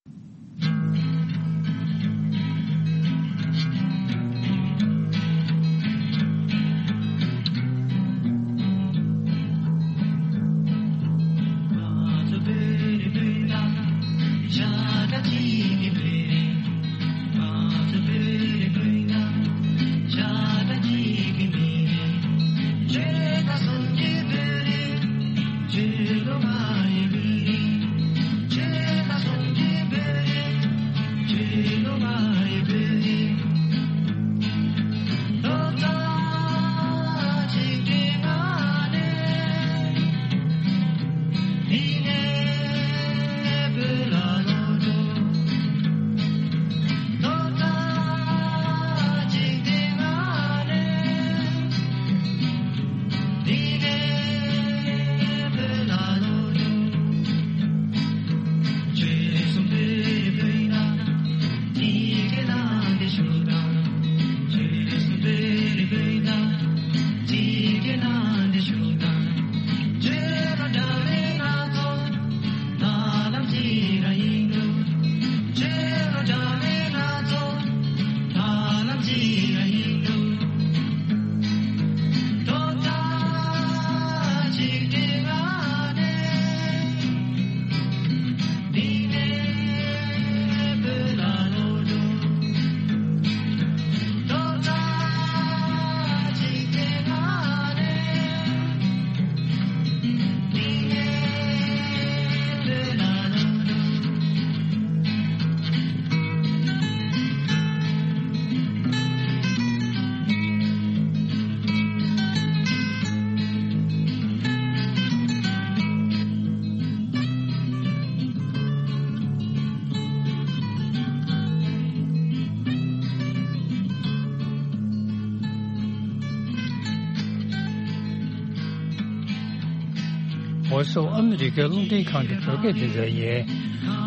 འོ་སོ་ཨ་མི་རི་ཀའི་རླུང་འཕྲིན་ཁང་གི་བོད་སྐད་སྡེ་ཚན་ཡིན།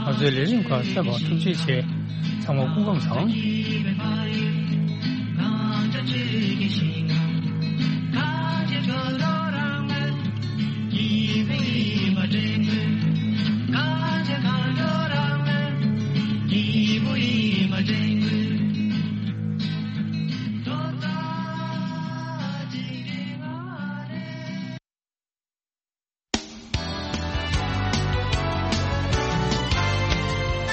ང་ཚོའི་ལས་རིམ་ཁག་གསན་པར་ཐུགས་རྗེ་ཆེ། ཚང་མ་སྐུ་ཁམས་བཟང་།